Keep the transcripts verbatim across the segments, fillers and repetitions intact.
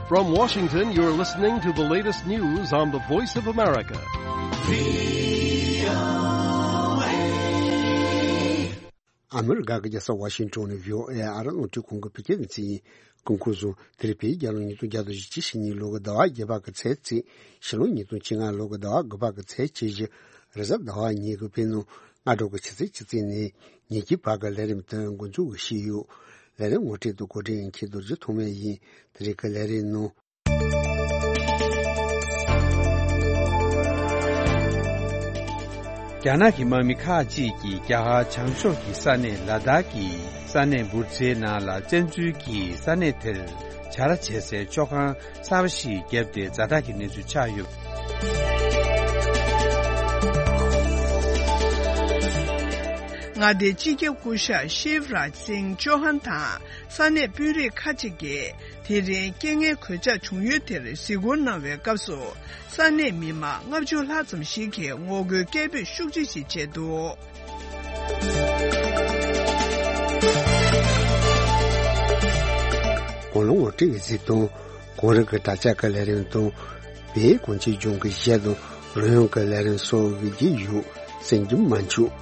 From Washington, you're listening to the latest news on the Voice of America. ཨ་མི་རི་ཀ་གི་རྒྱལ་ས་ཝ་ཤིང་ཊོན་ནས་བྷི་ཨོ་ཨེ་ཨ་རི་རླུང་འཕྲིན་ཁང་གི་བོད་སྐད་སྡེ་ཚན་ཡིན། སྐུ་ཁམས་བཟང་། དེ་རིང་བོད་རྒྱལ་ལོ་ཉིས་སྟོང་བརྒྱ་དང་བཞི་བཅུ་ཞེ་གཉིས་ལོ་གི་ཟླ་བ་བརྒྱད་པ་གི་ཚེས་གཅིག་ཕྱི་ལོ་ཉིས་སྟོང་བཅོ་ལྔ་ལོ་གི་ཟླ་བ་དགུ་པ་གི་ཚེས་བཅུ་བཞི་རེས་གཟའ་ཟླ་བ་ཉིན་གྱི་བོད་ནང་སྔ་དྲོ་གི་ཆུ་ཚོད་བཅུ་གཅིག་ནས་ཉིན་གཅིག་བར་གྱི་ལས་རིམ་དེ་འགོ་འཛུགས་ཞུས་ཡོད། ལས་རིམ་ངོ་སྤྲོད་དང་གོ་སྒྲིག་མཁན་རྡོ་རྗེ་ཐོགས་མེད་ཡིན། དེ་རིང་གི་ལས་རིམ་ནང་། རྒྱ་ནག་གི་དམག་མི་ཁག་ཅིག་གིས་རྒྱ་གར་བྱང་ཕྱོགས་ཀྱི་ས་གནས་ལ་དྭགས་ཀྱི་ས་གནས་འབུར་ཚའི་ནང་ལ་བཙན་འཛུལ་གྱིས་ས་གནས་དེར་བྱ་ར་བྱེད་སའི་བཅོ་ཁང་གསར་པ་ཞིག་བརྒྱབ་སྟེ་ཛ་དྲག་གི་གནས་ཚུལ་ཆགས་ཡོད། མངའ་སྡེའི་སྤྱི་ཁྱབ་སྐུ་ཞབས་ཤིབ་རཱཇ་སིང་ཅོ་ཧན་དང་ས་གནས་དཔོན་རིགས་ཁག་ཅིག་གིས། དེ་རིང་རྐྱེན་ངན་གོད་ཆག་བྱུང་ཡུལ་དེར་གཟིགས་སྐོར་གནང་བའི་སྐབས་སུ། ས་གནས་མི་མང་ལྔ་བཅུ་ལྷག་ཙམ་ཞིག་གིས་ངོ་རྒོལ་སྐད་འབོད་ཤུགས་ཆེ་ཞིག་བྱས་འདུག་གོང་ལ་ངོ་སྤྲོད་ཀྱི་གཟིགས་དང་། གོང་རིམ་གྱི་དྲ་བྱ་གི་ལས་རིམ་དང་། བོད་གངས་ཅན་ལྗོངས་ཀྱི་གཞས་དང་རོལ་དབྱངས་ཀྱི་ལས་རིམ་སོགས་ཡོད་ཀྱི་ཡོད། གསན་རྒྱུ་མ་འཆུག་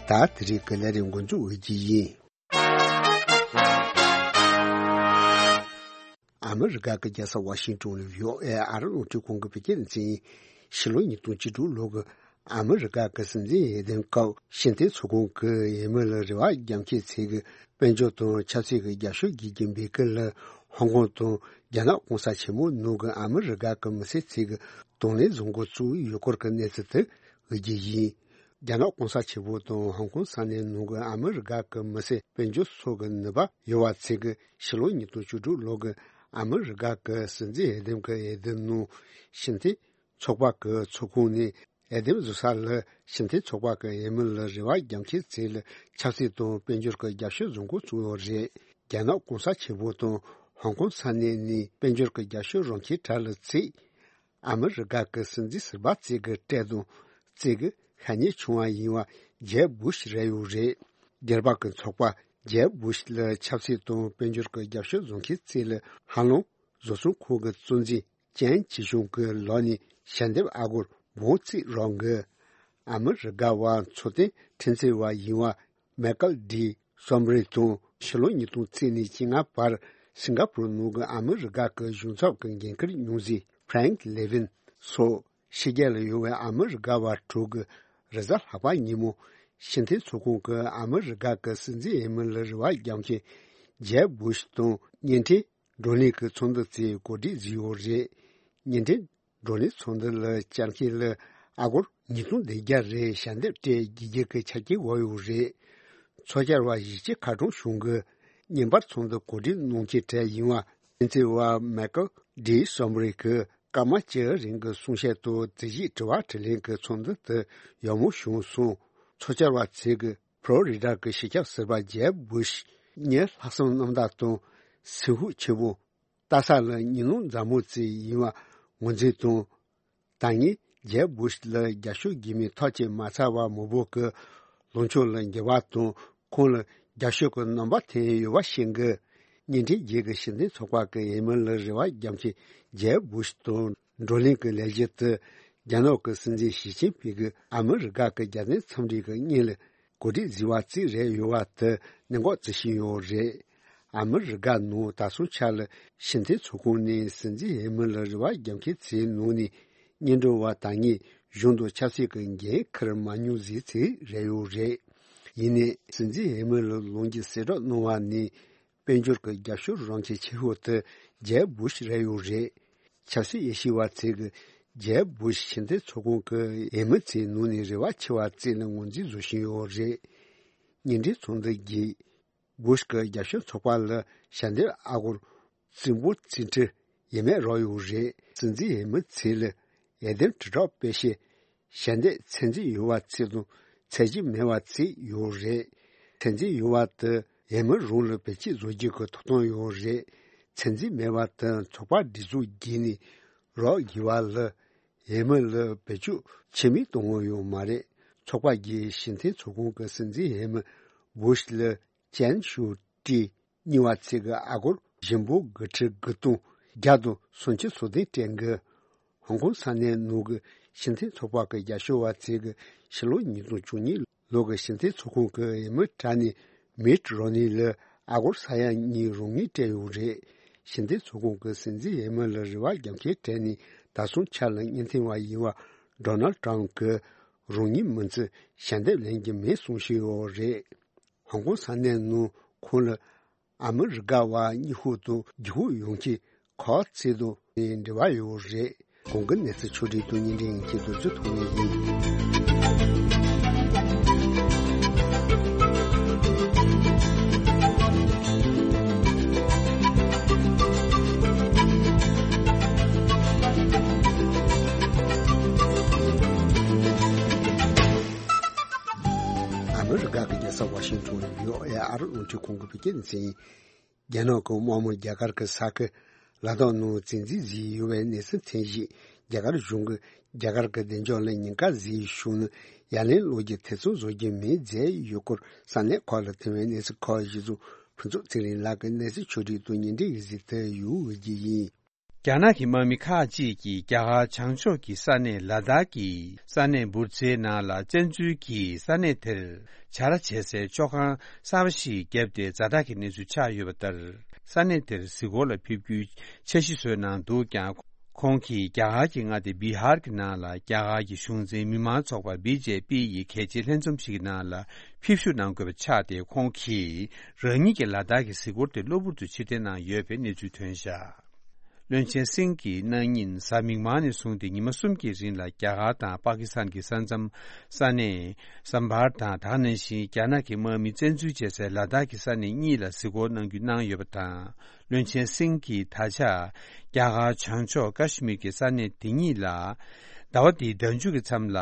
ད་དེ་རིང་གི་ལས་རིམ་འགོ་འཛུགས་འོས་ཀྱི་ཡིན། ཨ་མི་རི་ཀ་གི་རྒྱལ་ས་ཝ་ཤིང་ཏོན་ནས་བྷི་ཨོ་ཨེ་ཨ་རི་རླུང་འཕྲིན་ཁང་གི་བོད་སྐད་སྡེ་ཚན་ཡིན། ཕྱི་ལོ་ཉིས་སྟོང་བཅུ་དྲུག་ལོ་གི་ཨ་མི་རི་ཀ་གི་སྲིད་འཛིན་འོས་འདེམས་སྐབས་ཤིན་ཐེ་ཚོགས་ཁང་གི་འོས་མི་ལ་རེ་བ་རྒྱ་མཁན་ཚོས་ཀྱི་དཔལ་འབྱོར་དང་ཆབ་སྲིད་ཀྱི་རྒྱབ་སྐྱོར་བགྱིད་ཀྱི་འབོད་སྐུལ་ལ་ཧོང་ཀོང་དང་རྒྱ་ནག་གོང་ས་ཆེན་པོ་ནང་གི་ཨ་མི་རི་ཀ་གི་མི་སེར་ཚོས་ཀྱི་དང་ལེན་བཟོ་འགོ་བཙུགས་ཡོད་སྐོར་གྱི་གནས་ཚུལ་དེ་འོས་ཀྱི་ཡིན། རྒྱ་ནག་གོང་ས་ཆེན་པོ་དང་ཧོང་ཀོང་ས་གནས་ནང་གི་ཨ་མི་རི་ཀ་གི་མི་སེར་དཔལ་འབྱོར་སོགས་ཀྱི་ནུས་པ་ཡོད་པ་ཚོས་ཀྱི་ཕྱི་ལོ་ཉིས་སྟོང་བཅུ་དྲུག་ལོ་གི་ཨ་མི་རི་ཀ་གི་སྲིད་འཛིན་འོས་འདེམས་ཀྱི་འོས་བསྡུ་ནང་ཤིན་ཐེ་ཚོགས་པ་གི་ཚོགས་ཁང་ནས་འོས་འདེམས་བཟོ་ས་ལ་ཤིན་ཐེ་ཚོགས་པ་གི་འོས་མི་ལ་རེ་བ་རྒྱ་མཁན་ཚོས་ལ་ཆབ་སྲིད་དང་དཔལ་འབྱོར་གྱི་རྒྱབ་སྐྱོར་བཟོ་འགོ་བཙུགས་ཡོད་རེད། རྒྱ་ནག་གོང་ས་ཆེན་པོ་དང་ཧོང་ཀོང་ས་གནས་ནས་དཔལ་འབྱོར་གྱི་རྒྱབ་སྐྱོར་རང་མཁན་གྲས་ལ་ཚོས། ཨ་མི་རི་ཀ་གི་སྲིད་འཛིན་ཟུར་པ་ཚོས་ཀྱི་གྲས་དང་ཚོས་ཀྱི་ཤ་ཉེ་བྱུང་བ་ཡིན་པ་ཇེབ་བུ་ཤི་རེད་ཡོད་རེད། རྒྱལ་བ་གི་ཚོགས་པ་ཇེབ་བུ་ཤི་ལ་ཆབ་སྲིད་དང་དཔལ་འབྱོར་གྱི་རྒྱབ་སྐྱོར་བཟོ་མཁན་ཚོས་ལ་ཧ་ལམ་བཟོ་ཚོང་ཁང་གི་གཙོ་འཛིན་ཅན་ཅི་ཤུང་གི་ལག་ནས་ཞལ་འདེབས་ཨ་སྒོར་འབུམ་གཅིག་རག་གི། ཨ་མི་རི་ཀ་བ་འཚོ་རྟེན་འཕྲུལ་རྩལ་བ་ཡིན་པ། མེ་ཀལ་ཌི་སོམ་རི་དང་ཕྱི་ལོ་ཉིས་སྟོང་བཅུ་གཉིས་ཕྱི་ལྔ་བར་སིང་ག་པུར་ནང་གི་ཨ་མི་རི་ཀ་གི་གཞུང་ཚབ་ཀྱི་འགན་འཁུར་མྱོང་མཛད་ཕྲེང་ལེ་ཝིན་སོགས་ཕྱི་རྒྱལ་ལ་ཡོད་པའི་ཨ་མི་རི་ཀ་བ་དྲུག་གིས་རེས་གཟའ་ལྷག་པ་ཉིན་མོ་ཤིན་ཐེ་ཚོགས་ཁང་གི་ཨ་མི་རི་ཀ་གི་སྲིད་འཛིན་འོས་མི་ལ་རེ་བ་རྒྱག་མཁན་ཇེབ་བུ་ཤི་དང་བརྙན་འཕྲིན་བགྲོ་གླེང་གི་ཚོགས་འདུ་དེ་གོ་སྒྲིག་བཟོས་ཡོད་རེད། བརྙན་འཕྲིན་བགྲོ་གླེང་ཚོགས་འདུ་ལ་བཅར་མཁན་ལ་ཨ་སྒོར་ཉིས་སྟོང་བདུན་བརྒྱ་རེ་ཞལ་འདེབས་སྤྲད་རྒྱུ་གི་ཆ་རྐྱེན་བབས་ཡོད་རེད། ཚོགས་བཅར་བ་བཞི་བཅུ་ཁ་གྲངས་བྱུང་གི་བརྙན་པར་ཚོགས་འདུ་གོ་སྒྲིག་གནང་མཁན་གྲས་ཡིན་པ་ཕྲན་ཚེགས་པ་མེ་ཀལ་ཌི་སོམ་རི་གིས་སྐར་མ་བཅུ་རིང་གི་གསུང་བཤད་དང་དེ་བཞིན་དྲི་བ་དྲིས་ལན་གྱི་ཚོགས་འདུ་དེ་ཡག་མོ་བྱུང་སོང་། ཚོགས་བཅར་བ་ཚོས་ཀྱི་ཕློ་རི་ཌ་གི་སྤྱི་ཁྱབ་ཟུར་པ་ཇེབ་བུ་ཤི་གཉིས་ལྷག་བསམ་རྣམ་དག་དང་སེམས་ཤུགས་ཆེན་པོ། ལྟ་ས་ལ་ཉིན་ལོང་མཛའ་མོ་ཅིག་ཡིན་པ་ངོས་འཛིན་དང་། ད་ངས་ཇེབ་བུ་ཤི་ལ་རྒྱབ་སྐྱོར་བགྱིས་མིན་ཐག་བཅད་མ་ཚར་བར་མི་འབོར་གྱི་ལངས་ཕྱོགས་ལ་འགྱུར་བ་དང་ཁོང་ལ་རྒྱབ་སྐྱོར་གྱི་རྣམ་པ་ཐོན་ཡོད་པ་ཤེས་གི། བརྙན་འཕྲིན་རྗེས་ཀྱི་ཤིན་ཐེ་ཚོགས་པ་གི་འོས་མི་ལ་རེ་བ་རྒྱག་མཁན་ཇེབ་བུ་ཤི་དང་བགྲོ་གླེང་གི་ལས་གཞི་དེ་རྒྱ་ནག་གི་སྲིད་འཛིན་ཞི་ཅིན་ཕིང་གིས་ཨ་མི་རི་ཀ་གི་རྒྱལ་བསྟན་འཚམས་འདྲི་གི་སྔོན་ལ་གོ་སྒྲིག་བཟོས་པ་ཅིག་རེད་ཡོད་པ་དེ་གནད་འགག་བརྩི་བཞིན་ཡོད་རེད། ཨ་མི་རི་ཀ་ནང་ད་སོང་ཆ་ལ་ཤིན་ཐེ་ཚོགས་ཁང་ནས་སྲིད་འཛིན་འོས་མི་ལ་རེ་བ་རྒྱག་མཁན་ཚོའི་ནང་ནས་སྙན་སྒྲོན་པ་ད་ངས་གཞུང་དང་ཆབ་སྲིད་ཀྱི་འགན་འཁུར་མ་མྱོང་ཟེར་ཚོ་རེད་ཡོད་རེད། ཡིན་ནའི་སྲིད་འཛིན་འོས་མི་ལ་ལོ་འགའི་གསལ་བསྒྲགས་གནང་བ་ནས་དཔལ་འབྱོར་གྱི་རྒྱབ་སྐྱོར་རང་ཁྱིམ་ཆེ་ཤོས་དེ་ཇེབ་བུ་ཤི་རེད་ཡོད་རེད། ཆབ་སྲིད་དབྱེ་ཞིབ་པ་ཚོས་ཀྱི་ཇེབ་བུ་ཤི་ཤིན་ཐེ་ཚོགས་ཁང་གི་འོས་མི་ཚོའི་ནང་ནས་རེ་བ་ཆེ་བ་བརྩིས་ནས་ངོས་འཛིན་བཟོ་བཞིན་ཡོད་རེད། བརྙན་འཕྲིན་ཚོགས་འདུ་བརྒྱུད། བུ་ཤི་གི་རྒྱབ་སྐྱོར་ཚོགས་པ་ལ་ཞལ་འདེབས་ཨ་སྒོར་རྩིས་འབོར་རྩིས་ཁྲི་ཡས་མས་རག་ཡོད་རེད། སྲིད་འཛིན་འོས་མི་ཚོས་ལ་འོས་འདེམས་དྲིལ་བསྒྲགས་སྤེལ་ཆེད་ཞལ་འདེབས་ཚད་འཛིན་ཡོད་པ་ཚོ་དང་ཚད་འཛིན་མེད་པ་ཚོ་ཡོད་རེད། ཚད་འཛིན་ཡོད་པ་དེ་འོས་མི་རང་ལ་བེད་སྤྱོད་བཟོ་རྒྱུ་གི་ཐོབ་ཐང་ཡོད་རེད། ཚད་འཛིན་མེད་པ་དེ་ཚོགས་པ་སྒྲིག་འཛུགས་བརྒྱུད་ནས་རག་དགོས་པ་ལ། འོས་མི་ལ་བེད་སྤྱོད་བྱེད་མི་གཏོང་ངོ་ཡོད་མ་རེད། ཚོགས་པ་བརྒྱུད་ཤིན་ཐེ་ཚོགས་ཁང་གི་སྲིད་འཛིན་འོས་མི་ བུ་ཤི་ལི་ཅན་ཤུ་ཀྲི་གཉིས་པ་ཚེ་གི་ཨ་སྒོར་ཞིམ་པོ་དགུ་ཁྲི་དགུ་སྟོང་བརྒྱ་དང་སུམ་ཅུ་སོ་བདུན་སྤྲད་གི། ཧོང་ཀོང་ས་གནས་ནང་གི་ཕྱི་འཐེན་ཚོགས་པ་གི་རྒྱབ་སྐྱོར་བ་ཚེ་གི་ཕྱི་ལོ་ཉིས་སྟོང་བཅུ་གཉིས་ལོ་གི་ཕྱི་འཐེན་ཚོགས་ཁང་གི་འོས་མི་གྲས་ནས་མིཊ་རོ་ནི་ལ་ཨ་སྒོར་ས་ཡ་གཉིས་རོགས་དངུལ་སྤྲད་ཡོད་རེད། ཕྱི་འཐེན་ཚོགས་ཁང་གི་སྲིད་འཛིན་འོས་མི་ལ་རེ་བ་རྒྱབ་འཁེལ་སྤྲད་ནས་ད་སོང་ཆ་ལ་སྙན་ཐིང་བ་ཡིན་བ་ཌོ་ནལ་ཊམ་གི་རོགས་དངུལ་མིན་ཚེ་ཞལ་འདེབས་ལེན་གྱི་མེད་གསུངས་བཞིན་ཡོད་རེད། ཧོང་ཀོང་ས་གནས་ནང་ཁོང་ལ་ཨ་མི་རི་ཀ་བ་གཉིས་ཤོག་དང་རྒྱུ་ཧུ་ཡོང་ཆེད་ཁོ་ཚེ་དང་འབྲེལ་བ་ཡོད་རེད། གོང་གི་གནས་ཚུལ་ཕྱོགས་སྒྲིག་དང་བརྙན་འཕྲིན་ཡིན་གྱི་རྡོ་རྗེ་ཐོག་ནས་ཡིན། ཨ་མི་རི་ཀ་གི་རྒྱལ་ས་ཝ་ཤིང་ཊོན་ཡོ་ཨེ་ཨར་རླུང་འཕྲིན་ཁང་གི་བོད་སྐད་སྡེ་ཚན་ཡིན། རྒྱ་ནག་གི་དམག་མི་རྒྱ་གར་གྱི་ས་ཁུལ་ལ་དྭགས་ནང་བཙན་འཛུལ་བཟོས་ཡོད་པའི་གནས་ཚུལ་ཐོན་རྗེས། རྒྱ་གར་གཞུང་གིས་རྒྱ་གར་གྱི་བདེ་འཇགས་ལ་ཉེན་ཁ་བཟོས་བྱུང་ན་ཡ་ལན་སློག་རྒྱུ་ཐེ་ཚོམ་བཟོ་རྒྱུ་མེད་ཟེར་ཡོད་སྐོར་ས་གནས་ཁག་ལ་ཐོན་པའི་གནས་ཚུལ་ཁག་གཞི་བཟུང་ཕུན་ཚོགས་ཚེ་རིང་ལགས་ཀྱིས་གནས་ཚུལ་ཕྱོགས་སྒྲིག་དང་བརྙན་འཕྲིན་གྱི་གཟིགས་ཐུབ་ཡོད་ཀྱི་ཡིན། རྒྱ་ནག་གི་དམག་མི་ཁག་ཅིག་གིས་རྒྱ་གར་བྱང་ཕྱོགས་ཀྱི་ས་གནས་ལ་དྭགས་ཀྱི་ས་གནས་འབུར་ཚའི་ནང་ལ་བཙན་འཛུལ་གྱིས་ས་གནས་དེར་བྱ་ར་བྱེད་སའི་ཆོག་ཁང་གསར་པ་ཞིག་བརྒྱབ་སྟེ་ཛ་དྲག་གི་གནས་ཚུལ་ཆགས་ཡོད་པ་ལྟར། ས་གནས་དེར་གཟིགས་སྐོར་ལ་ཕེབས་རྒྱུའི་འཆར་གཞི་བཟོས་གནང་འདུག་ཀྱང་། ཁོང་གིས་རྒྱ་གར་གྱི་མངའ་སྡེ་བི་ཧར་གྱི་ནང་ལ་རྒྱ་གར་གྱི་གཞུང་འཛིན་མི་མང་ཚོགས་པ་བི་ཇེ་པི་ཡི་གལ་ཆེའི་ལྷན་འཛོམས་ཤིག་གི་ནང་ལ་ཕེབས་ཞུགས་གནང་དགོས་པ་ཆགས་ཏེ། ཁོང་གིས་རང་ཉིད་ཀྱི་ལ་དྭགས་ཀྱི་གཟིགས་སྐོར་དེ་གློ་བུར་དུ་ཕྱིར་འཐེན་གནང་ཡོད་པའི་གནས་ཚུལ་ཐོན་བཞག་བློན་ཆེན་སིང་གིས་གནངས་ཉིན་གཟའ་མིག་དམར་ནས་བཟུང་སྟེ་ཉི་མ་གསུམ་གྱི་རིང་ལ་རྒྱ་གར་དང་པ་ཀི་སི་ཐན་གྱི་ས་མཚམས་ས་གནས་སམ་བྷར་དང་། དེ་ནང་བཞིན་རྒྱ་ནག་གི་དམག་མི་བཙན་འཛུལ་བྱེད་སའི་ལ་དྭགས་ཀྱི་ས་གནས་གཉིས་ལ་གཟིགས་སྐོར་གནང་རྒྱུ་གནང་ཡོད་པ་དང་། བློན་ཆེན་སིང་གིས་ད་ཆ་རྒྱ་གར་བྱང་ཕྱོགས་ཀ་ཤི་མིར་གྱི་ས་གནས་དེ་གཉིས་ལ་ཟླ་བ་འདིའི་ཟླ་མཇུག་གི་མཚམས་ལ་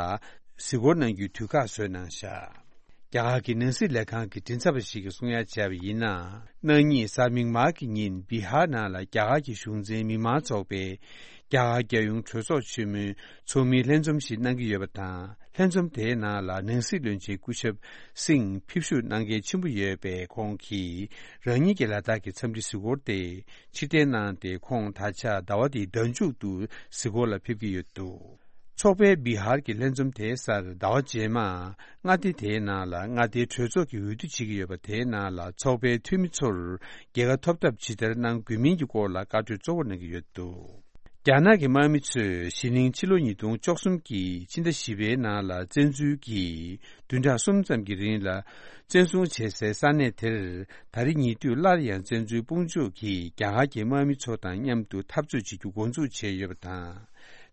གཟིགས་སྐོར་གནང་རྒྱུའི་དུས་བཀག་བཟོས་གནང་བཞག་རྒྱ་གར་གྱི་ནང་སྲིད་ལས་ཁང་གི་མགྲིན་ཚབ་པ་ཞིག་གིས་གསུང་ཡ་བྱས་པ་ཡིན་ན། གནངས་ཉིན་གཟའ་མིག་དམར་གྱི་ཉིན་བི་ཧར་ནང་ལ་རྒྱ་གར་གྱི་གཞུང་འཛིན་མི་མང་ཚོགས་པས་རྒྱ་གར་རྒྱལ་ཡོངས་གྲོས་ཚོགས་ཆེན་མོའི་ཚོགས་མིའི་ལྷན་འཛོམས་ཤིག་གནང་གི་ཡོད་པ་དང་། ལྷན་འཛོམས་དེའི་ནང་ལ་ནང་སྲིད་བློན་ཆེན་སྐུ་ཞབས་སིང་ཕེབས་བསུ་གནང་གལ་ཆེན་པོ་ཡོད་པས། ཁོང་གིས་རང་ཉིད་ཀྱི་ལ་དྭགས་ཀྱི་འཚམས་འདྲི་གཟིགས་སྐོར་དེ་ཕྱིར་འཐེན་གནང་སྟེ། ཁོང་ད་ཆ་ཟླ་བ་འདིའི་ཟླ་མཇུག་ཏུ་གཟིགས་སྐོར་ལ་ཕེབས་ཀྱི་ཡོད་འདུག་ཚོགས་པའི་བི་ཧར་གྱི་ལྷན་འཛོམས་དེའི་སར་ཟླ་བ་རྗེས་མ་མངའ་སྡེ་དེའི་ནང་ལ་མངའ་སྡེའི་གྲོས་ཚོགས་ཀྱི་འོས་བསྡུ་བྱེད་ཀྱི་ཡོད་པ། དེའི་ནང་ལ་ཚོགས་པའི་འཐུས་མི་ཚོར་རྒྱལ་ཁ་ཐོབ་ཐབས་ཇི་ལྟར་གནང་དགོས་མིན་གྱི་སྐོར་ལ་བཀའ་གྲོས་གཙོ་བོར་གནང་གི་ཡོད་འདུག་རྒྱ་ནག་གི་དམག་མི་ཚོས་གཞེས་ནིང་ཕྱི་ལོ་ཉིས་སྟོང་བཅུ་གསུམ་གྱི་ཕྱི་ཟླ་བཞི་པའི་ནང་ལ་བཙན་འཛུལ་གྱིས་བདུན་ཕྲག་གསུམ་ཙམ་གྱི་རིང་ལ་བཙན་བཟུང་བྱས་སའི་ས་གནས་དེར། ད་རེས་ཉེ་དུས་སླར་ཡང་བཙན་འཛུལ་དཔུང་འཇུག་གིས་རྒྱ་གར་གྱི་དམག་མི་ཚོ་དང་མཉམ་དུ་འཐབ་རྩོད་བྱེད་རྒྱུ་འགོ་འཛུགས་བྱས་ཡོད་པ་དང་།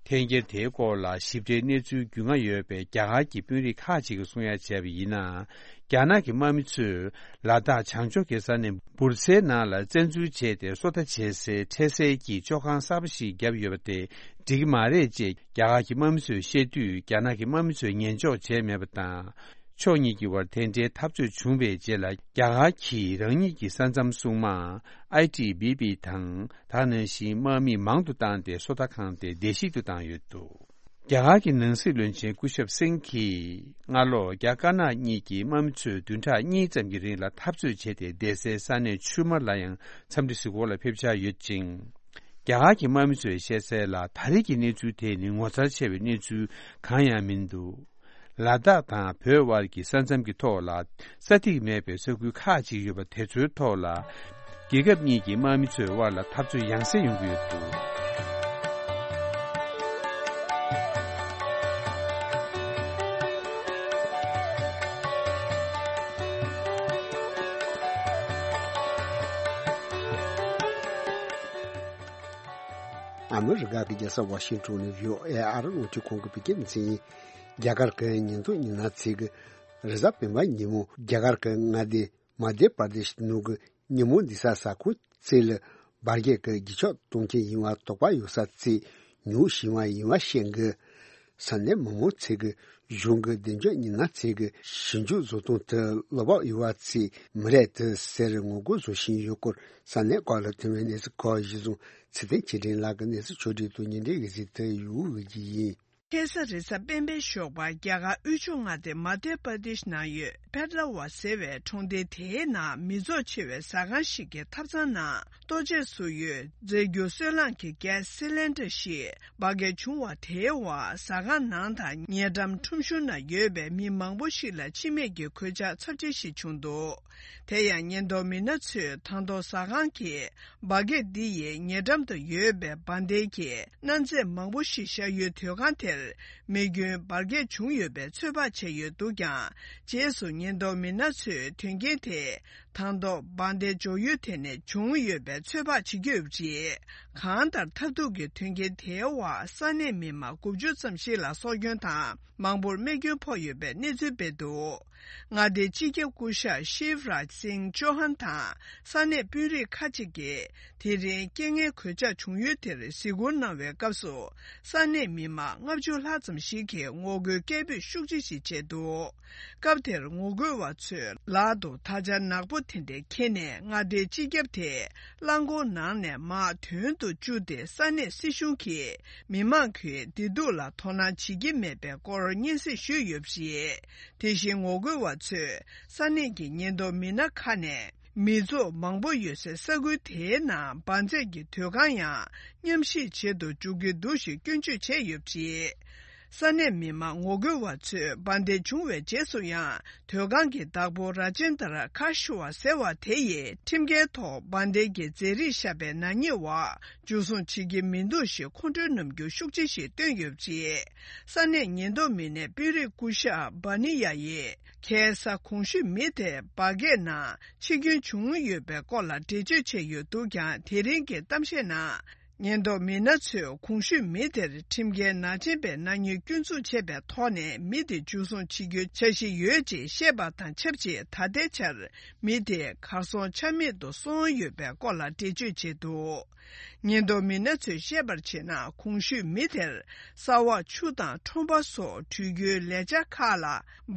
འཐེན་འཁྱེར་དེའི་སྐོར་ལ་ཞིབ་ཕྲའི་གནས་ཚུལ་རྒྱུས་མངའ་ཡོད་པའི་རྒྱ་གར་གྱི་དཔོན་རིགས་ཁག་ཅིག་གིས་གསུང་ཡ་བྱས་པ་ཡིན་ན། རྒྱ་ནག་གི་དམག་མི་ཚོས་ལ་དྭགས་བྱང་ཕྱོགས་ཀྱི་ས་གནས་འབུར་ཚའི་ནང་ལ་བཙན་འཛུལ་བྱས་ཏེ། སོ་ལྟ་བྱེད་སའི་འཕྲལ་སེལ་གྱི་ལྕོག་ཁང་གསར་པ་ཞིག་བརྒྱབ་ཡོད་པ་དེ་འགྲིག་གི་མ་རེད་ཅེས་རྒྱ་གར་གྱི་དམག་མི་ཚོས་བཤད་དུས། རྒྱ་ནག་གི་དམག་མི་ཚོས་ཉན་འཇོག་བྱས་མེད་པ་དང་། ཕྱོགས་གཉིས་ཀྱི་དབར་དེ་འདྲའི་འཐབ་རྩོད་བྱུང་བའི་རྗེས་ལ། རྒྱ་གར་གྱིས་རང་ཉིད་ཀྱི་ས་མཚམས་སྲུང་དམག་ཨའི་ཊི་བི་པི་དང་། དེ་ནང་བཞིན་དམག་མི་མང་དུ་བཏང་སྟེ། སོ་ལྟ་ཁང་དེ་བརྡལ་བཤིག་ཏུ་བཏང་ཡོད་འདུག་རྒྱ་གར་གྱི་ནང་སྲིད་བློན་ཆེན་སྐུ་ཞབས་སིང་གིས། སྔ་ལོ་རྒྱ་དཀར་ནག་གཉིས་ཀྱི་དམག་མི་ཚོས་བདུན་ཕྲག་གཉིས་ཙམ་གྱི་རིང་ལ་འཐབ་རྩོད་བྱས་ཏེ། བསྡད་སའི་ས་གནས་ཆུ་དམར་ལ་ཡང་འཚམས་འདྲི་གཟིགས་སྐོར་ལ་ཕེབས་འཆར་ཡོད་ཅིང་། རྒྱ་གར་གྱི་དམག་མི་ཚོས་བཤད་གསལ་ལ། ད་རེས་ཀྱི་གནས་ཚུལ་དེ་ནི་ངོ་མཚར་ཆེ་བའི་གནས་ཚུལ་གང་ཡང་མི་འདུག་ལ་དྭགས་དང་བོད་དབར་གྱི་ས་མཚམས་ཀྱི་ཐོག་ལ་ས་ཐིག་མེད་པའི་ས་ཁུལ་ཁག་ཅིག་ཡོད་པ་དེ་ཚོའི་ཐོག་ལ། རྒྱལ་ཁབ་གཉིས་ཀྱི་དམག་མི་ཚོའི་དབར་ལ་འཐབ་རྩོད་ཡང་སེ་ཡོང་གི་ཡོད་འདུག་ཨ་མི་རི་ཀ་གི་རྒྱལ་ས་ཝ་ཤིང་ཊོན་ནས་བྷི་ཨོ་ཨེ་ཨ་རི་རླུང་འཕྲིན་ཁང་གི་བོད་སྐད་སྡེ་ཚན་ཡིན། རྒྱ་གར་གྱི་ཉིས་སྟོང་ཉི་ཤུ་ཚེས་ཀྱི་རེས་གཟའ་སྤེན་པ་ཉིན་མོ་རྒྱ་གར་གྱི་མངའ་སྡེ་མ་དྷྱ་པར་དེཤ་ནང་གི་ཉིན་མོ་འདི་ས་ས་ཁོངས་བཅས་ལ་འབར་གས་ཀྱི་རྒྱུ་ཆ་གཏོང་མཁན་ཡིན་པ་དོགས་པ་ཡོད་ས་བཅས་ཉུང་ཞིག་ཡིན་པ་ཤེས་དགོས། ས་གནས་མི་མང་ཚོས་ཀྱི་གཞུང་གི་བདེ་འཇགས་ཉི་ཤུ་ཚེས་ཀྱི་ཞིབ་འཇུག་བཟོ་སྟངས་དེ་བློ་བབ་ཡོད་པ་བཅས་མི་རེད་དེ་ཟེར་ངོ་རྒོལ་བཟོ་བཞིན་ཡོད་སྐོར་ས་གནས་ཁག་ལ་ཐོན་པའི་གནས་ཚུལ་ཁག་གཞི་བཟུང་ཚེ་བརྟན་ཆོས་སྒྲོན་ལགས་ཀྱིས་གནས་ཚུལ་ཕྱོགས་བསྒྲིགས་དང་བརྙན་འཕྲིན་གྱི་གཟིགས་ཐོན་ཡོད་ཀྱི་ཡིན། ཁ་སང་རེས་གཟའ་སྤེན་པའི་ཞོགས་པར་རྒྱ་གར་དབུས་ཕྱོགས་མངའ་སྡེ་མ་དྷྱ་པར་དེཤ་ནང་ཡོད་ པེ་ཏྲ་ཝ་ཟེར་བའི་གྲོང་སྡེ་དེའི་ནང་མི་ཚོགས་ཆེ་བའི་ཟ་ཁང་ཞིག་གི་ཐབ་ཚང་ནང་ལྟོ་ཆས་བཟོ་ཡུལ་རྫས་འགྱུར་སོལ་རླངས་ཀྱི་གྷེ་སི་སི་ལིན་ཌར་ཞིག་འབར་གས་བྱུང་བ་དེའི་འོག་ཟ་ཁང་ནང་དང་ཉེ་འགྲམ་ཁྲོམ་གཞུང་ན་ཡོད་པའི་མི་མང་པོ་ཞིག་ལ་འཆི་རྨས་ཀྱི་གོད་ཆག་ཚབས་ཆེ་ཞིག་བྱུང་འདུག་དེ་ཡང་ཉེན་རྟོག་མི་སྣ་ཚོས་དང་ཐོག་ཟ་ཁང་གི་འབར་གས་འདི་ཡི་ཉེ་འགྲམ་དུ་ཡོད་པའི་འབར་མདེལ་གྱི་གནའ་རྫས་མང་པོ་ཞིག་བཞག་ཡུལ་དུད་ཁང་དེར་མེ་སྐྱོན་འབར་གས་བྱུང་ཡོད་པའི་ཚོད་དཔག་བྱས་ཡོད་འདུག་ཀྱང་། རྗེས་སུ་ཉེན་རྟོག་མི་སྣ་ཚོས་དོན་རྐྱེན་དེ་དང་ཐོག་འབར་མདེལ་འཇོག་ཡུལ་དེ་ནས་བྱུང་ཡོད་པའི་ཚོད་དཔག་བྱེད་ཀྱི་ཡོད་པ་རེད། གང་ལྟར་ཐབས་སྡུག་གི་དོན་རྐྱེན་དེའི་འོག་ས་གནས་མི་མང་དགུ་བཅུ་ཙམ་ཞིག་ལ་སྲོག་སྐྱོན་དང་མང་པོར་རྨས་སྐྱོན་ཕོག་ཡོད་པའི་གནས་ཚུལ་སྤེལ་འདུག་མངའ་སྡེའི་སྤྱི་ཁྱབ་སྐུ་ཞབས་ཤིབ་རཱཇ་སིང་ཅོ་ཧན་དང་ས་གནས་དཔོན་རིགས་ཁག་ཅིག་གིས་དེ་རིང་རྐྱེན་ངན་གོད་ཆག་བྱུང་ཡུལ་དེར་གཟིགས་སྐོར་གནང་བའི་སྐབས་སུ། ས་གནས་མི་མང་ལྔ་བཅུ་ལྷག་ཙམ་ཞིག་གིས་ངོ་རྒོལ་སྐད་འབོད་ཤུགས་ཆེ་ཞིག་བྱས་འདུག་སྐབས་དེར་ངོ་རྒོལ་བ་ཚོས་ལག་ཏུ་དར་ཆ་ནག་པོ་དེ་འདྲ་འཁྱེར་ནས་མངའ་སྡེའི་སྤྱི་ཁྱབ་དེ་རླངས་འཁོར་ནང་ནས་མར་དོན་དུ་བཅུག་སྟེ། ས་གནས་སྲིད་གཞུང་གིས་མི་མང་གི་བདེ་སྡུག་ལ་དོ་སྣང་བྱེད་ཀྱི་མེད་པའི་སྐོར་སྙན་སེང་ཞུས་ཡོད་པ་རེད། དེ་བཞིན་ངོ་རྒོལ་བ་ཚོས་ས་གནས་ཀྱི་ཉེན་རྟོག་མི་སྣ་ཁག་ནས། མི་ཚོགས་མང་པོ་ཡོད་སའི་ས་ཁུལ་དེའི་ནང་འབར་རྫས་ཀྱི་དུད་ཁང་ཡང་མཉམ་ཞིག་བྱེད་དུ་འཇུག་གི་འདུག་ཞེས་སྐྱོན་བརྗོད་བྱས་ཡོད་པ་རེད། ས་གནས་མི་མང་ངོ་རྒོལ་བ་ཚོས་འབར་མདེལ་བྱུང་བའི་རྗེས་སུ་ཡང་དུད་ཁང་གི་བདག་པོ་ར་ཇེན་དར་ཁ་ཤུ་བ་ཟེར་བ་དེ་ཡིས་ཁྲིམས་འགལ་ཐོག་འབར་མདེལ་གྱི་རྫས་རིགས་བཞག་པའི་ནག་ཉེས་འོག་འཇུ་བཟུང་བྱེད་ཀྱི་མི་འདུག་ཞེས་ཁོང་ཁྲོའི་རྣམ་འགྱུར་ཤུགས་ཆེ་ཞིག་བཏོན་ཡོད་པ་རེད། ས་གནས་ཉེན་རྟོག་མི་སྣས་དཔོན་རིགས་སྐུ་ཞབས་བྷ་ནི་ཡ་ཡིས། ཁ་སང་གོང་ཞུས་མི་དེ་འབར་གས་ནང་འཆི་སྐྱོན་བྱུང་ཡོད་པའི་སྐོར་ལ་འགྲེལ་བརྗོད་བྱས་ཡོད་འདུག་ཀྱང་། དེ་རིང་གི་གཏམ་བཤད་ནང་ཉེན་རྟོག་མི་སྣ་ཚོས་གོང་ཞུས་མི་དེར་ཁྲིམས་འགལ་ནག་ཅན་པའི་ནག་ཉེས་སྐྱོན་འཛུགས་བྱས་པའི་ཐོག་ནས་མི་དེ་འཇུ་བཟུང་བྱེད་རྒྱུའི་འཆར་གཞི་ཡོད་ཅེས་བཤད་པ་དང་ཆབས་ཅིག་ད་ལྟའི་ཆར་མི་དེ་གར་སོང་ཆ་མེད་དུ་སོང་ཡོད་པའི་སྐོར་ལ་འགྲེལ་བརྗོད་བྱས་འདུག་ཉེན་རྟོག་མི་སྣ་ཚོས་བཤད་པར་བྱས་ན། གོང་ཞུས་མི་དེར་ས་འོག་ཆུ་དང་ཁྲོན་པ་སོགས་འགྲུལ་རྒྱུའི་ལས་འཆར་ཁག་ལ་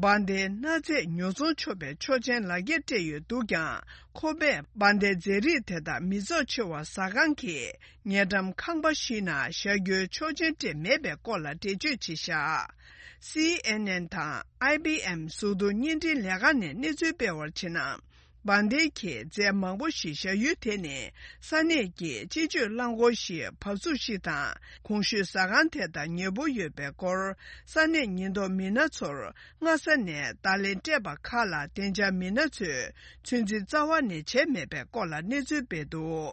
འབར་མདེལ་སྣ་རྫས་ཉོ་ཚོང་ཆོག་པའི་ཆོག་མཆན་ལག་འཁྱེར་སྤྲད་ཡོད་འདུག་ཀྱང་། ཁོ་པས་འབར་མདེལ་རྫས་རིགས་དེ་དག་མི་ཚོགས་ཆེ་བ་ཟ་ཁང་གི་ཉེ་འགྲམ་ཁང་པ་ཞིག་ནང་བཞག་རྒྱུའི་ཆོག་མཆན་སྤྲད་མེད་པའི་སྐོར་ལ་འགྲེལ་བརྗོད་བྱས་བཞག་སི་ཨེན་ཨེན་དང་ཨའི་བི་ཨེམ་གཟུགས་མཐོང་བརྙན་འཕྲིན་ལས་ཁང་ནས་གནས་ཚུལ་སྤེལ་བར་བྱས་ན། འབར་མདེལ་གྱི་རྫས་མང་པོ་ཞིག་བཞག་ཡུལ་དེ་ནི་ས་གནས་ཀྱི་སྤྱི་སྤྱོད་རླངས་འཁོར་ཞིག་བབས་ཚུགས་ཤིག་དང་། གོང་ཞུས་ཟ་ཁང་དེ་དང་ཉེ་པོ་ཡོད་པའི་སྐོར་ས་གནས་ཉེན་རྟོག་མི་སྣ་ཚོར་སྔ་ས་ནས་བརྡ་ལན་སྤྲད་པ་ཁག་ལ་བདེ་འཇགས་མི་སྣ་ཚོས་ཚོད་འཛིན་རྩ་བ་ནས་བྱས་མེད་པའི་སྐོར་ལ་གནས་ཚུལ་སྤེལ་འདུག་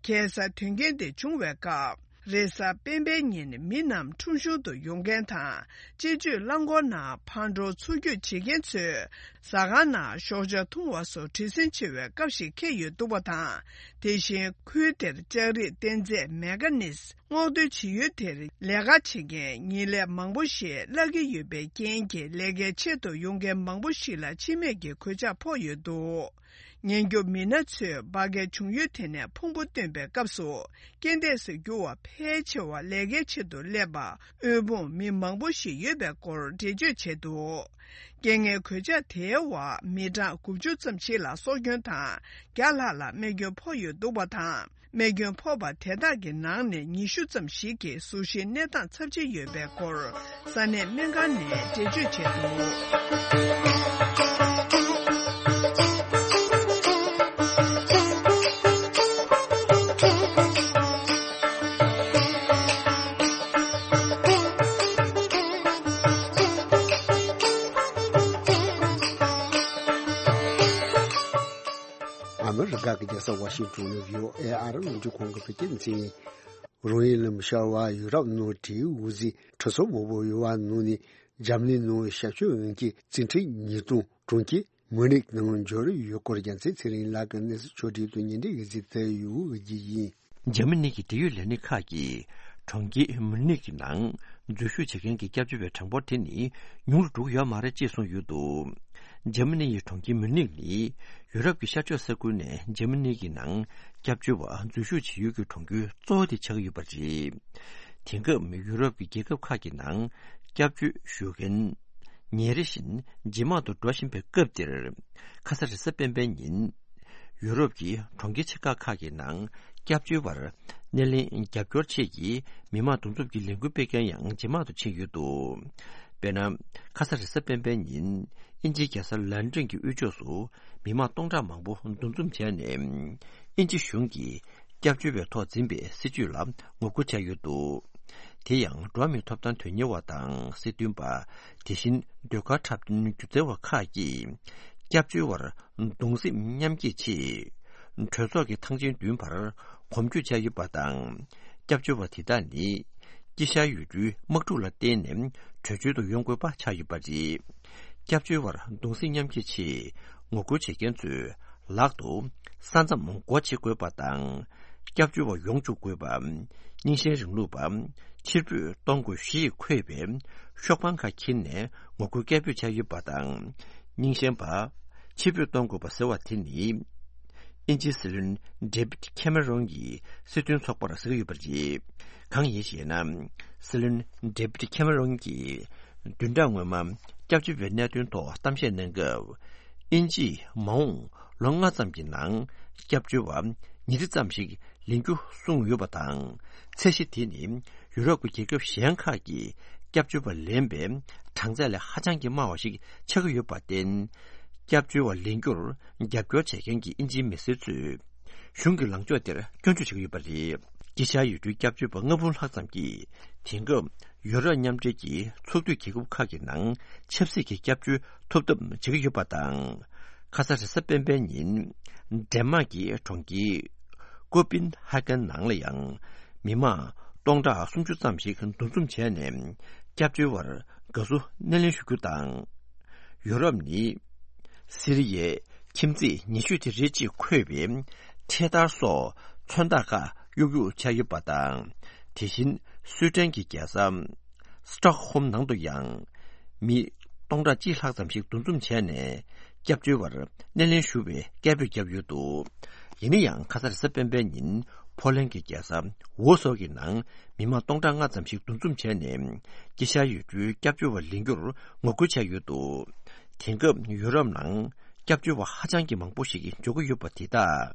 ཁ་སང་དོན་རྐྱེན་དེ་བྱུང་བའི་སྐབས། རེས་གཟའ་སྤེན་པའི་ཉིན་མི་རྣམས་ཁྲོམ་གཞུང་དུ་ཡོང་མཁན་དང་། སྤྱི་སྤྱོད་རླངས་འཁོར་ནང་ཕར་འགྲོ་ཚུར་སྐྱོད་བྱེད་མཁན་ཚོས་ཟ་ཁང་ནང་ཞོགས་ཇ་འཐུང་བ་སོགས་བྲེལ་ཟིང་ཆེ་བའི་སྐབས་ཤིག་འཁེལ་ཡོད་འདུག་པ་དང་། དེ་བཞིན་ཁུལ་དེར་ལྕགས་རིགས་རྟེན་རྫས་མེ་ག་ནིས་སྔོག་འདོན་བྱེད་ཡུལ་དེར་ལས་ཀ་བྱེད་མཁན་ཉེས་ལས་མང་པོ་ཞིག་བརླག་གི་ཡོད་པའི་རྐྱེན་གྱིས། ལས་ཀའི་ཆེད་དུ་ཡོང་མཁན་མང་པོ་ཞིག་ལ་འཆི་རྨས་ཀྱི་གོད་ཆག་ཕོག་ཡོད་འདུག་ཉེན་སྐྱོབ་མི་སྣ་ཚོས་འབར་གས་བྱུང་ཡུལ་དེ་ནས་ཕུང་པོ་བཏོན་པའི་སྐབས་སུ། རྐྱེན་འདས་སུ་གྱུར་བ་ཕལ་ཆེ་བ་ལས་ཀའི་ཆེད་དུ་སླེབས་པ་དབུལ་ཕོངས་མི་མང་པོ་ཞིག་ཡོད་པའི་སྐོར་འགྲེལ་བརྗོད་བྱས་འདུག་རྐྱེན་ངན་གོད་ཆག་དེའི་འོག་མི་གྲངས་དགུ་བཅུ་ཙམ་ཞིག་ལ་སྲོག་སྐྱོན་དང་བརྒྱ་ལྷག་ལ་རྨས་སྐྱོན་ཕོག་ཡོད་འདུག་པ་དང་། རྨས་སྐྱོན་ཕོག་པ་དེ་དག་གི་ནང་ནས་ཉི་ཤུ་ཙམ་ཞིག་གི་གཟུགས་གཞིའི་གནས་སྟངས་ཚབས་ཆེ་ཡོད་པའི་སྐོར་ས་གནས་སྨན་ཁང་ནས་འགྲེལ་བརྗོད་བྱས་འདུག་ཨ་མི་རི་ཀ་གི་རྒྱལ་ས་ཝ་ཤིང་ཏོན་ནས་བྷི་ཨོ་ཨེ་ཨ་རི་རླུང་འཕྲིན་ཁང་གི་བོད་སྐད་སྡེ་ཚན་ཡིན། རང་ཡུལ་ལམ་ཤར་བ་ཡུ་རོབ་ནང་གྲིའི་འོད་ཟེར་ཁྲི་ཚོ་མང་པོ་ཡོད་པ་ནང་ནས་འཇར་མ་ནི་ནང་ཞབས་ཞུ་འོས་འགན་རྩིས་ཁྲའི་ཉིས་སྟོང་གྲོང་ཁྱེར་མུ་ནིག་ནང་འབྱོར་ཡོད་སྐོར་རྒྱལ་མཚན་ཚེ་རིང་ལགས་ཀྱིས་གནས་ཚུལ་ཕྱོགས་སྒྲིག་དང་སྙན་སྒྲོན་ཡོད་ཚུལ་བསྟན་ཡོད་ཀྱི་ཡིན། འཇར་མ་ནི་གི་འབྲེལ་ཡོད་ལས་སྣེ་ཁག་གིས་གྲོང་ཁྱེར་མུ་ནིག་གི་ནང་འཛུལ་ཞུགས་བྱེད་མཁན་གྱི་སྐྱབས་བཅོལ་བའི་གྲངས་འབོར་དེ་ནི་ཉུང་རུ་འགྲོ་གི་ཡོད་མ་རེད་ཅེས་གསུངས་ཡོད་འདུག་འཇར་མ་ནི་ཡི་གྲོང་ཁྱེར་མུ་ནིག་ནི་ཡུ་རོབ་ཀྱི་ཤར་ཕྱོགས་ས་ཁུལ་ནས་འཇར་མ་ནི་གི་ནང་སྐྱབས་བཅོལ་བ་འཛུལ་ཞུགས་བྱེད་ཡུལ་གྱི་གྲོང་ཁྱེར་གཙོ་བོ་དེ་ཆགས་ཀྱི་ཡོད་པ་རེད། དེང་སྐབས་ཡུ་རོབ་ཀྱི་རྒྱལ་ཁབ་ཁག་གི་ནང་སྐྱབས་བཅོལ་ཞུ་མཁན་ཉིན་རེ་བཞིན་ཇེ་མང་དུ་འགྲོ་བཞིན་པའི་སྐབས་འདིར། ཁ་ས་རེས་གཟའ་སྤེན་པའི་ཉིན། ཡུ་རོབ་ཀྱི་གྲོང་ཁྱེར་ཆེ་ཁག་ཁག་གི་ནང་སྐྱབས་བཅོལ་བར་སྣེ་ལེན་རྒྱབ་སྐྱོར་ཆེད་ཀྱི་མི་མང་འདུ་འཛོམས་ཀྱི་ལས་འགུལ་སྤེལ་མཁན་ཡང་ཇེ་མང་དུ་ཕྱིན་ཡོད་འདུག་དཔེར་ན། ཁ་ས་རེས་གཟའ་སྤེན་པའི་ཉིན་དབྱིན་ཇིའི་རྒྱལ་ས་ལན་ཀྲན་གྱི་དབུས་ཕྱོགས་སུ་མི་མང་སྟོང་ཕྲག་མང་པོ་འདུ་འཛོམས་བྱས་ནས། དབྱིན་ཇི་གཞུང་གིས་སྐྱབས་བཅོལ་བའི་ཐོག་འཛིན་པའི་སྲིད་བྱུས་ལ་ངོ་རྒོལ་བྱས་ཡོད་འདུག་དེ་ཡང་འགྲོ་བ་མིའི་ཐོབ་ཐང་དོན་གཉེར་བ་དང་སྲིད་དོན་པ། དེ་བཞིན་ཟློས་གར་འཁྲབ་སྟོན་སྒྱུ་རྩལ་བ་ཁག་གིས་སྐྱབས་བཅོལ་བར་གདུང་སེམས་མཉམ་སྐྱེད་ཆེད། གྲོས་ཚོགས་ཀྱི་ཐང་ཆེན་བདུན་བར་གོམ་བགྲོད་བྱས་ཡོད་པ་དང་། སྐྱབས་བཅོལ་བ་དེ་དག་ནི་དཀྱིལ་ཤར་ཡུལ་གྲུའི་དམག་འཁྲུག་ལ་བརྟེན་ནས་བྲོས་བྱོལ་དུ་ཡོང་དགོས་པ་ཆགས་ཡོད་པ་རེད། སྐྱབས་བཅོལ་བར་གདུང་སེམས་མཉམ་སྐྱེད་ཆེད་ངོ་རྒོལ་བྱེད་མཁན་ཚོས་ལག་ཏུ་ས་མཚམས་སྒོ་ཕྱེ་དགོས་པ་དང་། སྐྱབས་བཅོལ་བ་ཡོང་བཅུག་དགོས་པ། རྙིང་ཞེན་རིང་ལུགས་པ། ཕྱིར་འབུད་གཏོང་དགོས་ཞེས་འཁོད་པའི་ཤོག་བང་ཁག་འཁྱེར་ནས་ངོ་རྒོལ་སྐད་འབོད་བྱས་ཡོད་པ་དང་། རྙིང་ཞེན་པ། ཕྱིར་འབུད་གཏོང་དགོས་པ་ཟེར་བ་དེ་ནི། དབྱིན་ཇིའི་སྲིད་བློན་ཌེ་བིད་ཁེ་མེ་རོན་གྱི་སྲིད་དོན་ཚོགས་པར་ཟེར་གྱི་ཡོད་པ་རེད། གང་ཡིན་ཞེ་ན། སྲིད་བློན་ཌེ་བིད་ཁེ་མེ་རོན་གྱིས་བདུན་ཕྲག་སྔོན་མ་སྐྱབས་བཅོལ་བའི་གནད་དོན་ཐོག་གཏམ་བཤད་གནང་སྐབས། དབྱིན་ཇིས་མ་འོངས་ལོ་ལྔ་ཙམ་གྱི་ནང་སྐྱབས་བཅོལ་བ་ཉིས་ཁྲི་ཙམ་ཞིག་ལེན་རྒྱུ་གསུངས་ཡོད་པ་དང་། ཚད་གཞི་དེ་ནི་ཡུ་རོབ་ཀྱི་རྒྱལ་ཁབ་གཞན་ཁག་གིས་སྐྱབས་བཅོལ་བ་ལེན་པའི་གྲངས་ཚད་ལས་ཧ་ཅང་གི་དམའ་བ་ཞིག་ཆགས་ཀྱི་ཡོད་པར་བརྟེན། སྐྱབས་བཅོལ་བ་ལེན་རྒྱུར་རྒྱབ་སྐྱོར་བྱེད་མཁན་གྱི་དབྱིན་ཇིའི་མི་སེར་ཚོས་གཞུང་གི་ལངས་ཕྱོགས་དེར་སྐྱོན་བརྗོད་བྱེད་ཀྱི་ཡོད་པ་རེད། དཀྱིལ་ཤར་ཡུལ་གྲུའི་སྐྱབས་བཅོལ་བ་ལྔ་འབུམ་ལྷག་ཙམ་གྱིས་དེང་སྐབས་ཡུ་རོབ་མཉམ་འབྲེལ་གྱི་ཚོགས་འཐུས་རྒྱལ་ཁབ་ཁག་གི་ནང་ཆབ་སྲིད་ཀྱི་སྐྱབས་བཅོལ་ཐོབ་ཐབས་བྱེད་ཀྱི་ཡོད་པ་དང་། ཁ་ས་རེས་གཟའ་སྤེན་པའི་ཉིན་ཌེན་མཱག་གི་གྲོང་ཁྱེར་ཀོ་པིན་ཧ་ཀན་ནང་ལ་ཡང་མི་མང་སྟོང་ཕྲག་སུམ་ཅུ་ཙམ་ཞིག་འདུ་འཛོམས་བྱས་ནས་སྐྱབས་བཅོལ་བར་དགའ་བསུ་སྣེ་ལེན་ཞུ་རྒྱུ་དང་། ཡུ་རོབ་ནི་སི་རི་ཡའི་ཁྱིམ་མཚེས་ཉེ་ཤོས་དེ་རེད་ཅེས་འཁོད་པའི་འཕྲེད་དར་སོགས་མཚོན་རྟགས་ཁག་གཡུག་གཡུག་བྱས་ཡོད་པ་དང་། དེ་བཞིན་སུའེ་ཏན་གྱི་རྒྱལ་ས་སི་ཏོག་ཧོམ་ནང་དུ་ཡང་མི་སྟོང་ཕྲག་གཅིག་ལྷག་ཙམ་ཞིག་འདུ་འཛོམས་བྱས་ནས་སྐྱབས་བཅོལ་བར་སྣེ་ལེན་ཞུ་བའི་སྐད་འབོད་བརྒྱབ་ཡོད་འདུག་ཡིན་ན་ཡང་ཁ་ས་རེས་གཟའ་སྤེན་པའི་ཉིན་ཕོ་ལན་གྱི་རྒྱལ་ས་ཝོ་སོག་གི་ནང་མི་མང་སྟོང་ཕྲག་ལྔ་ཙམ་ཞིག་འདུ་འཛོམས་བྱས་ནས་དཀྱིལ་ཤར་ཡུལ་གྲུའི་སྐྱབས་བཅོལ་བ་ལེན་རྒྱུར་ངོ་རྒོལ་བྱས་ཡོད་འདུག་དེང་སྐབས་ཡུ་རོབ་ནང་སྐྱབས་བཅོལ་བ་ཧ་ཅང་གི་མང་པོ་ཞིག་འབྱོར་གྱི་ཡོད་པ་དེ་དག་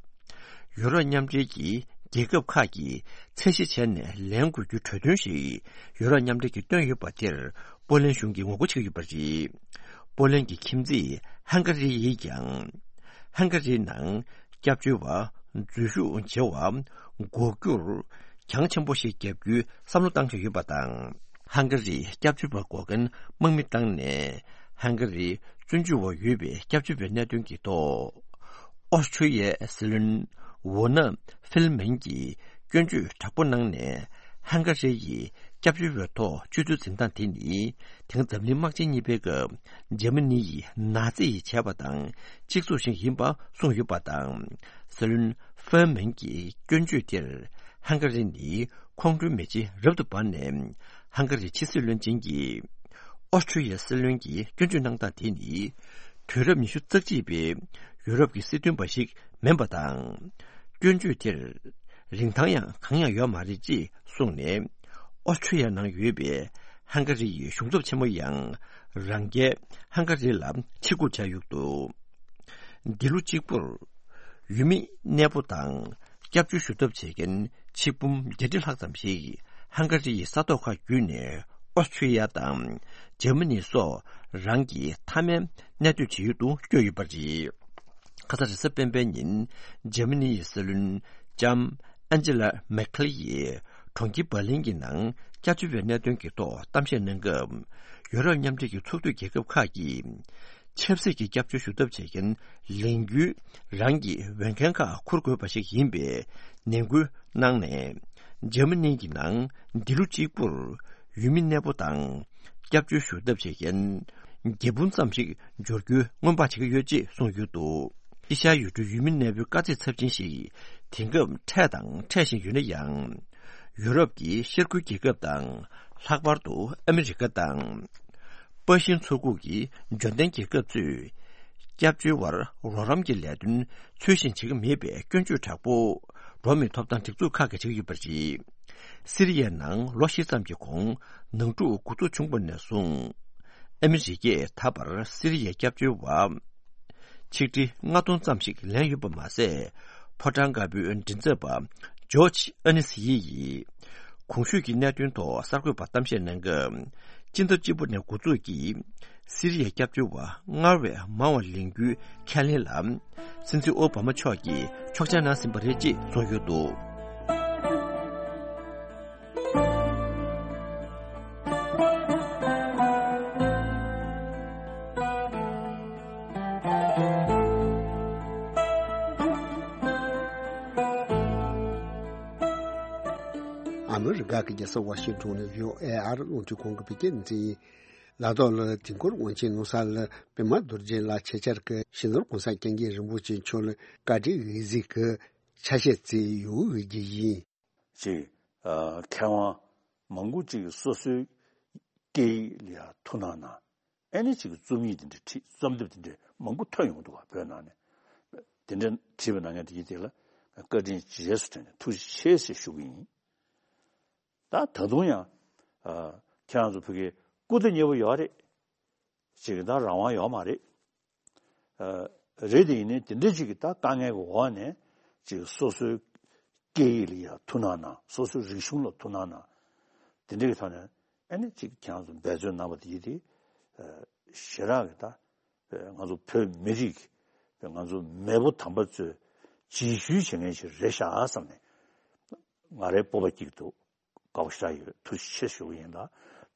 ཡུ་རོབ་མཉམ་འབྲེལ་གྱི་རྒྱལ་ཁབ་ཁག་གིས་ཚད་གཞི་བྱས་ནས་ལེན་དགོས་རྒྱུ་གྲོས་མཐུན་ཞིག་ཡུ་རོབ་མཉམ་འབྲེལ་གྱིས་བཏོན་ཡོད་པ་དེར་པོ་ལན་གཞུང་གིས་ངོ་རྒོལ་བྱེད་ཀྱི་ཡོད་པ་རེད། པོ་ལན་གྱི་ཁྱིམ་མཚེས་ཧང་ག་རི་ཡིས་ཀྱང་། ཧང་ག་རིའི་ནང་སྐྱབས་བཅོལ་བ་འཛུལ་ཞུགས་བྱེད་པ་འགོག་རྒྱུར་གྱང་ཆེན་པོ་ཞིག་བརྒྱབ་རྒྱུའི་བསམ་བློ་བཏང་བཞིན་ཡོད་པ་དང་། ཧང་ག་རིས་སྐྱབས་བཅོལ་བ་འགོག་མཁན་དམག་མི་བཏང་ནས་ཧང་ག་རིའི་བཙོན་འཇུག་འོག་ཡོད་པའི་སྐྱབས་བཅོལ་བའི་གནད་དོན་གྱི་ཐོག་ཨོ་སི་ཁྲུ་ཡའི་སྲིད་བློན་ཝོ་ན་ཧྥིལ་མན་གྱིས་སྐྱོན་བརྗོད་དྲག་པོ་གནང་ནས། ཧང་ག་རི་ཡིས་སྐྱབས་བཅོལ་བའི་ཐོག་སྤྱོད་ཚུལ་འཛིན་སྟངས་དེ་ནི་དེང་འཛམ་གླིང་དམག་ཆེན་གཉིས་པའི་སྐབས་འཇར་མ་ནི་ཡི་ནཱ་ཛི་ཡིས་བྱས་པ་དང་གཅིག་མཚུངས་ཤིག་ཡིན་པ་གསུངས་ཡོད་པ་དང་། སྲིད་བློན་ཧྥིལ་མན་གྱི་སྐྱོན་བརྗོད་དེར་ཧང་ག་རི་ནི་ཁོང་ཁྲོའི་མེ་ལྕེ་རབ་ཏུ་འབར་ནས། ཧང་ག་རིའི་ཕྱི་སྲིད་བློན་ཆེན་གྱིས་ཨོ་སི་ཁྲུ་ཡའི་སྲིད་བློན་གྱི་སྐྱོན་བརྗོད་གནང་སྟངས་དེ་ནི། དུས་རབས་ཉི་ཤུ་རྩ་གཅིག་པའི་ཡུ་རོབ་ཀྱི་སྲིད་དོན་པ་ཞིག་མིན་པ་དང་། སྐྱོན་བརྗོད་དེར་རིན་ཐང་ཡང་གང་ཡང་ཡོད་མ་རེད་ཅེས་གསུངས་ནས། ཨོ་སི་ཁྲུ་ཡ་ནང་ཡོད་པའི་ཧང་ག་རི་ཡི་གཞུང་ཚབ་ཆེན་མོ་ཡང་རང་རྒྱལ་ཧང་ག་རི་ལ་ཕྱིར་རྒོལ་བྱས་ཡོད་འདུག་འདི་ལོ་གཅིག་པུར་ཡུལ་མི་གནས་སྤོ་དང་སྐྱབས་བཅོལ་ཞུ་ཐབས་བྱེད་མཁན་ཆིག་འབུམ་བརྒྱད་ཁྲི་ལྷག་ཙམ་ཞིག་ཧང་ག་རི་ཡི་ས་ཐོག་ཁག་བརྒྱུད་ནས་ཨོ་སི་ཁྲུ་ཡ་དང་འཇར་མ་ནི་སོགས་རང་གི་མཐའ་མའི་གནས་སྡོད་བྱེད་ཡུལ་དུ་བསྐྱོད་ཡོད་པ་རེད། ཁ་ས་རེས་གཟའ་སྤེན་པའི་ཉིན་འཇར་མ་ནི་ཡི་སྲིད་བློན་ལྕམ་ཨན་ཇི་ལ་མེར་ཁེལ་ཡིས་གྲོང་ཁྱེར་འབར་ལིན་གྱི་ནང་སྐྱབས་བཅོལ་བའི་གནད་དོན་གྱི་ཐོག་གཏམ་བཤད་གནང་སྐབས། ཡུ་རོབ་མཉམ་འབྲེལ་གྱི་ཚོགས་འཐུས་རྒྱལ་ཁབ་ཁག་གིས། ཆབ་སྲིད་ཀྱི་སྐྱབས་བཅོལ་ཞུ་ཐབས་བྱེད་མཁན་ལས་འགུལ་རང་གི་འོས་འགན་ཁག་འཁུར་དགོས་པ་ཞིག་ཡིན་པའི་ནན་སྐུལ་གནང་ནས། འཇར་མ་ནི་གི་ནང་འདི་ལོ་གཅིག་པུར་ཡུལ་མི་གནས་སྤོ་དང་སྐྱབས་བཅོལ་ཞུ་ཐབས་བྱེད་མཁན་བརྒྱད་འབུམ་ཙམ་ཞིག་འབྱོར་རྒྱུའི་སྔོན་དཔག་བྱེད་ཀྱི་ཡོད་ཅེས་གསུངས་ཡོད་འདུག་དཀྱིལ་ཤར་ཡུལ་གྲུའི་ཡུལ་མི་གནས་སྤོའི་དཀའ་ཚེགས་ཚབས་ཆེན་ཞིག་དེང་སྐབས་འཕྲད་དང་འཕྲད་བཞིན་ཡོད་ན་ཡང་། ཡུ་རོབ་ཀྱི་ཤར་ཁུལ་རྒྱལ་ཁབ་དང་། ལྷག་པར་དུ་ཨ་མི་རི་ཀ་དང་། པ་ཤིན་མཚོ་ཁུག་གི་འབྱོར་ལྡན་རྒྱལ་ཁབ་ཚོས་སྐྱབས་བཅོལ་བར་རོགས་རམ་གྱི་ལས་དོན་ཚུལ་བཞིན་བྱེད་ཀྱི་མེད་པའི་སྐྱོན་བརྗོད་དྲག་པོ་འགྲོ་བ་མིའི་ཐོབ་ཐང་སྒྲིག་འཛུགས་ཁག་གིས་བྱེད་ཀྱི་ཡོད་པ་རེད། སི་རི་ཡའི་ནང་ལོ་བཞི་ཙམ་གྱི་གོང་ནང་འཁྲུག་འགོ་ཚུགས་བྱུང་བ་ནས་བཟུང་། ཨ་མི་རི་ཀས་ད་བར་སི་རི་ཡའི་སྐྱབས་བཅོལ་བ་ཆིག་ཁྲི་ལྔ་སྟོང་ཙམ་ཞིག་ལེན་ཡོད་པ་མ་ཟད། ཕོ་བྲང་དཀར་པོའི་མགྲིན་ཚབ་པ་ཇོརྗ་ཨ་ནི་སི་ཡི་ཡིས་གོང་ཞུས་ཀྱི་གནད་དོན་ཐོག་གསར་འགོད་པར་གཏམ་བཤད་གནང་སྐབས། སྤྱི་ཟླ་གཅིག་པ་ནས་འགོ་འཛུགས་ཀྱིས་སི་རི་ཡའི་སྐྱབས་བཅོལ་བ་སྔར་བས་མང་བ་ལེན་རྒྱུའི་ཁས་ལེན་ལ། སྲིད་འཛིན་ཨོ་བྷ་མ་མཆོག་གིས་ཆོག་མཆན་གནང་ཟིན་པ་རེད་ཅེས་གསུངས་ཡོད་འདུག། ཨ་མི་རི་ཀ་གི་རྒྱལ་ས་ཝ་ཤིང་ཊོན་ནས་བྷི་ཨོ་ཨེ་ཨར་རླུང་འཕྲིན་ཁང་གི་བོད་སྐད་སྡེ་ཚན་ཡིན། ལ་དྭགས་ལ་དུས་འཁོར་དབང་ཆེན་ནོར་བཟང་ལ་པདྨ་རྡོ་རྗེ་ལགས་ཆེད་བཅར་གྱིས་སྤྱི་ནོར་༸གོང་ས་༸སྐྱབས་མགོན་རིན་པོ་ཆེ་མཆོག་ལ་བཀའ་དྲིན་དབྱེ་གཟིགས་ཀྱི་ཆ་ཤས་བསྩལ་ཡོད་པའི་རྒྱུ་ཡིན། ཅེས། ཨ། མཁས་དབང་མང་པོ་ཅིག་གིས་སོ་སོའི་སྐད་ཡིག་ལ་ཡང་ཐུགས་སྣང་གནང་། ཨེ་ནི་ཅིག་རྩོམ་ཡིག་དེ་འདྲ་བྲིས། རྩོམ་དེབ་དེ་འདྲ་མང་པོ་ཐོན་ཡོང་འདུག་བ། བོད་ནང་ནས་དེ་འདྲ་བྲིས་པ་ན་ངས་དེ་ཡིན་དེ་ལ་བཀའ་དྲིན་རྗེས་སུ་དྲན་ནས་ཐུགས་རྗེ་ཆེ་ཞེས་ཞུ་གི་ཡིན། ད་ད་དུང་ཡང་། ཨ། ཁྱེད་རང་ཚོ་བོད་སྐད་སྐུར་ད་ཉེ་པོ་ཡོད་རེད། ཅིག་ད་རང་དབང་ཡོད་མ་རེད། ཨ། རེད་དེ་ཡིན་ནའི་དེ་འདྲ་ཅིག་གི་ད་དཀའ་ངལ་གྱི་འོག་ནས་ཅིག་སོ་སོའི་སྐད་ཡིག་ལ་ཡང་ཐུགས་སྣང་གནང་། སོ་སོའི་རིག་གཞུང་ལ་ཐུགས་སྣང་གནང་། དེ་འདྲ་གི་ཐོག་ནས་ཨ་ནི་ཅིག་ཁྱེད་རང་ཚོ་འབད་བརྩོན་གནང་བ་དེ་ཡིན་དེ། ཨ། ཞེ་དྲག་གི་ད། ཨ། ང་ཚོ་བོད་མི་རིགས་ང་ཚོ་མེས་པོ་དམ་པ་ཚོས་རྗེས་ཤུལ་བྱེད་མཁན་ཞིག་རེད་ཤག་བསམ་ནས་ང་རའི་སྤོབས་པ་སྐྱེ་གི་འདུག། དགའ་པོ་ཞེ་དྲག་ཡོད། ཐུགས་རྗེ་ཆེ་ཞུ་གི་ཡིན་ད།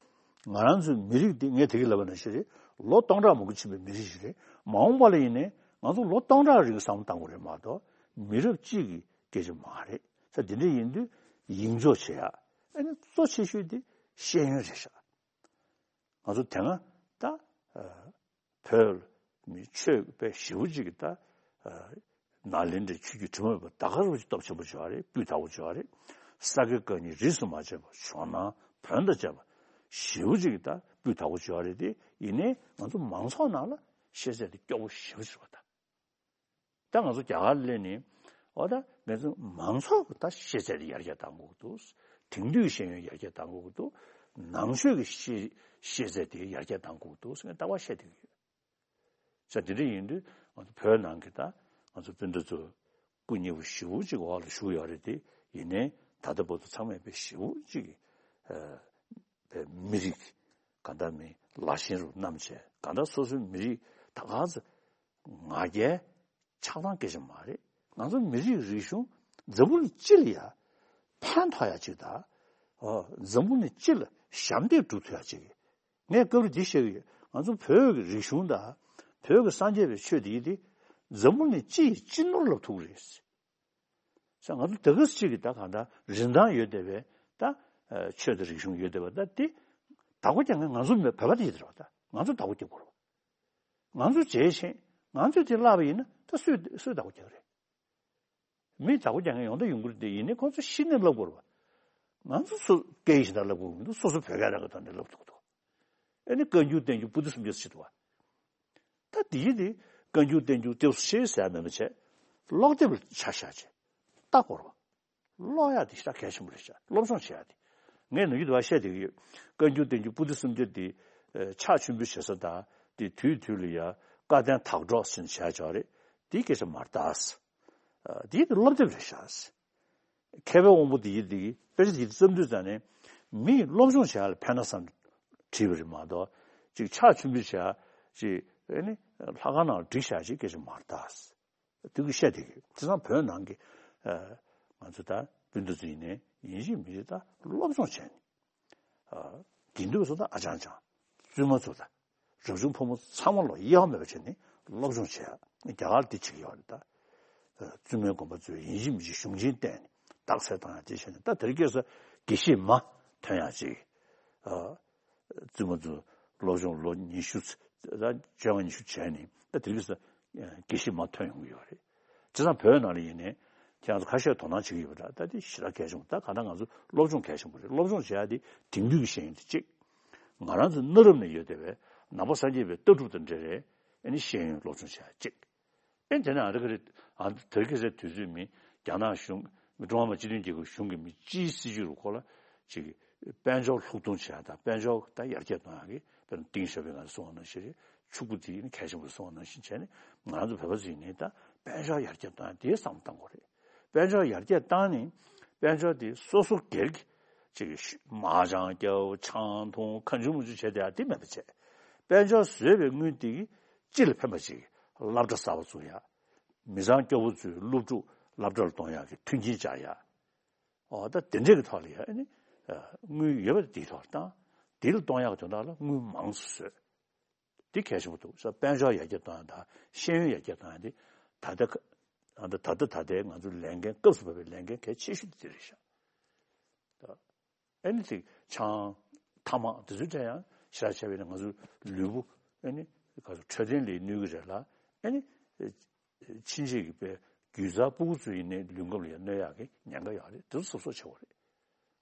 ང་རང་ཚོའི་མི་རིགས་འདི་ངས་དེ་གི་ལབ་པ་ནང་བཞིན་རེད། ལོ་སྟོང་ཕྲག་མང་པོ་ཕྱིན་པའི་མི་རིགས་ཤིག་རེད། མ་འོངས་པ་ལ་ཡིན་ནའི་ང་ཚོ་ལོ་སྟོང་ཕྲག་རིང་བསམ་བློ་གཏང་དགོས་རེད་མ་གཏོགས་མི་རབས་གཅིག་གི་སྐད་ཆ་མ་རེད། ས་དེ་འདྲ་ཡིན་དུས་ཡིད་འཇོག་བྱེད་ཡ། ཨ་ནི་གཙོ་ཆེ་ཤོས་དེ་ཤེས་ཡོན་རེད་ཤག། ང་ཚོ་དེ་སྔ་ད། ཨ། བོད་མི་ཆོས་པའི་ཞེ་པོ་ཅིག་གིས་ད། ཨ། ནཱ་ལེནྡྲའི་ཆོས་བརྒྱུད་དྲི་མ་མེད་པ་ད་ག་རང་ཅིག་སྟོབས་ཆེན་པོ་བྱུང་བ་རེད། སྤུས་དག་པོ་བྱུང་བ་རེད། ས་དགེ་བཀའ་རྙིང་རིས་སུ་མ་ཆད་པ། ཇོ་ནང་བོན་དང་བཅས་པ་ཞེ་པོ་ཅིག་གིས་ད་སྤུས་དག་པོ་བྱུང་བ་རེད་དེ། ཡིན་ནའི་ང་ཚོ་མང་ཚོགས་ནང་ལ་ཤེས་ཚད་དེ་སྐྱོ་པོ་ཞེ་པོ་ཅིག་རེད་པ་ད། ད་ང་ཚོ་རྒྱ་གར་སླེབས་ནས་འོ་ད་ང་ཚོ་མང་ཚོགས་ཀྱི་ད་ཤེས་ཚད་དེ་ཡར་རྒྱས་གཏང་དགོས་ཀྱི་འདུག། དེང་དུས་ཤེས་ཡོན་ཡར་རྒྱས་གཏང་དགོས་ཀྱི་འདུག། ནང་ཆོས་ཀྱི་ཤེས་ཤེས་ཚད་དེ་ཡར་རྒྱས་གཏང་དགོས་ཀྱི་འདུག་ཟེར་ནས་ལྟ་བ་བཤད་བསྡད་ཀྱི་ཡོད། ས་དེ་འདྲ་ཡིན་དུས་ང་ཚོ་བོད་ནང་གི་ད་ང་ཚོ་སྤུན་ཟླ་ཚོ་སྐུ་ཉེ་བོ་ཞེ་པོ་ཅིག་འོག་ལ་བཞུགས་ཡོད་རེད་དེ། ཡིན་ནའི་ད་ལྟ་བར་དུ་ཚང་མས་དཔེ་ཞེ་པོ་ཅིག་ཨ་དཔེ་མི་རིགས་གང་ལྟར་མི་ལ་ཞེན་རུ་བསྣམས་བྱས། གང་ལྟར་སོ་སོའི་མི་རིགས་ད་ག་ཚོད་ང་རྒྱལ་ཆགས་སྡང་སྐད་ཆ་མ་རེད། ང་ཚོ་མི་རིགས་རིག་གཞུང་འཛམ་བུ་གླིང་སྤྱི་ལ་ཡ་ཕན་ཐོགས་ཡ་ཅིག་དང་། ཨོ། འཛམ་བུ་གླིང་སྤྱི་ལ་ཞབས་འདེགས་སྒྲུབ་ཐུབ་ཡ་ཅིག། ངས་སྐབས་རེ་འདི་བཤད་ཀྱི་ཡོད། ང་ཚོ་བོད་ཀྱི་རིག་གཞུང་དང་བོད་ཀྱི་སངས་རྒྱས་པའི་ཆོས་འདི་ཡིན་ཏེ། འཛམ་བུ་གླིང་སྤྱི་ཡི་སྤྱི་ནོར་ལབ་ཐུབ་ཀྱི་རེད། ས་ང་ཚོ་ད་ག་ཟེ་གཅིག་གི་ད་གང་ལྟར་རིན་ཐང་ཡོད་བསྡད་པའི་ད་ཨ་ཆོས་དང་རིག་གཞུང་ཡོད་བསྡད་པ་ད་དེ་བདག་པོ་རྒྱག་མཁན་ང་ཚོ་མེད། བོད་པ་དེ་ཡིན་ད་རེད་པ། ད་ང་ཚོ་བདག་པོ་རྒྱག་དགོས་རེད་པ། ང་ཚོ་བྱས་ཤིང་ང་ཚོས་དེ་བརླག་པ་ཡིན་ན་ད་སུས་སུས་བདག་པོ་རྒྱག་རེད། མི་བདག་པོ་རྒྱག་མཁན་ཡོང་ད་ཡོང་གི་རེད་དེ། ཡིན་ནའི་ཁོང་ཚོ་གཞི་ནས་བསླབ་དགོས་རེད་པ། ང་ཚོ་སུ་སྐད་ཡིག་གཞན་དག་བསླབ་དགོས་མི་འདུག། སོ་སོ་བོད་སྐད་རང་གི་ཐོག་ནས་བསླབ་ཐུབ་ཀྱི་འདུག། ཨ་ནི་བཀའ་འགྱུར་བསྟན་འགྱུར་པོ་ཏི་སུམ་བརྒྱ་ཟེར་གྱི་འདུག་པ། ད་དེ་ཡིན་དེ་བཀའ་འགྱུར་བསྟན་འགྱུར་ཏེ་སུ་ཤེས་ཟེར་ཡ་མེད་པ་བྱས། ཀློག་དེབ་ལ་ཆ་བཞག་བྱས་ལྟ་དགོས་རེད་པ། ཀློག་ཡ་དེ་ཞེ་དྲག་གལ་ཆེན་པོ་རེད་ཤག། སློབ་སྦྱོང་བྱེད་ཡ་དེ། ངས་ནམ་རྒྱུན་དུ་བ་བཤད་བསྡད་ཀྱི་ཡོད། བཀའ་འགྱུར་བསྟན་འགྱུར་པོ་ཏི་སུམ་བརྒྱ་དེ་ཨ་ཕྱག་མཆོད་འབུལ་བྱེད་ས་དང་དེ་དུས་དུས་ལ་ཡ་བཀའ་བསྟན་དག་སྒྲོག་ཟེར་ནས་བྱས་ཡོད་རེད། དེའི་སྐད་ཆ་མ་རེད་ད། ཨ་དེ་དེ་སློབ་དེབ་རེད་ཤག། མཁས་པའི་དབང་པོ་དེ་ཡིན་དེ་དཔེ་ཆ་དེ་བརྩམས་དུས་ཙང་ནས་མིས་སློབ་སྦྱོང་བྱེད་ཡ་ལ་ཕན་ན་བསམ་བྲིས་པ་རེད་མ་གཏོགས། ཅིག་ཕྱག་མཆོད་འབུལ་བྱེད་ཡ་ཅིག་ཨ་ནི་ལྷ་ཁང་ནང་ལ་བསྒྲིགས་བཞག་ཅིག་སྐད་ཆ་མ་རེད་ད། དེ་གི་བཤད་དེ་གི་དེང་སང་བོད་ནང་གི་ཨ་ང་ཚོ་ད་སྤུན་ཟླ་ཚོ་ཡིན་ནའི་ཡིན་གཅིག་མིན་གཅིག་ད་སློབ་སྦྱོང་བྱས་ནས། ཨ་དགེ་འདུན་པ་ཚོ་དང་ཨ་ཅང་ཅང་། བཙུན་མ་ཚོ་དང་། རབ་བྱུང་ཕོ་མོ་ཚང་མ་ལོ་གཡེལ་བ་མེད་པ་བྱས་ནས་སློབ་སྦྱོང་བྱས། རྒྱ་གར་འདི་བྱེད་ཀྱི་ཡོད་རེད་ད། ཨ་བཙུན་མའི་དགོན་པ་ཚོས་ཡིན་གཅིག་མིན་གཅིག་གཞུང་ཆེན་བསྟན་ནས་རྟགས་གསལ་བཏང་ཡ་དེ་བྱས་ནས། ད་དེ་རིང་ཁ་སང་དགེ་བཤེས་མ་ཐོན་ཡ་ཅིག། ཨ་བཙུན་མ་ཚོ་སློབ་སྦྱོང་ལོ་ཉི་ཤུ་ད་བཅོ་ལྔ་ཉི་ཤུ་བྱས་ནས་ད་དེ་རིང་ཁ་སང་དགེ་བཤེས་མ་ཐོན་ཡོང་གི་ཡོད་རེད། བྱས་ཙང་བོད་ནང་ལ་ཡིན་ནའི་ཁྱེད་རང་ཚོ་ཁ་ཤས་དོ་སྣང་བྱེད་ཀྱི་ཡོད་པ་འདྲ། ད་དེ་ཞེ་དྲག་གལ་ཆེན་པོ། ད་གང་ལྟར་ང་ཚོ་སློབ་སྦྱོང་གལ་ཆེན་པོ་རེད། སློབ་སྦྱོང་བྱེད་ཡ་དེ་དེང་དུས་ཀྱི་ཤེས་ཡོན་དེ་གཅིག། ང་རང་ཚོ་གནའ་རབས་ནས་ཡོད་བསྡད་པའི་ནང་པ་སངས་རྒྱས་པའི་ལྟ་གྲུབ་དང་འབྲེལ་བའི་ཨ་ནི་ཤེས་ཡོན་སློབ་སྦྱོང་བྱེད་ཡ་གཅིག། ཨེ་དེ་ནས་ཨ་རི་ཀ་རེད། ཨ་དེ་རིང་ཁ་སང་དུས་ཚོད་མི་རྒྱ་ནག་གཞུང་། མི་ཀྲུང་ཧྭ་མི་དམངས་སྤྱི་མཐུན་རྒྱལ་ཁབ་གཞུང་གི་མི་སྤྱིའི་སྲིད་ཇུས་རུ་ཁོ་ལ་ཅིག་དཔལ་འབྱོར་ལྷུག་གཏོང་བྱེད་ཡ་དང་། དཔལ་འབྱོར་ད་ཡར་རྒྱས་གཏོང་ཡ་གི་དཔེར་ན་ཏིང་ཞའོ་ཕིང་ང་ཚོ་གསུངས་པ་ནང་བཞིན་རེད། ཕྱུག་པོ་དེ་ནི་གལ་ཆེན་པོ་རེད་གསུངས་པ་ནང་བཞིན་བྱས་ནས། ང་ཚོ་བོད་པ་ཚོ་ཡིན་ནའི་ད་དཔལ་འབྱོར་ཡར་རྒྱས་གཏོང་ཡ་དེའི་བསམ་བློ་གཏང་དགོས་རེད། དཔལ་འབྱོར་ཡར་རྒྱས་བཏང་ནས་དཔལ་འབྱོར་དེ་སོ་སོ་སྒེར་གྱི་ ཅིག་མ་ཅང་སྐྱ་བོ་ཆང་འཐུང་ཁ་ཆུང་མུ་ཆུང་བྱས་ཏེ་ཡ་དེ་མེད་པ་བྱས། དཔལ་འབྱོར་བཟོས་པའི་དངུལ་དེ་གིས་སྤྱི་ལ་ཕན་པ་ཅིག་སློབ་གྲྭ་གསར་པ་བཙུགས་ཡ། མི་ཚང་སྐྱོ་བོ་ཚོའི་སློབ་ཕྲུག་སློབ་གྲྭ་ལ་གཏོང་ཡག་གི་མཐུན་རྐྱེན་སྦྱར་ཡ། འོ་ད་དེ་འདྲས་ཀྱི་ཐོག་ལ་ཡ་ཨ་ནི་དངུལ་ཡོད་པ་དེའི་ཐོག་ལ་བཏང་། དེ་ལ་གཏོང་ཡག་གི་དོན་དག་ལ་དངུལ་མང་ཙམ་བཟོས། འདི་གལ་ཆེན་པོ་འདུག་ས། དཔལ་འབྱོར་ཡར་རྒྱས་གཏོང་ཡ་དང་ཤེས་ཡོན་ཡར་རྒྱས་གཏོང་ཡ་འདི་ད་ལྟ་ཁ་ད་ལྟ་ད་ལྟའི་ང་ཚོའི་ལས་འགན་སྐབས་སུ་བབས་པའི་ལས་འགན་གལ་ཆེ་ཤོས་འདི་རེད་ཤག་ཨ་ནི་ཅིག་ཆང་ཐ་མག་དེ་ཚོའི་གྲས་ཡང་ཞེ་དྲག་བྱས་པ་ཡིན་ན་ང་ཚོའི་ལུས་པོ་ཨ་ནི་ག་ཚོད་འཕྲོད་བསྟེན་ལ་གནོད་ཀྱི་རེད་ལ། ཨ་ནི་ཕྱིན་ཆད་ཀྱི་དཔེ་རྒྱུ་རྩ་སྤུ་གུ་ཚོ་ཡིན་ནའི་ལུས་ཁམས་ལ་ཡང་གནོད་ཡག་གི་ཉེན་ཁ་ཡོད་རེད། དེ་ཚོ་གཟབ་གཟབ་བྱེད་དགོས་རེད།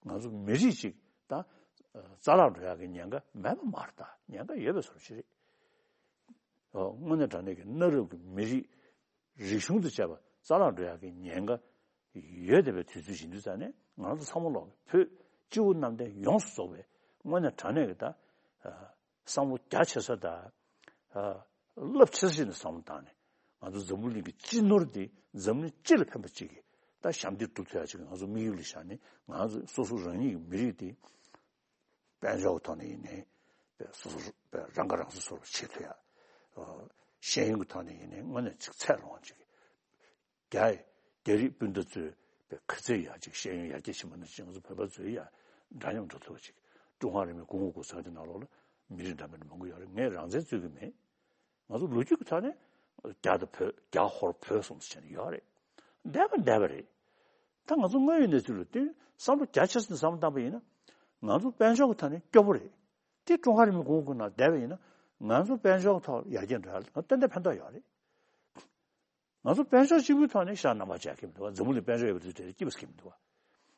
ང་ཚོ་མི་རིགས་གཅིག་ད་རྩ་བརླག་འགྲོ་ཡག་གི་ཉེན་ཁ་མེད་པ་མ་རེད། ད་ཉེན་ཁ་ཡོད་པའི་བཟོ་འདྲ་ཞིག་རེད། ཨོ་དངོས་གནས་དྲང་གནས་ཀྱི་གནའ་རབས་ཀྱི་མི་རིགས་རིག་གཞུང་དང་བཅས་པ་རྩ་བརླག་འགྲོ་ཡག་གི་ཉེན་ཁ་ཡོད་བསྡད་པའི་དུས་ཚོད་ཡིན་དུས་ཙང་ནས་ང་ཚོ་ཚང་མ་ལོག་བོད་སྤྱི་བོ་གནམ་བསྟན་ཡོངས་སུ་རྫོགས་པའི་དངོས་གནས་དྲང་གནས་ཀྱི་ད་བསམ་བློ་རྒྱ་ཆེ་ས་དང་རླབས་ཆེ་ས་ཞིག་ནས་བསམ་བློ་བཏང་ནས་ང་ཚོ་འཛམ་བུ་གླིང་གི་སྤྱི་ནོར་འདི་འཛམ་གླིང་སྤྱི་ལ་ཕན་པ་ཅིག་གི་ད་ཞབས་འདེགས་སྒྲུབ་ཐུབ་ཡག་ཅིག་གི་ང་ཚོ་དམིགས་ཡུལ་ལ་བཞག་ནས་ང་ཚོ་སོ་སོ་རང་ཉིད་ཀྱི་མི་རིགས་འདི་དཔལ་འབྱོར་གྱི་ཐོག་ནས་ཡིན་ནའི་དཔེ་སོ་སོ་དཔེ་རང་ཁ་རང་གསོ་སོར་བྱེད་ཐུབ་ཡ། ཤེས་ཡོན་གྱི་ཐོག་ནས་ཡིན་ནའི་དངོས་གནས་ཅིག་ཚད་ལོངས་ཅིག་རྒྱ་རྒྱ་རིགས་སྤུན་ཟླ་ཚོས་དཔེ་ག་ཚོད་ཡག་ཅིག་ཤེས་ཡོན་ཡར་རྒྱས་ཕྱིན་པ་ན་ཅིག་ང་ཚོ་བོད་པ་ཚོས་ཡ་འདྲ་མཉམ་འགྲོ་ཐུབ་པ་ཅིག་ཀྲུང་ཧྭ་རིང་ལུགས་གོང་འོག་གོང་ས་དེ་ནང་ལོགས་ལ་མི་རིགས་འདྲ་མིན་མང་པོ་ཡོད་རེད། ངས་རང་བཙན་རྩོད་ཀྱི་མེད། ང་ཚོ་ལོ་རྒྱུས་ཀྱི་ཐོག་ནས་རྒྱ་དང་བོད་རྒྱ་ཧོར་བོད་གསུམ་ཟེར་ནས་ཡོད་རེད། འདས་པ་འདས་པ་རེད། ད་ང་ཚོ་དངོས་ཡོད་གནས་ཚུལ་ལ་བསྟུན་བསམ་བློ་རྒྱ་ཆེ་ས་ནས་བསམ་བློ་བཏང་པ་ཡིན་ན་ང་ཚོ་དཔལ་འབྱོར་གྱི་ཐོག་ནས་སྐྱོ་པོ་རེད། དེ་ཀྲུང་ཧྭ་རིང་ལུགས་གོང་འོག་གི་ནང་བསྡད་པ་ཡིན་ན་ང་ཚོ་དཔལ་འབྱོར་གྱི་ཐོག་ཡར་རྒྱས་འགྲོ་ཡ་ལ་ཏན་ཏན་ཕན་ཐོགས་ཡོད་རེད། ང་ཚོ་དཔལ་འབྱོར་གཅིག་པུའི་ཐོག་ནས་ཤ་རྣམ་པར་བཅད་ཀྱི་མི་འདུག་བ། འཛམ་བུ་གླིང་དཔལ་འབྱོར་ཡོད་པ་དེ་དེ་སྐྱིད་པ་ཟེར་གྱི་མི་འདུག་བ།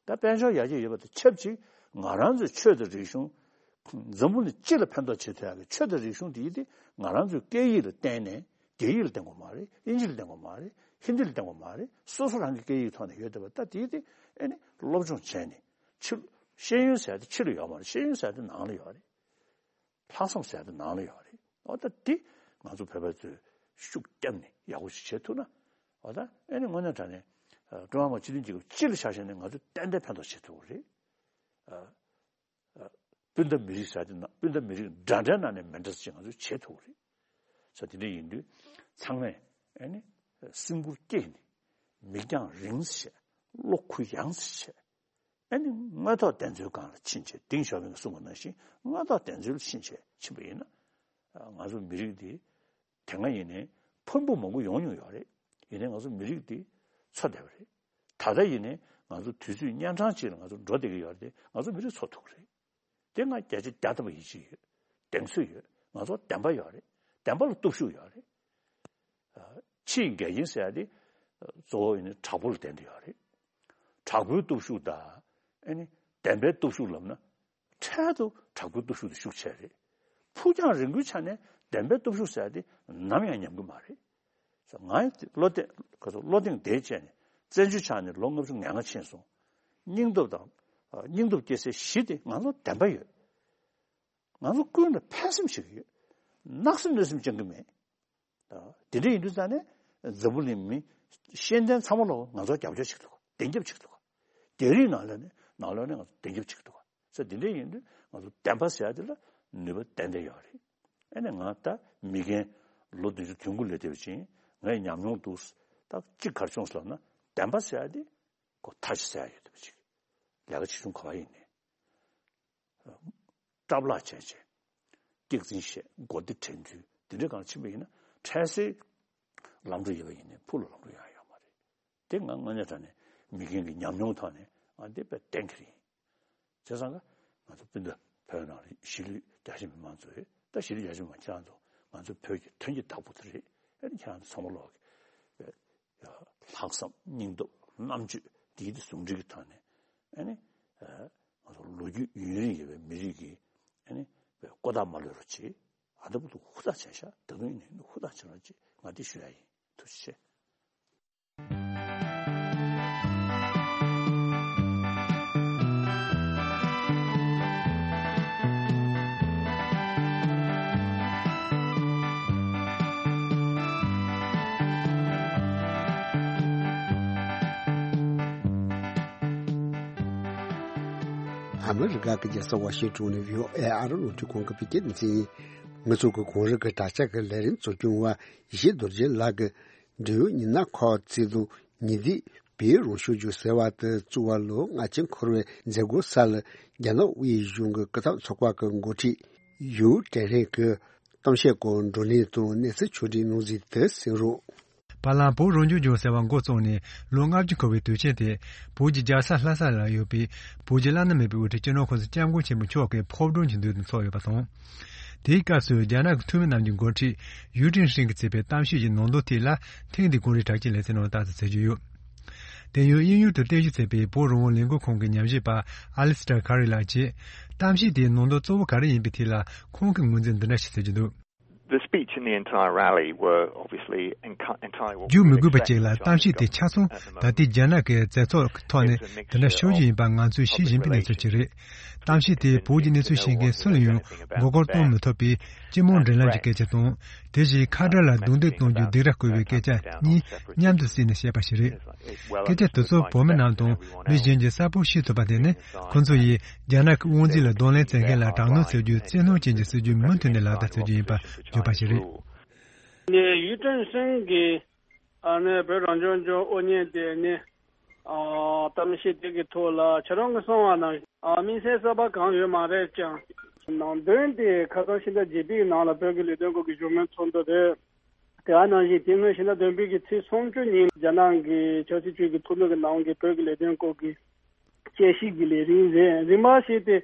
ད་དཔལ་འབྱོར་ཡར་རྒྱས་ཡོད་པ་དང་ཆབས་ཅིག་ང་རང་ཚོའི་ཆོས་དང་རིག་གཞུང་། འཛམ་བུ་གླིང་སྤྱི་ལ་ཕན་ཐོགས་བྱེད་ཐུབ་ཡག་གི་ཆོས་དང་རིག་གཞུང་དེ་ཡིན་ཏེ་ང་རང་ཚོའི་སྐད་ཡིག་ལ་བརྟེན་ནས་རྒྱ་ཡིག་ལ་བརྟེན་དགོས་མ་རེད། དབྱིན་ཇི་ལ་བརྟེན་དགོས་མ་རེད། ཧིན་དི་ལ་བརྟེན་དགོས་མ་རེད། སོ་སོ་རང་གི་སྐད་ཡིག་ཐོག་ནས་ཡོད་བསྡད་པ་ད་དེ་ཡིན་ཏེ་ཨེ་ནི་སློབ་སྦྱོང་བྱས་ནས་ཕྱི་ཤེས་ཡོན་ཟེར་ཡ་དེ་ཕྱི་ལ་ཡོད་མ་རེད། ཤེས་ཡོན་ཟེར་ཡ་དེ་ནང་ལ་ཡོད་རེད། ལྷག་བསམ་ཟེར་ཡ་དེ་ནང་ལ་ཡོད་རེད། འོ་ད་འདི་ང་ཚོ་བོད་པ་ཚོས་ཤུགས་བརྒྱབ་ནས་ཡག་པོ་ཞིག་བྱེད་ཐུབ་ན་འོ་ད་ཨེ་ནི་དངོས་གནས་དྲང་གནས་ཀྲུང་ཧྭ་མི་དམངས་སྤྱི་མཐུན་རྒྱལ་ཁབ་སྤྱི་ལ་ཆ་བཞག་ནས་ང་ཚོས་ཏན་ཏན་ཕན་ཐོགས་བྱེད་ཐུབ་ཀྱི་རེད། སྤུན་ཟླ་མི་རིགས་ཟེར་ཡ་དེ་ན་སྤུན་ཟླ་མི་རིགས་འདྲ་འདྲའི་ནང་ནས་མི་འདྲ་ཅིག་ང་ཚོས་བྱེད་ཐུབ་ཀྱི་རེད། ས་དེ་འདྲ་ཡིན་དུས་ཚང་མས་ཨེ་ནི་སེམས་ཁུར་བསྐྱེད་ནས་མིག་རྒྱང་རིང་ཙམ་བྱས། བློ་གུ་ཡངས་ཙམ་བྱས། ཨ་ནི་དངོས་ཐོག་བདེན་འཚོལ་སྒང་ལ་ཕྱིན་བྱས་ཏེང་ཞའོ་ཕིང་གིས་གསུངས་པ་ནང་བཞིན་དངོས་ཐོག་བདེན་འཚོལ་ལ་ཕྱིན་བྱས་ཕྱིན་པ་ཡིན་ན། ང་ཚོ་མི་རིགས་འདི་དེ་སྔ་ཡིན་ནའི་ཕུང་པོ་མང་པོ་ཡོང་མྱོང་ཡོད་རེད། ཡིན་ནའི་ང་ཚོ་མི་རིགས་འདི་འཚོ་བསྡད་པ་རེད། ད་ལྟ་ཡིན་ནའི་ང་ཚོ་དུས་ཚོད་གཉན་འཕྲང་ཅིག་ལ་ང་ཚོ་འགྲོ་བསྡད་ཀྱི་ཡོད་རེད་དེ་ང་ཚོ་མི་རིགས་འཚོ་ཐུབ་ཀྱི་རེད། དེ་ང་བརྒྱ་ཆ་བརྒྱ་ཐམ་པ་ཡིད་ཆེས་ཡོད། གདེང་ཚོད་ཡོད། ང་ཚོ་བདེན་པ་ཡོད་རེད། བདེན་པ་ལ་སྟོབས་ཤུགས་ཡོད་རེད། ཕྱིའི་འགལ་རྐྱེན་ཟེར་ཡ་དེ་གཙོ་བོ་ཡིན་ན་དྲག་པོ་ལ་བརྟེན་ཏེ་ཡོད་རེད། དྲག་པོའི་སྟོབས་ཤུགས་དང་ཨ་ནི་བདེན་པའི་སྟོབས་ཤུགས་ལབ་ན་འཕྲལ་དུ་དྲག་པོའི་སྟོབས་ཤུགས་དེ་ཤུགས་ཆེ་རེད། ཕུགས་རྒྱང་རིང་པོའི་ཆ་ནས་བདེན་པའི་སྟོབས་ཤུགས་ཟེར་ཡ་དེ་ནམ་ཡང་ཉམས་ཀྱི་མ་རེད། ང་བློ་གཏད་ག་ཚོད་བློ་གདེང་དེ་བཅས་ནས་བཙན་བྱོལ་ཆགས་ནས་ལོ་ལྔ་བཅུ་ང་ལྔ་ཕྱིན་སོང་། སྙིང་སྟོབས་དང་སྙིང་སྟོབས་སྐྱེ་སའི་གཞི་དེ་ང་ཚོ་བདེན་པ་ཡོད། ང་ཚོ་ཀུན་ལ་ཕན་སེམས་བྱེད་ཀྱི་ཡོད། གནག་སེམས་གནོད་སེམས་བཅང་གི་མེད། དེ་འདྲ་ཡིན་དུས་ཙང་ནས་འཛམ་བུ་གླིང་མི་ཤེས་ལྡན་ཚང་མ་ལོག་ང་ཚོ་རྒྱབ་སྐྱོར་བྱེད་ཀྱི་འདུག་བདེན་རྒྱབ་བྱེད་ཀྱི་འདུག་རྒྱ་རིགས་ནང་ལ་ནས་ནང་ལོགས་ནས་ང་ཚོ་བདེན་རྒྱབ་བྱེད་ཀྱི་འདུག་ས་དེ་འདྲ་ཡིན་དུས་ང་ཚོ་བདེན་པ་ཟེར་ཡ་དེ་ལ་ནུས་པ་ཏན་ཏན་ཡོད་རེད། ཨ་ནི་ང་ད་མི་རྒན་ལོ་བདུན་ཅུ་དོན་དགུ་ལས་བསྡད་པ་ཅིག་ཡིན། ངས་ཉམས་མྱོང་འདུག་ད་གཅིག་གར་བྱུང་ཟེར་ལབ་ན་བདེན་པ་ཟེར་ཡ་དེ་ཁོ་མཐའ་ཆེ་ཟེར་ཡ་ཡོད་བསྡད་པ་ཅིག་ལས་ཀ་ཆེ་ཆུང་ག་པར་ཡིན་ནའི། སྐྲག་ལྷག་བྱས་བྱས། སྐྱག་རྫུན་བཤད། མགོ་བདེ་དྲན་ཚུལ་འདི་འདྲའི་སྒང་ཕྱིན་པ་ཡིན་ན་འཕྲལ་སེལ་ལམ་འགྲོ་ཡོད་པ་ཡིན་ནའི་ཕུགས་ལ་ལམ་འགྲོ་ཡང་ཡོད་མ་རེད། དེ་ང་དངོས་གནས་དྲང་གནས་མི་རྒན་གྱི་ཉམས་མྱོང་ཐོག་ནས་ང་འདི་དཔེ་གཏན་འཁེལ་ཡིན། བྱས་ཙང་ཀ་ང་ཚོ་སྤུན་ཟླ་བོད་ནང་ལ་གཞིས་ལུས་རྒྱ་ཆེ་མི་མང་ཚོས་ད་གཞིས་ལུས་རྒྱ་ཆེ་མི་མང་ཁྱེད་རང་ཚོ་ང་ཚོ་བོད་ཀྱི་དོན་གྱི་བདག་པོ་དེ་རེད། ཨ་ནི་ཁྱེད་རང་ཚོ་ཚང་མ་ལོག་གི་ལྷག་བསམ་སྙིང་སྟོབས་རྣམ་དཔྱོད་འདི་ཡིད་དུ་ཟུང་འབྲེལ་གྱི་ཐོག་ནས་ཨ་ནི་ང་ཚོ་ལོ་རྒྱུས་ཡུན་རིང་ཡོད་པའི་མི་རིགས་ཀྱི་ཨ་ནི་ཀོ་ཐག་མ་ལོན་རོགས་བྱེད། ཨ་ད་བུ་ལུ་ཧུར་ཐག་བྱས་ཤག་ད་དུང་ཡིན་ནའི་ཧུར་ཐག་བྱེད་རོགས་བྱེད། ང་འདི་ཞུ་ཡ་ཡིན། ཐུགས་རྗེ་ཆེ། ཨ་མི་རི་ཀ་གི་རྒྱལ་ས་ཝ་ཤིང་ཊོན་ནས་བྷི་ཨོ་ཨེ་ཨ་རི་རླུང་འཕྲིན་ཁང་གི་བོད་སྐད་སྡེ་ཚན་ཡིན། ང་ཚོ་གི་གོང་རིམ་གྱི་དྲ་ཕྱག་གི་ལས་རིམ་གཙོ་སྐྱོང་བ་ཡེ་ཤེས་རྡོ་རྗེ་ལགས་ཀྱིས་འབྲེལ་ཡོད་ཉི་ན་ཁོ་ཚེ་དང་ཉི་ཟླའི་བོད་རང་སྐྱོང་ལྗོངས་ཟེར་བ་དེ་བཙུགས་པ་ལོ་ལྔ་ཅན་འཁོར་བའི་མཛད་སྒོ་གསར་ལ་རྒྱ་ནག་དབུས་གཞུང་གི་སྐུ་ཚབ་ཚོགས་པ་གི་འགོ་ཁྲིད་ཡུའུ་ཀྲེན་ཧྲེང་གིས་གཏམ་བཤད་སྐོར་བགྲོ་གླེང་དང་གནས་ཚུལ་ཕྱོགས་སྒྲིག་གནང་གཟིགས་དེ་གསན་རོགས། བར་ལམ་བོད་རང་སྐྱོང་ལྗོངས་ཟེར་བ་འགོ་བཙུགས་ནས་ལོ་ལྔ་བཅུ་འཁོར་བའི་དུས་ཆེན་དེ། བོད་ཀྱི་རྒྱལ་ས་ལྷ་ས་ལ་ཡོད་པའི་བོད་ཀྱི་བླ་ན་མེད་པའི་དབུ་ཁྲིད་སྤྱི་ནོར་༸གོང་ས་༸སྐྱབས་མགོན་ཆེན་པོ་མཆོག་གི་ཕོ་བྲང་གི་མདུན་དུ་འཚོགས་ཡོད་པ་དང་། དེའི་སྐབས་སུ་རྒྱ་ནག་གི་འཐུས་མི་རྣམས་ཀྱི་འགོ་ཁྲིད་ཡུའུ་ཀྲེན་ཧྲེང་གིས་བྱས་པའི་གཏམ་བཤད་ཀྱི་ནང་དོན་ཐད་ལ། ཐེངས་འདིའི་གོང་རིམ་དྲ་རྒྱའི་ལེ་ཚན་ནང་ལྟ་ཙམ་བྱེད་ཀྱི་ཡོད། དེ་ཡང་དབྱིན་ཡུལ་དུ་རྟེན་གཞི་བྱས་པའི་བོད་རང་དབང་ལས་འགུལ་ཁང་གི་ཉམས་ཞིབ་པ་ཨ་ལི་སི་ཏར་ཁ་རི་ལགས་ཀྱིས། གཏམ་བཤད་དེའི་ནང་དོན་གཙོ་བོ་ག་རེ་ཡིན་པའི་ཐད་ལ་ཁོང་གིས་ངོས་འཛིན་འདི་འདྲ་ཞིག་བྱེད་ཀྱི་འདུག། The speech and the entire rally were obviously entirely what we would expect. རྒྱུ་མི་དགོས་པ་ཅིག་ལ་གཏམ་བཤད་དེ་ཆ་ཚང་ད་ལྟའི་རྒྱ་ནག་གི་བཙན་ཚོགས་ཀྱི་ཐོག་ནས་དེ་འདྲ་ཤོར་གྱི་ཡིན་པ་ང་ཚོས་ཤེས་བཞིན་པའི་གནས་ཚུལ་ཅིག་རེད། གཏམ་བཤད་དེ་བོད་ཀྱི་གནས་ཚུལ་ཤེས་མཁན་སུ་ལ་ཡང་མགོ་སྐོར་གཏོང་མི་ཐུབ་པའི་སྤྱི་དམངས་འབྲེལ་ལམ་གྱི་སྐད་ཆ་དང་། དེ་བཞིན་ཁ་བྲལ་ལ་རྡུང་རྡེག་གཏོང་རྒྱུའི་སྡིགས་ར་བསྐུལ་བའི་སྐད་ཆ་གཉིས་མཉམ་དུ་བསྲེས་ནས་བཤད་པ་ཞིག་རེད། སྐད་ཆ་དེ་ཚོ་བོད་མི་རྣམས་དང་མི་གཞན་གྱིས་གསལ་པོ་ཤེས་ཐུབ་པ་དེ་ནི། ཁོ་ཚོ་ཡིས་རྒྱ་ནག་གི་དབང་འཛིན་ལ་གདོང་ལེན་བྱེད་མཁན་ལ་དྲག་གནོན་བྱེད་རྒྱུའི་བཙན་གནོན་ཅན་གྱི་སྲིད་ཇུས་མུ་མཐུད་ནས་ལག་བསྟར་བྱེད་རྒྱུ་ཡིན་པ་བརྗོད་པ་ཞིག་རེད། ནས་ཡུས་ཀྲེན་ཧྲེང་གིས་ཨ་ནི་བོད་རང་སྐྱོང་ལྗོངས་དབུ་བརྙེས་ཏེ་ནི་ཨ་གཏམ་བཤད་དེ་གི་ཐོག་ལ་ཁྱེད་རང་གིས་གསུངས་པ་ནང་ཨ་དམིགས་བསལ་གསར་པ་གང་ཡོད་མ་རེད་ཀྱང་། ནང་དོན་དེ་ཁ་སང་ཕྱི་ཟླ་བརྒྱད་པའི་ནང་ལ་བོད་ཀྱི་ལས་དོན་སྐོར་གྱི་བཞུགས་མོལ་ཚོགས་འདུ་རེད། དེ་ག་ནང་བཞིན་དེ་སྔོན་ཕྱི་ཟླ་བདུན་པའི་གི་ཚེས་སུམ་ཅུ་ཉིན་རྒྱ་ནག་གི་ཆབ་སྲིད་ཅུས་ཀྱི་ཐུགས་ལུགས་ཀྱི་ནང་གི་བོད་ཀྱི་ལས་དོན་སྐོར་གྱི་དཔྱད་ཞིབ་ཀྱི་ལས་རིམ་རེད། རིམ་པ་ཞིག་དེ་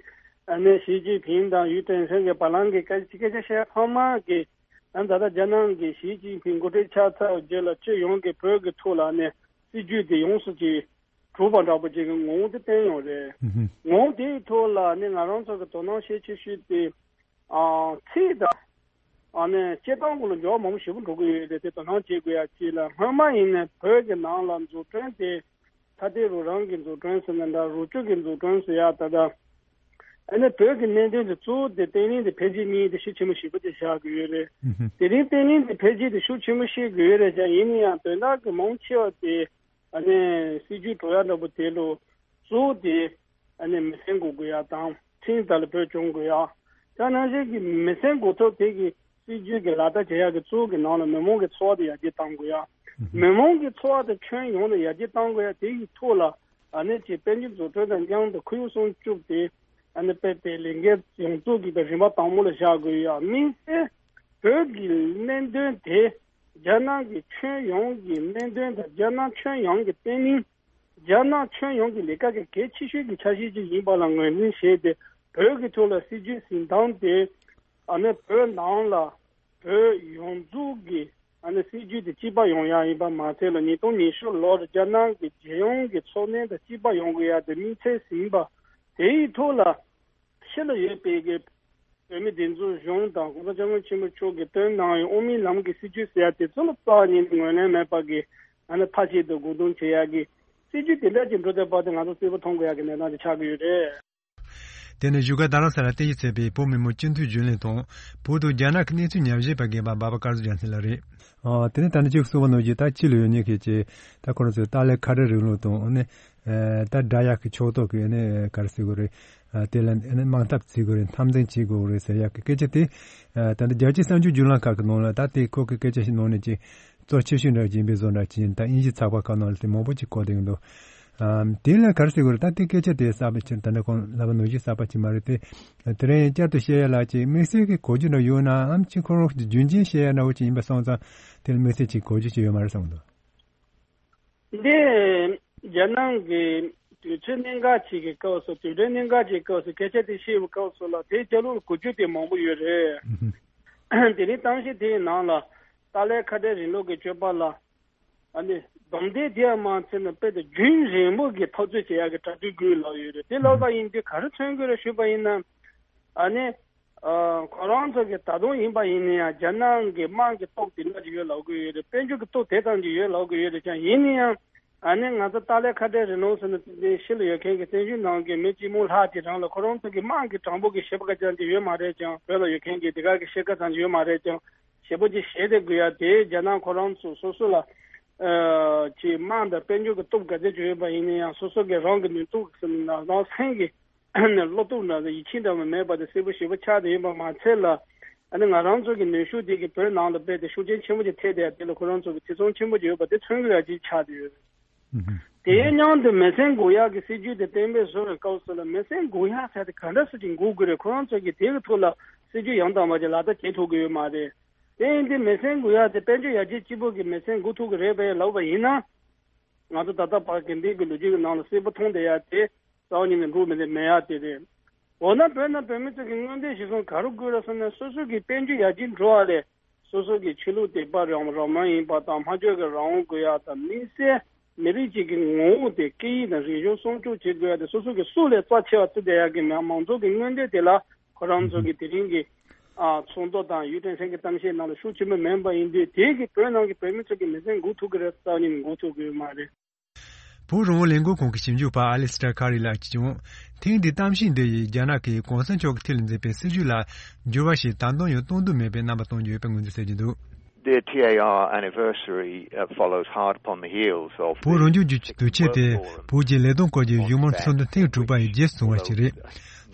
ཨ་ནི་ཞི་ཅིན་ཕིང་དང་ཡུས་ཀྲེན་ཧྲེང་གི་བར་ལམ་གྱི་སྐད་སྐད་ཆ་བཤད་ཚང་མ་གི་ཨ་ནི་ད་ལྟ་རྒྱ་ནག་གི་ཞི་ཅིན་ཕིང་འགོ་ཁྲིད་ཆགས་ཚར་རྗེས་ལ་སྤྱི་ཡོངས་ཀྱི་བོད་ཀྱི་ཐོག་ལ་ནི་སྲིད་ཇུས་དེ་ཡོངས་སུ་ཅིག་གྲུབ་པ་འདྲ་པོ་ཅིག་གི་ངོ་བོ་དེ་བསྟན་ཡོད་རེད། ངོ་བོ་དེའི་ཐོག་ལ་ནི་ང་རང་ཚོ་གི་དོ་སྣང་བྱེད་ཆེ་ཤོས་དེ། ཨ་ཚིག་དང་། ཨ་ནི་སྤྱིར་བཏང་གི་ལ་འགྱུར་བ་མང་པོ་ཞེ་པོ་འགྲོ་གི་ཡོད་རེད་དེ་དོ་སྣང་བྱེད་དགོས་ཡ་གཅིག་ལ་སྔོན་མ་ཡིན་ནའི་བོད་ཀྱི་ནང་ལ་འཛུགས་སྐྲུན་དེ་ཐ་དད་རུ་རང་གི་འཛུགས་སྐྲུན་ཟེར་ན་འདྲ་རུ་ཅུ་གི་འཛུགས་སྐྲུན་ཟེར་ཡ་ད་ལྟ་ཨ་ནི་བོད་ཀྱི་གནད་དོན་དེ་གཙོ་བོ་དེ་བརྟན་ལྷིང་དེ་འཕེལ་རྒྱས་གཉིས་དེ་ཤུགས་ཆེན་པོ་ཞེ་པོ་དེ་བཞག་གི་ཡོད་རེད། དེ་རིང་བརྟན་ལྷིང་དེ་འཕེལ་རྒྱས་དེ་ཤུགས་ཆེན་པོ་བཤད་གི་ཡོད་རེད་ཀྱང་ཡིན་ན་ཡང་དོན་དག་གི་མང་ཆེ་བ་དེ། ཨ་ནི་སྲིད་ཇུས་འགྲོ་ཡ་འདྲ་པོ་དེ་ལོ་གཙོ་བོ་དེ་ཨ་ནི་མི་སེམས་འགུག་དགོས་ཡ་དང་ཁྲིམས་ལྟར་ལ་བོད་སྐྱོང་དགོས་ཡ། ད་ནང་བཞིན་གྱི་མི་སེམས་འགུག་ཐབས་དེ་གི་སྲིད་ཇུས་ཀྱི་ལག་བསྟར་བྱེད་ཡ་གི་གཙོ་བོ་གི་ནང་ལ་མི་མང་གི་འཚོ་བ་དེ་ཡར་རྒྱས་གཏང་དགོས་ཡ། མི་མང་གི་འཚོ་བ་དེ་ཁྱོན་ཡོངས་ནས་ཡར་རྒྱས་གཏང་དགོས་ཡ་དེ་གི་ཐོག་ལ་ཨ་ནི་ཅིག་དཔལ་འབྱོར་འཛུགས་སྐྲུན་དང་མཉམ་དུ་ཁོར་ཡུག་སྲུང་སྐྱོབ་དེ་ཨ་ནི་དཔེ་དེ་ལས་འགན་ཡོངས་རྫོགས་ཀྱི་དང་རིམ་པ་དང་པོ་ལ་བཞག་དགོས་ཡ། དམིགས་བསལ་བོད་ཀྱི་གནད་དོན་དེ་རྒྱ་ནག་གི་ཁྱོན་ཡོངས་ཀྱི་གནད་དོན་དང་རྒྱ་ནག་ཁྱོན་ཡོངས་ཀྱི་བརྟན་ལྷིང་། རྒྱ་ནག་ཁྱོན་ཡོངས་ཀྱི་ལས་ཀ་གི་གལ་ཆེ་ཤོས་ཀྱི་འཆར་གཞི་ཅིག་ཡིན་པ་ལ་ངོས་འཛིན་བྱས་ཏེ་བོད་ཀྱི་ཐོག་ལ་སྲིད་ཇུས་འཛིན་སྟངས་དེ་ཨ་ནི་བོད་ནང་ལ་བོད་ཡོངས་རྫོགས་ཀྱི་ཨ་ནི་སྲིད་ཇུས་དེ་གཅིག་པ་ཡོང་ཡ་ཡིན་པ་མ་ཚད་ལ་ཉིས་སྟོང་ཉི་ཤུ་ལོར་རྒྱ་ནག་གི་རྒྱལ་ཡོངས་ཀྱི་འཚོ་གནས་དང་གཅིག་པ་ཡོང་དགོས་ཡ་དེ་དམིགས་ཚད་ཟིན་པ་དེ་ཡི་ཐོག་ལ། ཕྱི་ལ་ཡོད་པའི་གི་བོད་མི་སྒྲིག་འཛུགས་གཞུང་དང་༸གོང་ས་༸སྐྱབས་མགོན་ཆེན་པོ་མཆོག་གིས་བཏོན་གནང་བའི་དབུ་མའི་ལམ་གྱི་སྲིད་ཇུས་ཟེར་ཡ་དེ་ཚོ་ལ་རྩ་བ་ཉིད་ནས་ངོས་ལེན་མེད་པ་གི་ཨ་ནི་མཐའ་གཅིག་ཏུ་སྒོ་རྡུང་བྱེད་ཡ་གི་སྲིད་ཇུས་དེ་འདྲ་ཅིག་འགྲོ་བསྡད་པ་དེ་ང་ཚོ་གསལ་པོ་མཐོང་དགོས་ཡ་གི་གནས་སྟངས་ཅིག་ཆགས་ཀྱི་ཡོད་རེད། དེ་ནི་བཞུགས་སྒར་རྡ་རམ་ས་ལར་རྟེན་གཞི་བྱས་པའི་བོད་མི་མང་སྤྱི་འཐུས་རྒྱུན་ལས་དང་བོད་དང་རྒྱ་ནག་གི་གནས་ཚུལ་ཉམས་ཞིབ་པ་རྒན་པ་འབའ་པ་སྐལ་བཟང་རྒྱལ་མཚན་ལགས་རེད། ཨ། དེ་ནས་ད་ནི་གཅིག་གསུངས་པ་ནང་བཞིན་ད་ཕྱི་ལ་ཡོད་མཁན་གྱི་ད་ཁོ་རང་ཚོའི་ཏཱ་ལའི་ཁ་བྲལ་རིང་ལུགས་དང་ཨ་ནི་ཨ་ད་དགྲ་ཡག་གི་ཕྱོགས་གཏོགས་ཀྱི་ཨ་ནི་ག་རེ་ཟེར་དགོས་རེད། ཨ་དེ་ལ་ཨ་ནི་དམག་འཐབ་བྱེད་དགོས་རེད། འཐབ་འཛིང་བྱེད་དགོས་རེད་ཟེར་ཡག་གི་སྐད་ཆ་དེ་ཨ་ད་ལྟ་རྒྱལ་སྤྱིའི་གསར་འགྱུར་བརྒྱུད་ལམ་ཁག་གི་ནང་ལ་ད་དེ་ཁོ་གི་སྐད་ཆ་ཞིག་ནང་ནས་ཅིག་གཙོ་ཆེ་ཤོས་འདྲ་ཅིག་ཡིན་པའི་བཟོ་འདྲ་ཅིག་ཡིན། ད་དབྱིན་ཇི་ཚགས་པར་ཁག་ནང་ལ་དེ་མང་པོ་ཅིག་བཀོད་བསྡད་ཀྱི་འདུག་ཨ་དེ་ལ་ག་རེ་ཟེར་དགོས་རེད། ད་དེ་སྐད་ཆ་དེ་གསར་པ་ཅིག་ད་ལྟ་ཁོང་ལབ་པ་ནང་བཞིན་གསར་པ་ཅིག་མ་རེད་དེ། དེ་རིང་བསྐྱར་དུ་བཤད་ཡ་ལ་ཅིག་དམིགས་བསལ་གྱི་གོ་རྒྱུ་འདྲ་ཡོད་ནའམ་ཅིག་ཁོ་རང་རྒྱུན་འབྱམས་བཤད་ཡ་འདྲ་བོ་ཅིག་ཡིན་པ་སོང་ཙང་དེ་ལ་དམིགས་བསལ་ཅིག་གོ་རྒྱུ་ཅིག་ཡོད་མ་རེད་བསམ་གྱི་འདུག། འདི་རྒྱ་ནག་གི་དུས་ཚོད་གནད་འགག་ཅིག་གི་སྐབས་སུ་དུས་དྲན་གནད་འགག་ཅིག་སྐབས་སུ་སྐད་ཆ་དེ་བཤད་པའི་སྐབས་སུ་ལ་དེ་རྒྱ་ལོ་ལ་གོ་རྒྱུ་དེ་མང་པོ་ཡོད་རེད། དེ་རིང་གཏམ་བཤད་དེའི་ནང་ལ་ཏཱ་ལའི་ཁ་བྲལ་རིང་ལུགས་ཀྱི་སྤྱོད་པ་ལ། ཨ་ནི་སྡོམ་དེ་དེ་ཡང་མ་ཚད་ན་དཔེ་དེ་རྒྱུན་རིང་པོ་གི་འཐབ་རྩོད་བྱེད་ཡག་གི་གྲ་སྒྲིག་དགོས་ལབ་ཡོད་རེད། དེ་ལབ་པ་ཡིན་དུས་ག་རེ་མཚོན་དགོས་རེད་ཞུས་པ་ཡིན་ན། ཨ་ནི་ཨ་ཁོ་རང་ཚོ་གི་ད་དུང་ཡིན་པ་ཡིན་ན་ཡང་རྒྱ་ནག་གི་དམག་གི་སྟོབས་དེ་འདྲ་ཅིག་ཡོད་ལབ་གི་ཡོད་རེད། དཔལ་འབྱོར་གི་སྟོབས་དེ་ཙམ་ཅིག་ཡོད་ལབ་གི་ཡོད་རེད་ཀྱང་ཡིན་ན་ཡང་ཨ་ནི་ང་ཚོ་ཏཱ་ལའི་ཁ་བྲལ་རིང་ལུགས་ཟེར་ན་དེ་ཕྱི་ལ་ཡོད་མཁན་གྱི་བཙན་བྱོལ་ནང་གི་མི་གཅིག་མོ་ལྷག་དེ་རང་ལ་ཁོ་རང་ཚོ་གི་དམག་གི་གྲངས་འབོར་གི་ཞེ་པོ་ཀ་ཙམ་ཅིག་ཡོད་མ་རེད་ཀྱང་བོད་ལ་ཡོད་མཁན་གྱི་དེ་ག་གི་ཤེལ་ཀ་ཙམ་ཅིག་ཡོད་མ་རེད་ཀྱང་། ཞེ་པོ་ཅིག་བཤད་བསྡད་དགོས་ཡ་དེ་རྒྱ་ནག་ཁོ་རང་ཚོ་སོ་སོ་ལ་ཨ་ཅིག་དམག་དང་དཔལ་འབྱོར་གྱི་སྟོབས་ག་ཚད་ཅིག་ཡོད་པ་ཡིན་ན་ཡང་སོ་སོ་གི་རང་གི་ནུས་སྟོབས་ཟེར་ན་རང་སེམས་ཀྱི་ བློ་སྟོབས་འདྲ་ཡིད་ཆེས་འདྲ་མ་མེད་པ་དེ་གསལ་པོ་ཞེ་པོ་ཆགས་བསྡད་ཡོད་པ་མ་ཚད་ལ། ཨ་ནི་ང་རང་ཚོ་གི་ནུས་ཤུགས་དེ་གི་བོད་ནང་ལ་རྦད་དེ་ཤུགས་རྐྱེན་ཆེན་པོ་ཅིག་ཐེབས་བསྡད་ཡ་དེ་ལ་ཁོ་རང་ཚོ་གི་ཐེ་ཚོམ་ཆེན་པོ་ཅིག་ཡོད་པ་དེ་མཚོན་གྱི་ཡ་ཅིག་ཆགས་བསྡད་ཡོད། དེའི་མཉམ་དུ་མེ་སྲེག་འགོག་ཡག་གི་སྲིད་ཇུས་དེ་གཏན་འབེབས་བཟོ་བའི་སྐབས་སུ་ལ་མེ་སྲེག་འགོག་ཡག་ཟེར་དེ་ག་འདྲ་སེ་ཅིག་འགོག་དགོས་རེད། ཁོ་རང་ཚོ་གིས་དེ་གི་ཐོག་ལ་སྲིད་ཇུས་ཡང་དག་པ་ཅིག་ལག་བསྟར་བྱེད་ཐུབ་ཀྱི་ཡོད་མ་རེད། དེ་ཡིན་དུས་མེ་སྲེག་འགོག་ཡག་དེ་དཔལ་འབྱོར་ཡར་རྒྱས་གཅིག་པོ་གིས་མེ་སྲེག་འགོག་ཐུབ་ཀྱི་རེད་པས་ལབ་པ་ཡིན་ན། ང་ཚོ་ད་ལྟ་བར་དགེ་འདུན་གྱི་ལོ་རྒྱུས་ཀྱི་ནང་ལ་གསལ་པོ་མཐོང་བསྡད་ཡག་དེ་རྩ་བ་ཉིད་ནས་འགྲུབ་མི་འདུག་མེད་ཡག་དེ་རེད། འོ་ན་བོད་ནང་བོད་མི་ཚོ་གི་མངོན་འདོད་གཞིར་བཟུང་ག་རེ་དགོས་རེད་ཟེར་ན། སོ་སོ་གི་དཔལ་འབྱོར་ཡར་རྒྱས་འགྲོ་བ་ལས་སོ་སོ་གི་ཆོས་ལུགས་དད་པ་རང་རང་མོས་ཡིན་པ་དང་སྨྲ་བརྗོད་ཀྱི་རང་དབང་དགོས་ཡག་དང་། དམིགས་བསལ་མི་རིགས་གཅིག་གི་ངོ་བོ་དེ་སྐད་ཡིག་དང་རིག་གཞུང་སྲུང་སྐྱོབ་བྱེད་དགོས་ཡག་དེ་སོ་སོ་གི་སྲོག་ལས་རྩ་ཆེ་བ་བརྩི་བསྡད་ཡག་གི་མང་ཚོགས་ཀྱི་མངོན་འདོད་དེ་ལ་ཁོ་རང་ཚོ་གི་དེ་རིང་གི་ཨ་ཚོགས་འདུ་དང་ཡུས་ཀྲེང་ཧྲེང་གི་གཏམ་བཤད་ནང་ལ་ཤུགས་ཆེན་པོ་མེད་པ་ཡིན་དུས། དེ་གི་བོད་ནང་གི་བོད་མི་ཚོ་གི་མེ་སྲེག་འགོག་ཐུབ་ཀྱི་རེད། རྩ་བ་ཉིད་ནས་འགོག་ཐུབ་ཀྱི་ཡོད་མ་རེད། བོད་རང་དབང་ལས་འགུལ་ཁང་གི་ཞིབ་འཇུག་པ་ཨ་ལི་སི་ཏྲ་ཁ་རི་ལགས་ཀྱིས་ཀྱང་ཐེངས་འདིའི་གཏམ་བཤད་འདི་ཡིས་རྒྱ་ནག་གིས་གོང་ས་མཆོག་གི་ཐད་ལ་འཛིན་པའི་སྲིད་བྱུས་ལ་འགྱུར་བ་ཞིག་ད་དུང་ཡང་གཏོང་འདོད་མེད་པའི་རྣམ་པ་སྟོན་གྱི་ཡོད་པའི་ངོས་འཛིན་བྱེད་ཀྱི་འདུག། The T A R anniversary uh, follows hard upon the heels of བོད་རང་སྐྱོང་ལྗོངས་ཀྱི་དུས་ཆེན་དེ་བོད་ཀྱི་ལས་དོན་སྐོར་གྱི་བཞུགས་མོལ་ཚོགས་འདུ་ཐེངས་དྲུག་པ་ཡི་རྗེས་སུ་བཟུང་བ་ཞིག་རེད།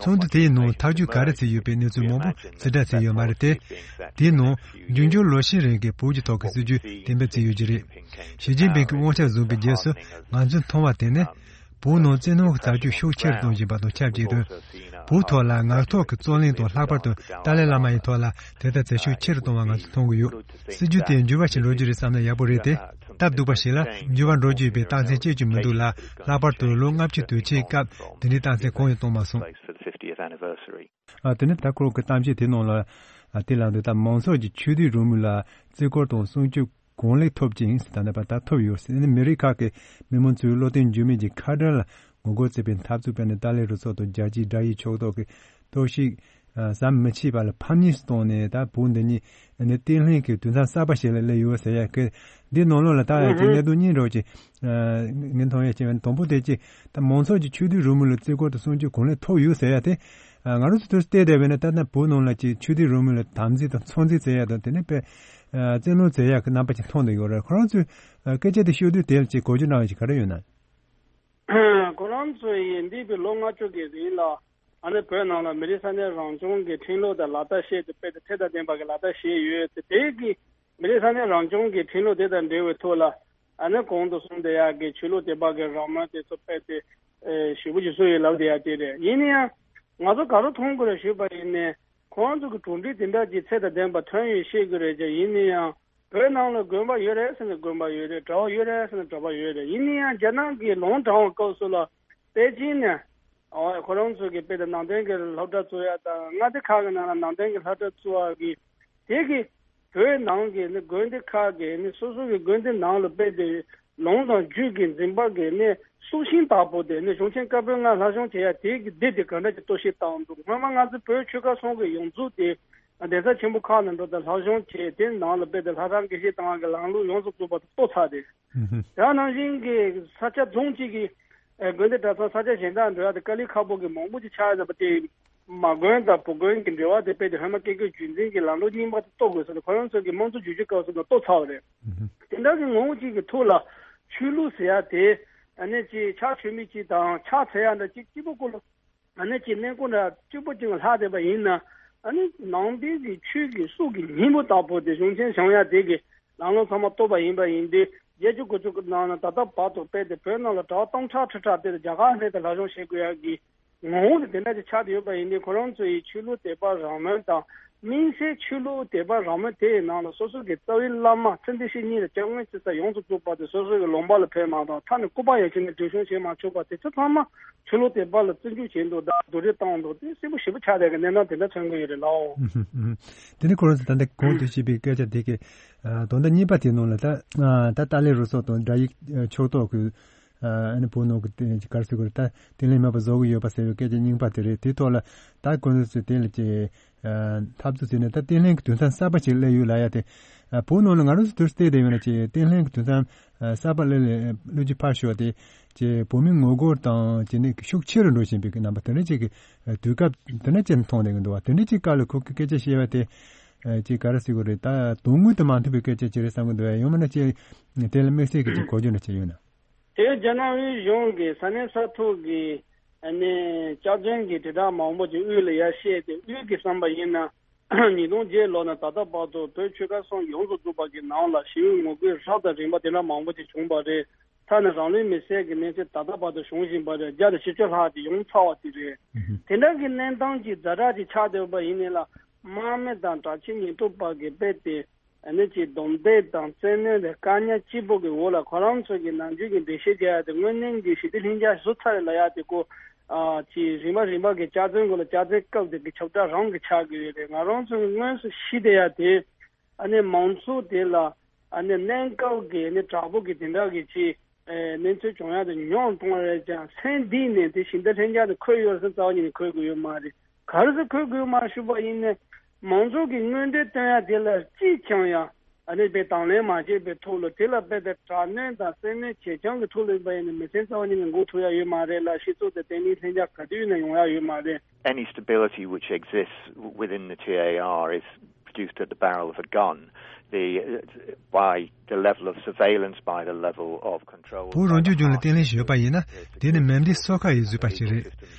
ཚོགས་འདུ་དེའི་ནང་ཐག་གཅོད་ག་རེ་བྱས་ཡོད་པའི་གནས་ཚུལ་མང་པོ་ཕྱིར་བསྒྲགས་བྱས་ཡོད་མ་རེད་དེ། དེའི་ནང་འབྱུང་འགྱུར་ལོ་ཤས་རིང་གི་བོད་ཀྱི་ཐོག་གི་སྲིད་བྱུས་གཏན་འབེབས་བྱས་ཡོད་ཀྱི་རེད། ཞི་ཅིན་ཕིང་གི་དབང་ཆ་བཟུང་བའི་རྗེས་སུ་ང་ཚོས་མཐོང་བ་དེ་ནི། བོད་ནང་བཙན་གནོན་གྱི་རྩ་ཆེ་ཤུགས་ཆེ་རུ་གཏོང་བཞིན་པ་དང་ཆབས་ཅིག་ཏུ། བོད་ཐོག་ལ་ངག་ཐོག་གི་རྩོད་གླེང་དང་ལྷག་པར་དུ་ཏཱ་ལའི་བླ་མ་ཡི་ཐོག་ལ་དེ་ལྟར་བྱེད་ཤུགས་ཆེ་རུ་གཏོང་བ་ང་ཚོས་མཐོང་གི་ཡོད། སྲིད་བྱུས་དེ་འགྱུར་བ་ཞིག་འགྲོ་རྒྱུ་རེད་བསམ་ན་ཡག་པོ་རེད་དེ། སྟབས་སྡུག་པ་ཞིག་ལ་འགྱུར་བ་འགྲོ་རྒྱུ་ཡོད་པའི་རྟགས་མཚན་ཅི་ཡང་མི་འདུག་ལ། ལྷག་པར་དུ་ལོ་ལྔ་བཅུ་དུས་ཆེན་སྐབས་དེ་འདྲའི་རྟགས་མཚན་གང་ཡང་མཐོང་མ་སོང་། ཨ། དེ་ནས་ད་ཁོང་གི་གཏམ་བཤད་དེ་ནང་ལ། ཨ། དེ་ལ་འདི་ལྟར་མང་ཚོགས་ཀྱི་ཆོས་དད་རང་མོས་ལ་བརྩི་བཀུར་དང་སྲུང་སྐྱོབ་གང་ལེགས་ཐོབ་ཅིང་ད་ལྟ་བར་ད་ཐོབ་ཡོད་ཟེར་ནས། མི་རིགས་ཁག་གི་མི་མང་ཚོས་བློ་བརྟན་འགྱུར་མེད་ཀྱི་ཁ་བྲལ་ལ་ངོ་རྒོལ་བྱེད་པའི་འཐབ་རྩོད་སྤེལ་ནས། ཏཱ་ལའི་རུ་ཚོགས་དང་རྒྱལ་སྤྱིའི་དགྲ་ཡི་ཕྱོགས་གཏོགས་ཀྱི་གཏོར་བཤིག་ཨ། ཟམ་མི་ཆད་པ་ལ་ཕམ་ཉེས་སུ་བཏང་ནས། ད་བོད་འདི་ཉིད་ནི་བརྟན་ལྷིང་གི་དུས་མཚམས་གསར་པ་ཞིག་ལ་སླེབས་ཡོད་ཟེར་ཡ་གི། འདི་ནང་ལོགས་ལ་ད་ཡང་ཅིག་གནད་དོན་གཉིས་འདྲ་བོ་ཅིག་ཨ། ངས་མཐོང་ཡ་ཅིག་ཡོད། དང་པོ་དེ་ཅིག་ད་མང་ཚོགས་ཀྱི་ཆོས་དད་རང་མོས་ལ་བརྩི་བཀུར་དང་སྲུང་སྐྱོབ་གང་ལེགས་ཐོབ་ཡོད་ཟེར་ཡ་དེ། ཨ། ང་རང་ཚོ་དུས་བལྟས་བསྡད་པས་ན། ད་ལྟ་བོད་ནང་ལ་ཅིག་ཆོས་དད་རང་མོས་ལ་དམ་འཛིན་དང་ཚོད་འཛིན་བྱེད་ཡ་དང་། དེ་ནས་དཔེ་ཨ། བཙན་གནོན་བྱེད་ཡ་གི་རྣམ་པ་ཅིག་མཐོང་བསྡད་ཡོད་རེད། ཁོ་རང་ཚོས་ཨ། སྐད་ཆ་དེ་ཤོད་དུས་དེ་ལ་ཅིག་གོ་རྒྱུ་གནང་བ་ཞིག་ག་རེ་ཡོད་ན། ཁོ་རང་ཚོ་ཡིས་འདས་པའི་ལོ་ལྔ་བཅུ་གི་རིང་ལ། ཨ་ནི་བོད་ནང་ལ་མི་རིགས་ས་གནས་རང་སྐྱོང་གི་ཁྲིམས་ལུགས་དང་ལག་བསྟར་བྱས་ཏེ། དཔེ་དེ་ཐད་དང་ལྡན་པ་གི་ལག་བསྟར་བྱས་ཡོད་དེ། དེ་གི་མི་རིགས་ས་གནས་རང་སྐྱོང་གི་ཁྲིམས་ལུགས་དེ་དང་འབྲེལ་བའི་ཐོག་ལ། ཨ་ནི་གོང་དུ་གསུངས་བསྡད་ཡག་གི་ཆོས་ལུགས་དད་པ་གི་རང་མོས་དེ་ཚོ་དཔེ་དེ་ཨེ་ཞེ་པོ་ཅིག་བཟོས་ཡོད་ལབ་བསྡད་ཡག་དེ་རེད། ཡིན་ན་ཡང་ང་ཚོ་ག་རེ་མཐོང་དགོས་རེད་ཞུས་པ་ཡིན་ན། ཁོང་ཚོ་གི་གྲུབ་འབྲས་དེ་འདྲ་ཅིག་ཚད་དང་ལྡན་པ་ཐོན་ཡོད་ཤེས་དགོས་རེད་ཀྱང་། ཡིན་ན་ཡང་བོད་ནང་ལ་དགོན་པ་ཡོད་རེད་ཟེར་ན་དགོན་པ་ཡོད་རེད། གྲྭ་པ་ཡོད་རེད་ཟེར་ན་གྲྭ་པ་ཡོད་རེད། ཡིན་ན་ཡང་རྒྱ་ནག་གིས་ལུང་དྲངས་པའི་སྐབས་སུ་ལ། པེ་ཅིན་ནས། ཨོ། ཁོ་རང་ཚོ་གི་དཔེ་དེ་ནང་བསྟན་གྱི་སློབ་གྲྭ་བཙུགས་ཡ་དང་། མངའ་སྡེ་ཁག་གི་ནང་ལ་ནང་བསྟན་གྱི་སློབ་གྲྭ་བཙུགས་པ་གི། དེ་གི་བོད་ནང་གི་ནི་དགོན་སྡེ་ཁག་གི་ནི་སོ་སོ་གི་དགོན་སྡེ་ནང་ལ་དཔེ་དེ་ལུང་དང་རྒྱུད་ཀྱི་འཛིན་པ་གི་ནི་སྲོག་ཤིང་ལྟ་བུ་དེ་ནི་གཞུང་ཆེན་བཀའ་པོད་ལྔ་སློབ་སྦྱོང་བྱེད་ཡ་དེ་གི་སྡེ་དེ་ག་འདྲ་ཅིག་གཏོར་བཤིག་བཏང་འདུག། སྔོན་མ་ང་ཚོ་བོད་ཆོལ་ཁ་གསུམ་གི་ཡོངས་རྫོགས་དེ་གདན་ས་ཆེན་པོ་ཁག་ནང་འགྲོ་དང་སློབ་སྦྱོང་བྱས། དེ་ནང་ལ་དཔེ་དེ་ལྷ་ཁང་དགེ་བཤེས་བཏང་བ་གི་ལམ་ལུགས་ཡོངས་སུ་རྫོགས་པ་དེ་གཏོར་ཚར་ཏེ། ཧུམ་ཧུམ། དེ་ནང་བཞིན་གྱི་ས་ཆ་རྫོང་གཅིག་གི་ཨེ་དགོན་སྡེ་གྲྭ་ཚང་ས་ཆ་གཞན་དག་འགྲོ་ཡ་དེ་དཀའ་ལས་ཁག་པོ་གི་མང་པོ་ཅིག་ཆགས་ཡོད་པ་དེ། མ་དགོན་དང་བུ་དགོན་གྱི་འབྲེལ་བ་དེ་དཔེ་དེ་སྔོན་མ་སྐད་སྐྱོར་རྒྱུན་འཛིན་གྱི་ལམ་ལུགས་རྙིང་པ་དེ་གཏོར་དགོས་ཟེར་ནས་ཁོ་རང་ཚོ་གི་དམངས་གཙོ་བསྒྱུར་བཅོས་སྐབས་སུ་ལ་གཏོར་ཚར་བ་རེད། ཧུམ་ཧུམ། དེ་འདྲ་གི་ངོ་བོ་གཅིག་གི་ཐོག་ལ་ཆོས་ལུགས་ཟེར་ཡ་དེ་ཨ་ནི་ཅིག་ཕྱག་མཆོད་མི་གཅིག་དང་ཕྱག་འཚལ་ཡ་འདྲ་གཅིག་གཅིག་པོ་ཀུན་ལ། ཨ་ནི་ཅིག་གནས་སྐོར་འདྲ་གཅིག་པོ་ཅིག་ལྷག་བསྡད་པ་ཡིན་ན། ཨ་ནི་ནང་པའི་གི་ཆོས་ཀྱི་སྲོག་གི་སྙིང་པོ་ལྟ་བུ་དེ་གཞུང་ཆེན་བཞེངས་ཡ་དེ་གི་ལམ་ལུགས་ཚང་མ་གཏོར་བ་ཡིན་པ་ཡིན་དུས། བརྒྱད་ཅུ་གོ་གཅིག་གི་ནང་ན་ད་ལྟ་བར་དུ་དཔེ་དེ་བོད་ནང་ལ་གྲྭ་པ་སྟོང་ཕྲག་ཁྲི་ཕྲག་དེ་རྒྱ་གར་སླེབས་ཏེ་སློབ་སྦྱོང་བྱེད་དགོས་ཡ་གི་ངོ་བོ་དེ་དེ་འདྲ་ཅིག་ཆགས་བསྡད་ཡོད་པ་ཡིན་དུས། ཁོ་རང་ཚོ་ཡི་ཆོས་ལུགས་དད་པ་རང་མོས་དང་། དམིགས་བསལ་ཆོས་ལུགས་དད་པ་རང་མོས་དེ་ཡི་ནང་ལ་སོ་སོ་གི་རྩ་བའི་བླ་མ་ཚེ་འདི་ཕྱི་གཉིས་ལ་སྐྱབས་མགོན་ཆེ་ས་ཡོངས་སུ་རྫོགས་པ་དེ་སོ་སོ་གི་ལུང་པ་ལ་ཕེབས་མ་ཐུབ། མཐའ་ནས་སྐུ་པར་ཡང་བྱས་ནས་འགྲེལ་བཤད་བྱེད་མ་ཆོག་པ་དེ་ཚོ་ཚང་མ་ཆོས་ལུགས་དད་པ་ལ་བརྩི་འཇོག་བྱས་འདུག་དང་སྡུག་རུས་བཏང་འདུག། དེ་གསལ་པོ་ཞེ་པོ་ཆགས་བསྡད་ཀྱི་གནས་སྟངས་དེ་འདྲ་མཚོན་གྱི་ཡོད་རེད་ལགས། ཨུ་ཧུ། ཨུ་ཧུ། དེ་ནི་ཁོ་རང་ཚོ་ད་ལྟ་གོང་དུ་བཤད་པའི་སྐད་ཆ་དེ་གི་ཨ་དོན་དག་གཉིས་པ་དེ་ནང་ལ། ད་ཨ་ད་ཏཱ་ལའི་རུ་ཚོགས་དང་དགྲ་ཡི་ཕྱོགས་གཏོགས་ཀྱི་ཨ་ནི་བོད་ནང་གི་དེ་ག་རེ་ཟེར་དགོས་རེད། ད་བརྟན་ལྷིང་མེད་པ་བཟོ་གི་ཡོད་པ་ཟེར་བའི་སྐད་ཆ་རྙིང་པ་དེ་རེད། དེའི་ཐོག་ལ་ད་ཁོ་རང་ཚོས་དེ་ལ་ཅིག་ཨ་འཐབ་རྩོད་བྱས་ནས། ད་བརྟན་ལྷིང་གི་དུས་མཚམས་གསར་པ་ཞིག་སླེབས་ཡོད་ལབ་ཡ་དེ། ཨ་བོད་ནང་ལ་ང་རང་ཚོ་དུས་བལྟས་བསྡད་ཡོད་ན། ཅིག་བརྟན་ལྷིང་གི་དུས་མཚམས་ཨ་གསར་པ་སླེབས་ལ་ལོ་རྒྱུས་ཕར་ཞོག་སྟེ། ཅིག་བོད་མིའི་ངོ་རྒོལ་དང་བཅས་ནས་ཤུགས་ཆེ་རུ་འགྲོ་བཞིན་པའི་གི་རྣམ་པ་དེ་འདྲ་ཅིག་གི་ཨ་དུས་སྐབས་དེ་འདྲ་ཅིག་མཐོང་བསྡད་ཀྱི་འདུག་བ། དེ་འདྲ་ཅིག་སྐབས་ལ་ཁོ་གི་སྐད་ཆ་བཤད་པ་དེ་ཨ་ཅིག་ག་རེ་ཟེར་དགོས་རེད། ད་དོན་དངོས་དང་མ་མཐུན་པའི་སྐད་ཆ་ཅིག་རེད་བསམ་གྱི་འདུག་བ། ཡང་མིན་ན་ཅིག་དེ་ལ་དམིགས་བསལ་གྱི་ཅིག་གོ་རྒྱུ་འདྲ་ཅིག་ཡོད་ན། དེ་རྒྱ་ནག་དབུས་གཞུང་གི་ས་གནས་ས་ཐོག་གི་ ཨ་ནི་སྐྱག་རྫུན་གྱི་དྲིལ་བསྒྲགས་མང་པོ་ཅིག་དབུས་ལ་ཡར་བཤད་དེ། དབུས་ཀྱི་བསམ་པ་ཡིན་ན་ཉིས་སྟོང་བརྒྱད་ལོ་ནས་ད་ལྟ་བར་དུ་བོད་ཆོལ་ཁ་གསུམ་ཡོངས་སུ་རྫོགས་པ་གི་ནང་ལ་ཞི་བའི་ངོ་རྒོལ་རབ་དང་རིམ་པ་དེ་འདྲ་མང་པོ་ཅིག་བྱུང་བ་རེད། ཐ་ན་རང་ལུས་མེར་སྲེག་གི་གནས་ཚུལ་ད་ལྟ་བར་དུ་བྱུང་བཞིན་པ་རེད། བརྒྱ་དང་བཞི་བཅུ་ལྷག་ཅིག་ཡོང་ཚར་བ་དེ་རེད། དེ་འདྲ་གི་གནས་སྟངས་ཀྱི་ཛ་དྲག་ཅིག་ཆགས་བསྡད་པ་ཡིན་ནའི་ལ། དམག་མི་དང་དྲག་ཆས་ཉེན་རྟོག་པ་གིས་རྦད་དེ་ཨ་ནི་ཅིག་རྡུང་རྡེག་དང་བཙན་གནོན་དང་བཀག་ཉར་སྐྱིད་པོ་གི་འོག་ལ་ཁོ་རང་ཚོ་གི་ནམ་རྒྱུན་གྱི་འགྲེལ་བཤད་རྒྱག་ཡ་དེ། དངོས་གནས་ཀྱི་ཞི་བདེ་ལྷིང་འཇགས་བཟོ་ཚར་རེད་ལབ་ཡ་དེ་ཀོ། ཨ་ཅིག་རིམ་པ་རིམ་པ་གི་སྐྱག་རྫུན་གོ་ལ་སྐྱག་རྫུན་བཀབ་དེ་གི་ཁྱབ་བསྒྲགས་རང་གི་ཆགས་ཀྱི་ཡོད་རེད། ང་རང་ཚོ་གི་དངོས་སུ་ཤི་བསྡད་ཡ་དེ། ཨ་ནི་མང་ཚོགས་དེ་ལ་ཨ་ནི་གནས་སྐབས་ཀྱི་ཨ་ནི་དྲག་པོ་གི་དེ་འདྲ་གི་ཅིག་ཨེ་གནས་ཚུལ་བྱུང་ཡ་དེ་ཉུང་གཏོང་རེད་ཀྱང་། སེམས་གཏིང་ནས་དེ་ཞི་བདེ་ལྷིང་འཇགས་དེ་འཁོད་ཡོད་ཟེར་རྩ་བ་ཉིད་ནས་འཁོད་དགོས་ཡོད་མ་རེད། ག་རེ་ཟེར་འཁོད་དགོས་ཡོད་མ་རེད་ཞུས་པ་ཡིན་ན། མང་ཚོགས་ཀྱི་མངོན་འདོད་བཏོན་ཡ་དེ་ལ་ཅིས་ཀྱང་ཡང་ཨ་ནི་དཔེ་དང་ལེན་མ་བྱས་པའི་ཐོག་ལ། དེ་ལ་རྦད་དེ་དྲག་གནོན་དང་བཙན་གནོན་ཇེ་ཆུང་གི་ཐོག་ལ་ཡིན་པ་ཡིན་ན། མི་སེམས་རྩ་བ་ཉིད་ནས་འགུག་ཐུབ་ཡ་ཡོད་མ་རེད་ལ། སྤྱི་ཚོགས་དེ་བརྟན་ལྷིང་ལྷིང་འཇགས་ག་དུས་ཡིན་ན་ཡོང་ཡ་ཡོད་མ་རེད། Any stability which exists within the T A R is produced at the barrel of a gun, the, uh, by the level of surveillance, by the level of control. བོད་རང་སྐྱོང་ལྗོངས་ལ་བརྟན་ལྷིང་ཞིག་ཡོད་པ་ཡིན་ན། དེ་ནི་མེ་མདའི་སོ་ཁ་ཡིས་བཟོས་པ་ཞིག་རེད།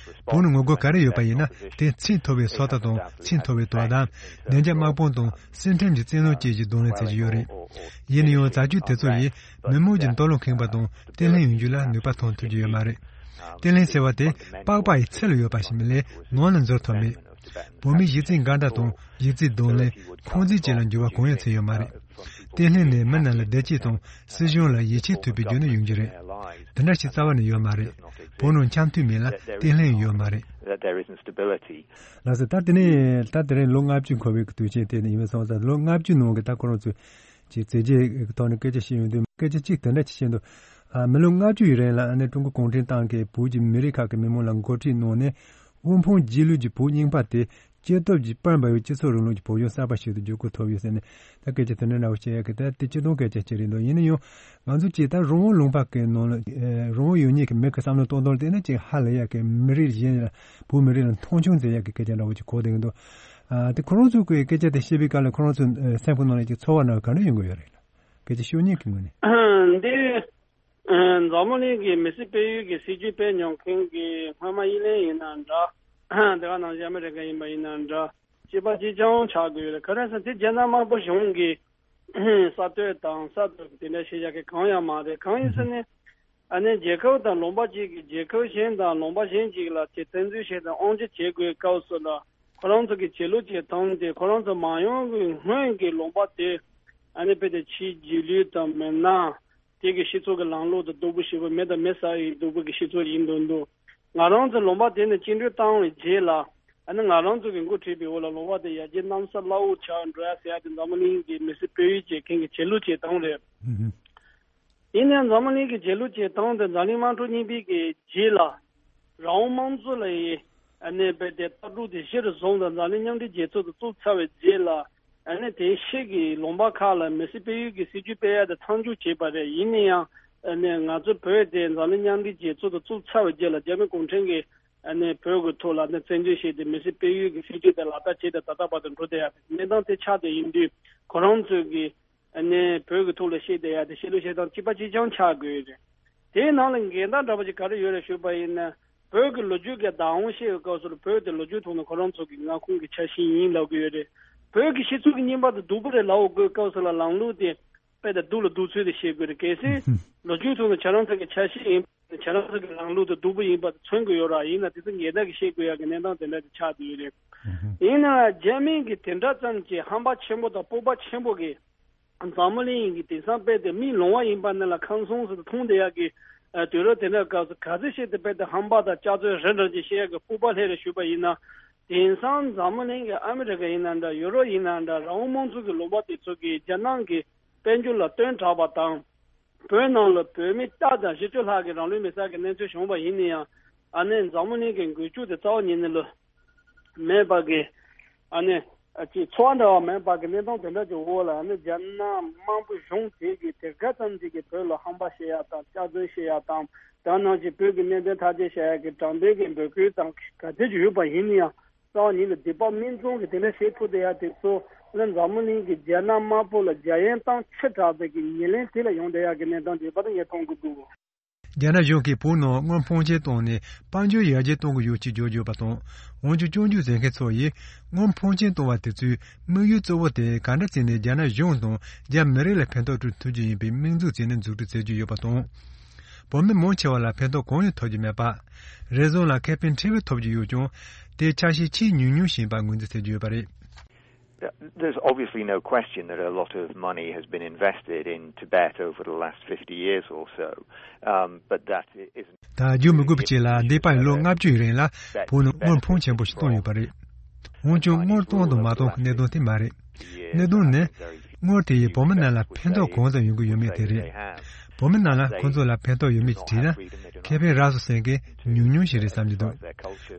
བོད་ནང་ངོ་རྒོལ་ག་རེ་ཡོད་པ་ཡིན་ན། དེ་ཚད་མཐོ་བའི་སོ་ལྟ་དང་། ཚད་མཐོ་བའི་དོ་དམ། བདེ་འཇགས་དམག་དཔུང་དང་སེམས་ཁྲལ་གྱི་བཙན་གནོན་བཅས་ཀྱི་གདོང་ལེན་བྱེད་ཀྱི་ཡོད་རེད། ཡིན་ན་ཡང་རྫས་འགྱུར་དེ་ཚོ་ཡིས་མི་མང་གི་ལྟོ་སློང་ཁེངས་པ་དང་བརྟན་ལྷིང་ཡོང་རྒྱུ་ལ་ནུས་པ་ཐོན་ཐུབ་ཀྱི་ཡོད་མ་རེད། བརྟན་ལྷིང་ཟེར་བ་དེ་པགས་པ་ཡི་ཚད་ལ་ཡོད་པ་ཞིག་མིན་ལས་ནང་ལ་འཛུལ་ཐུབ་མེད། བོད་མིའི་གཞི་རྩའི་འགལ་ཟླ་དང་། གཞི་རྩའི་གདོང་ལེན། འཁོན་འཛིན་བཅས་ལ་འགྱུར་བ་གང་ཡང་ཕྱིན་ཡོད་མ་རེད། བརྟན་ལྷིང་ནི་མི་རྣམས་ལ་བདེ་སྐྱིད་དང་སྲིད་གཞུང་ལ་ཡིད་ཆེས་ཐུབ་པའི་རྒྱུ་ནི་ཡོང་རྒྱུ་རེད། དེ་འདྲ་ཞིག་རྩ་བ་ནས་ཡོད་མ་རེད། བོད་ནང་འཆམ་མཐུན་མེད་ལ་བརྟན་ལྷིང་ཡོད་མ་རེད། That there isn't stability. ལགས་སོ། ད་དེ་ནས་ད་དེ་རིང་ལོ་ལྔ་བཅུ་འཁོར་བའི་དུས་ཆེན་དེ་ནས་ཡིན་པ་སོང་ཙང་། ལོ་ལྔ་བཅུ་ནང་གི་ད་ཁོ་རང་ཚོས་ཀྱི་མཛད་རྗེས་ཀྱི་ཐོག་ནས་སྐད་ཆ་བཤད་ཡོང་དུས། སྐད་ཆ་གཅིག་དེ་འདྲ་ཅིག་བཤད་འདུག་ཨ། མི་ལོ་ལྔ་བཅུ་ཡི་རིང་ལ་ཨ་ནི་ཀྲུང་གོ་གུང་ཁྲན་ཏང་གིས་བོད་ཀྱི་མི་རིགས་ཁག་གི་མི་མང་ལ་འགོ་ཁྲིད་གནང་ནས། དབུལ་ཕོངས་རྗེས་ལུས་ཀྱི་བོད་རྙིང་པ་དེ་སྐྱེ་སྟོབས་ཀྱི་པར་འབར་བའི་སྤྱི་ཚོགས་རིང་ལུགས་ཀྱི་བོད་གཞུང་གསར་པ་ཞིག་ཏུ་བསྒྱུར་བཀོད་ཐུབ་ཡོད་ཟེར་ནས། ད་སྐད་ཆ་དེ་འདྲ་འདྲ་བོ་བཤད་ཡག་གི་ད་དེ་སྤྱིར་བཏང་སྐད་ཆ་ཅིག་རེད་འདུག་ཡིན་ན་ཡང་ང་ཚོ་ཅིག་ད་རང་དབང་ལུང་པ་གི་ནང་ལ། ཨེ། རང་དབང་ཡོད་མཁན་གྱི་མི་གི་བསམ་བློ་གཏོང་སྟངས་ལ་བལྟས་ན། ཅིག་ཧ་ལས་ཡག་གི། མི་རིགས་གཞན་ལ། བོད་མི་རིགས་ལ་མཐོང་ཆུང་མཛད་ཡག་གི་སྐད་ཆ་འདྲ་བོ་ཅིག་གོ་བསྡད་ཀྱི་འདུག་ཨ། དེ་ཁོ་རང་ཚོ་གི་སྐད་ཆ་དེ་བཤད་པའི་སྐབས་ལ་ཁོ་རང་ཚོ་སེམས་ཁོང་ནང་ལ་ཅིག་ཚོར་བ་འདྲ་བོ་ག་འདྲ་ཡོང་གི་ཡོད་རེད་ལ། སྐད་ཆ་ཤོད་མཁན་གྱི་ངོས་ནས། འདི། ཨ། འཛམ་བུ་གླིང་གི་མི་སེར་སྤེལ་ཡུལ་གྱི་སྲིད་ཇུས་སྤེལ་མྱོང་མཁན་གྱི་སྔོན་མ་དབྱི་ལན་ཡིན་ན་འདྲ། དེ་ག་ནང་བཞིན་ཨ་མི་རི་ཀ་ཡིན་པ་ཡིན་ན་འདྲ། གཅིག་པ་གཅིག་རྐྱང་ཆགས་དགོས་ཡོད་རེད། ག་རེ་ཟེར་ན་དེ་རྒྱ་ནག་དམར་པོ་གཞུང་གི་ས་སྟོད་དང་ས་སྟོད་དེ་འདྲ་བཤད་ཡག་གི་གང་ཡང་མ་རེད། གང་ཡིན་ཟེར་ན། ཨ་ནི་རྒྱལ་ཁབ་དང་ལུང་པ་གཅིག་གིས་རྒྱལ་ཁབ་གཞན་དང་ལུང་པ་གཞན་གཅིག་ལ་དེ་བཙན་འཛུལ་བྱས་དང་དབང་ཆ་བྱེད་དགོས་སྐབས་སུ་ལ། ཁོ་རང་ཚོ་གི་བྱེད་ལུགས་བྱེད་སྟངས་དེ། ཁོ་རང་ཚོ་མ་ཡོང་གི་སྔོན་གྱི་ལུང་པ་དེ། ཨ་ནི་དཔེ་དེ་ཕྱིའི་རྗེས་ལུས་དང་མི་སྣ། དེ་གི་སྤྱི་ཚོགས་ཀྱི་ལམ་ལུགས་དང་སྡུག་པོ་ཞེ་པོ། མི་དང་མི་ས་ཡི་སྡུག་པོ་གི་སྤྱི་ཚོགས་ཡིན་དུས་འདུག་ང་རང་ཚོ་ལུང་པ་དེ་ནས་བཅིངས་འགྲོལ་བཏང་བའི་རྗེས་ལ། ཨ་ནི་ང་རང་ཚོ་གི་འགོ་ཁྲིད་པའི་འོག་ལ་ལུང་པ་དེ་ཡར་རྒྱས་གནམ་ས་བླ་འོག་ཆགས་འགྲོ་ཡ་ཟེར་ཡ་དེ་འཛམ་བུ་གླིང་གི་མི་སེར་སྤེལ་ཡུལ་བྱེད་མཁན་གྱི་བྱེད་ལུགས་བྱེད་སྟངས་རེད། ཡིན་ནའང་འཛམ་བུ་གླིང་གི་བྱེད་ལུགས་བྱེད་སྟངས་དེ་འཛམ་གླིང་དམག་འཁྲུག་གཉིས་པའི་གི་རྗེས་ལ། རང་དབང་དམངས་གཙོ་ལ་ཡི། ཨ་ནི་དཔེ་དེ་ལྟ་གྲུབ་དེ་གཞིར་བཟུང་དང་། འཛམ་གླིང་མཉམ་འབྲེལ་རྒྱལ་ཚོགས་དེ་བཙུགས་ཚར་བའི་རྗེས་ལ། ཨ་ནི་དེ་ཕྱི་གི་ལུང་པ་ཁག་ལ་མི་སེར་སྤེལ་ཡུལ་གྱི་སྲིད་ཇུས་སྤེལ་ཡ་དེ་མཚམས་འཇོག་བྱས་པ་རེད། ཡིན་ན་ཡང་ཨ་ནི་ང་ཚོ་བོད་དེ་འཛམ་གླིང་མཉམ་འབྲེལ་རྒྱལ་ཚོགས་དེ་བཙུགས་ཚར་བའི་རྗེས་ལ། རྒྱ་མི་གུང་ཁྲན་གྱིས་ཨ་ནི་བོད་ཀྱི་ཐོག་ལ་ཨ་ནི་བཙན་འཛུལ་བྱས་ཏེ། མི་སེར་སྤེལ་ཡུལ་གྱི་སྲིད་ཇུས་དེ་ལག་བསྟར་བྱས་ཏེ། ད་ལྟ་བར་དུ་འགྲོ་བསྡད་ཡ་དེ་གནས་སྟངས་དེ་ཆགས་བསྡད་ཡིན་དུས། ཁོ་རང་ཚོས་ཀྱི་ཨ་ནི་བོད་ཀྱི་ཐོག་ལ་བཤད་བསྡད་ཡ་དེ། བཤད་ལུགས་བཤད་སྟངས་གཅིག་པ་གཅིག་རྐྱང་ཆགས་དགོས་རེད། དེའི་ནང་ལ་འགལ་ཟླ་འདྲ་པོ་ཅིག་ག་རེ་ཡོད་རེད་ཞུས་པ་ཡིན་ན། བོད་ཀྱི་ལོ་རྒྱུས་ཀྱི་བདག་དབང་བཤད་པའི་སྐབས་སུ་ལ། བོད་དེ་ལོ་རྒྱུས་ཐོག་ནས་ཁོ་རང་ཚོ་གི་མངའ་ཁོངས་ཀྱི་ཆ་ཤས་ཡིན་ལབ་ཀྱི་ཡོད་རེད། བོད་ཀྱི་སྤྱི་ཚོགས་ཀྱི་རྙིང་པ་དེ་སྡུག་པོ་རེད་ལབ་དགོས་སྐབས་སུ་ལ། ལམ་ལུགས་དེ་དཔེ་དེ་སྡུག་ལ་སྡུག་ཚུལ་དེ་བཤད་དགོས་རེད། གལ་སྲིད་ལོ་རྒྱུས་ཐོག་ནས་ཁྱེད་རང་ཚོ་གི་ཆ་ཤས་ཡིན། ཁྱེད་རང་ཚོ་གི་ལམ་ལུགས་དེ་སྡུག་པོ་ཡིན་པ་མཚོན་གྱི་ཡོད་ར། ཡིན་ན་དེ་ཚོ་ངེས་གཏན་གྱི་བཤད་དགོས་ཡག་གི་གནས་སྟངས་དེ་འདྲ་དེ་ཆགས་བསྡད་ཡོད་རེད། ཡིན་ན་རྒྱ་མི་གི་དེ་འདྲ་ཙམ་གྱི་ཧམ་པ་ཆེན་པོ་དང་སྤོབས་པ་ཆེན་པོ་གི། འཛམ་བུ་གླིང་གི་དེང་སང་དཔེ་དེ་མིའི་ལོང་བ་ཡིན་པ་ནི་ལ་ཁམས་གསུམ་ཟེར་དུ་མཐོང་བསྡད་ཡག་གི། ཨ། དུས་རབས་དེ་འདྲ་སྐབས་སུ་ག་ཚོད་ཞིག་དེ་དཔེ་དེ་ཧམ་པ་དང་སྐྱག་རྫུན་རེ་འདྲ་ཅིག་བཤད་ཡག་གི་སྤོབས་པ་སླེབས་རེད་ཞུས་པ་ཡིན་ན། དེང་སང་འཛམ་བུ་གླིང་གི་ཨ་མི་རི་ཀ་ཡིན་ན་འདྲ། ཡུ་རོབ་ཡིན་ན་འདྲ། རང་དབང་དམངས་གཙོ་གི་ལུང་པ་དེ་ཚོ་གིས་རྒྱ་ནག་གི་དཔལ་འབྱོར་ལ་བཏོན་དྲགས་པ་དང་། བོད་ནང་ལ་བོད་མི་སྟག་དང་བཞི་བཅུ་ལྷག་གིས་རང་ལུས་མེར་སྲེག་གི་གནས་ཚུལ་བྱུང་བ་ཡིན་ན་ཡང་། ཨ་ནི་འཛམ་བུ་གླིང་གི་འགུལ་སྐྱོད་དེ་རྩ་བ་ཉིད་ནས་ལ་མེད་པ་གི། ཨ་ནི་ཨ་ཅིག་ཚོར་བ་འདྲ་བ་མེད་པ་གི་གནས་སྟངས་དེ་འདྲ་ཅིག་འོག་ལ། ཨ་ནི་རྒྱ་ནག་དམར་པོ་གཞུང་དེ་གིས་དེ་ག་ཙམ་ཅིག་གིས་བོད་ལ་ཧམ་པ་བཤད་ཡ་དང་། སྐྱག་རྫུན་བཤད་ཡ་དང་། དེ་ནང་བཞིན་བོད་ཀྱི་གནད་དོན་ཐག་གཅོད་བྱ་ཡ་གི་དྲང་བདེན་གྱི་འབོད་སྐུལ་དང་ག་ཚོད་ཅིག་ཡོད་པ་ཡིན་ན་ཡང་། རྩ་བ་ཉིད་ནས་སྡིག་པ་མིག་མཚུངས་ཀྱིས་དེ་འདྲ་བྱེད་ཐུབ་བསྡད་ཡ་དེ་ཚོ་ནི། འཛམ་བུ་གླིང་གི་རྒྱ་ནག་དམར་པོ་ལ་རྒྱ་ཡན་གཏམ་ཆེ་དྲགས་པའི་གི་ཉེར་ལེན་དེ་ལ་ཡོང་བསྡད་ཡ་གི་གནས་སྟངས་དེ་བར་དུ་ངས་མཐོང་གི་འདུག་རྒྱ་ནག་གཞུང་གིས་བོད་ནང་དངུལ་ཕོན་ཆེན་བཏང་ནས་དཔལ་འབྱོར་ཡར་རྒྱས་གཏོང་གི་ཡོད་ཅེས་བརྗོད་ཡོད་པ་དང་། འོན་ཀྱང་སྐྱོན་བརྗོད་མཛད་མཁན་ཚོ་ཡིས་དངུལ་ཕོན་ཆེན་བཏང་བ་དེ་ཚོའི་དམིགས་ཡུལ་གཙོ་བོ་དེ་ག་འདྲ་བྱས་ནས་རྒྱ་ནག་གཞུང་དང་རྒྱ་མི་རིགས་ལ་ཕན་ཐོགས་སྤྲོད་ཐུབ་རྒྱུ་ཡིན་པའི་དམིགས་འཛུགས་བྱས་ནས་འཛུགས་སྐྲུན་བྱེད་ཀྱི་ཡོད་པ་དང་། བོད་མི་མང་ཆེ་བ་ལ་ཕན་ཐོགས་གང་ཡང་ཐོབ་ཀྱི་མེད་པ། རེ་ཟུང་ལ་ཁེ་ཕན་ཕྲན་བུ་ཐོབ་ཀྱི་ཡོད་ཀྱང་། དེའི་ཆ་ཤས་ཆེས་ཉུང་ཉུང་ཞིག་ཡིན་པ་ངོས་འཛིན་བྱེད་ཀྱི་ཡོད་པ་རེད། There's obviously no question that a lot of money has been invested in Tibet over the last fifty years or so, um, but that isn't. ད་བརྗོད་མི་དགོས་པ་ཅིག་ལ། འདས་པའི་ལོ་ལྔ་བཅུ་ཡི་རིང་ལ་བོད་ནང་དངུལ་ཕོན་ཆེན་པོ་ཞིག་བཏང་ཡོད་པ་རེད། འོན་ཀྱང་དངུལ་གཏོང་དང་མ་གཏོང་གི་གནད་དོན་དེ་མ་རེད། གནད་དོན་ནི། དངུལ་དེ་ཡིས་བོད་མི་རྣམས་ལ་ཕན་ཐོགས་གང་ཙམ་ཡོང་གི་ཡོད་མེད་དེ་རེད། བོད་མི་རྣམས་ལ་ཁོ་ཚོ་ལ་ཕན་ཐོགས་ཡོད་མེད་ཅེས་དྲིས་ན། ཁེ་ཕན་རག་སོང་ཟེར་མཁན་ཉུང་ཉུང་ཞིག་རེད་བསམ་གྱི་འདུག་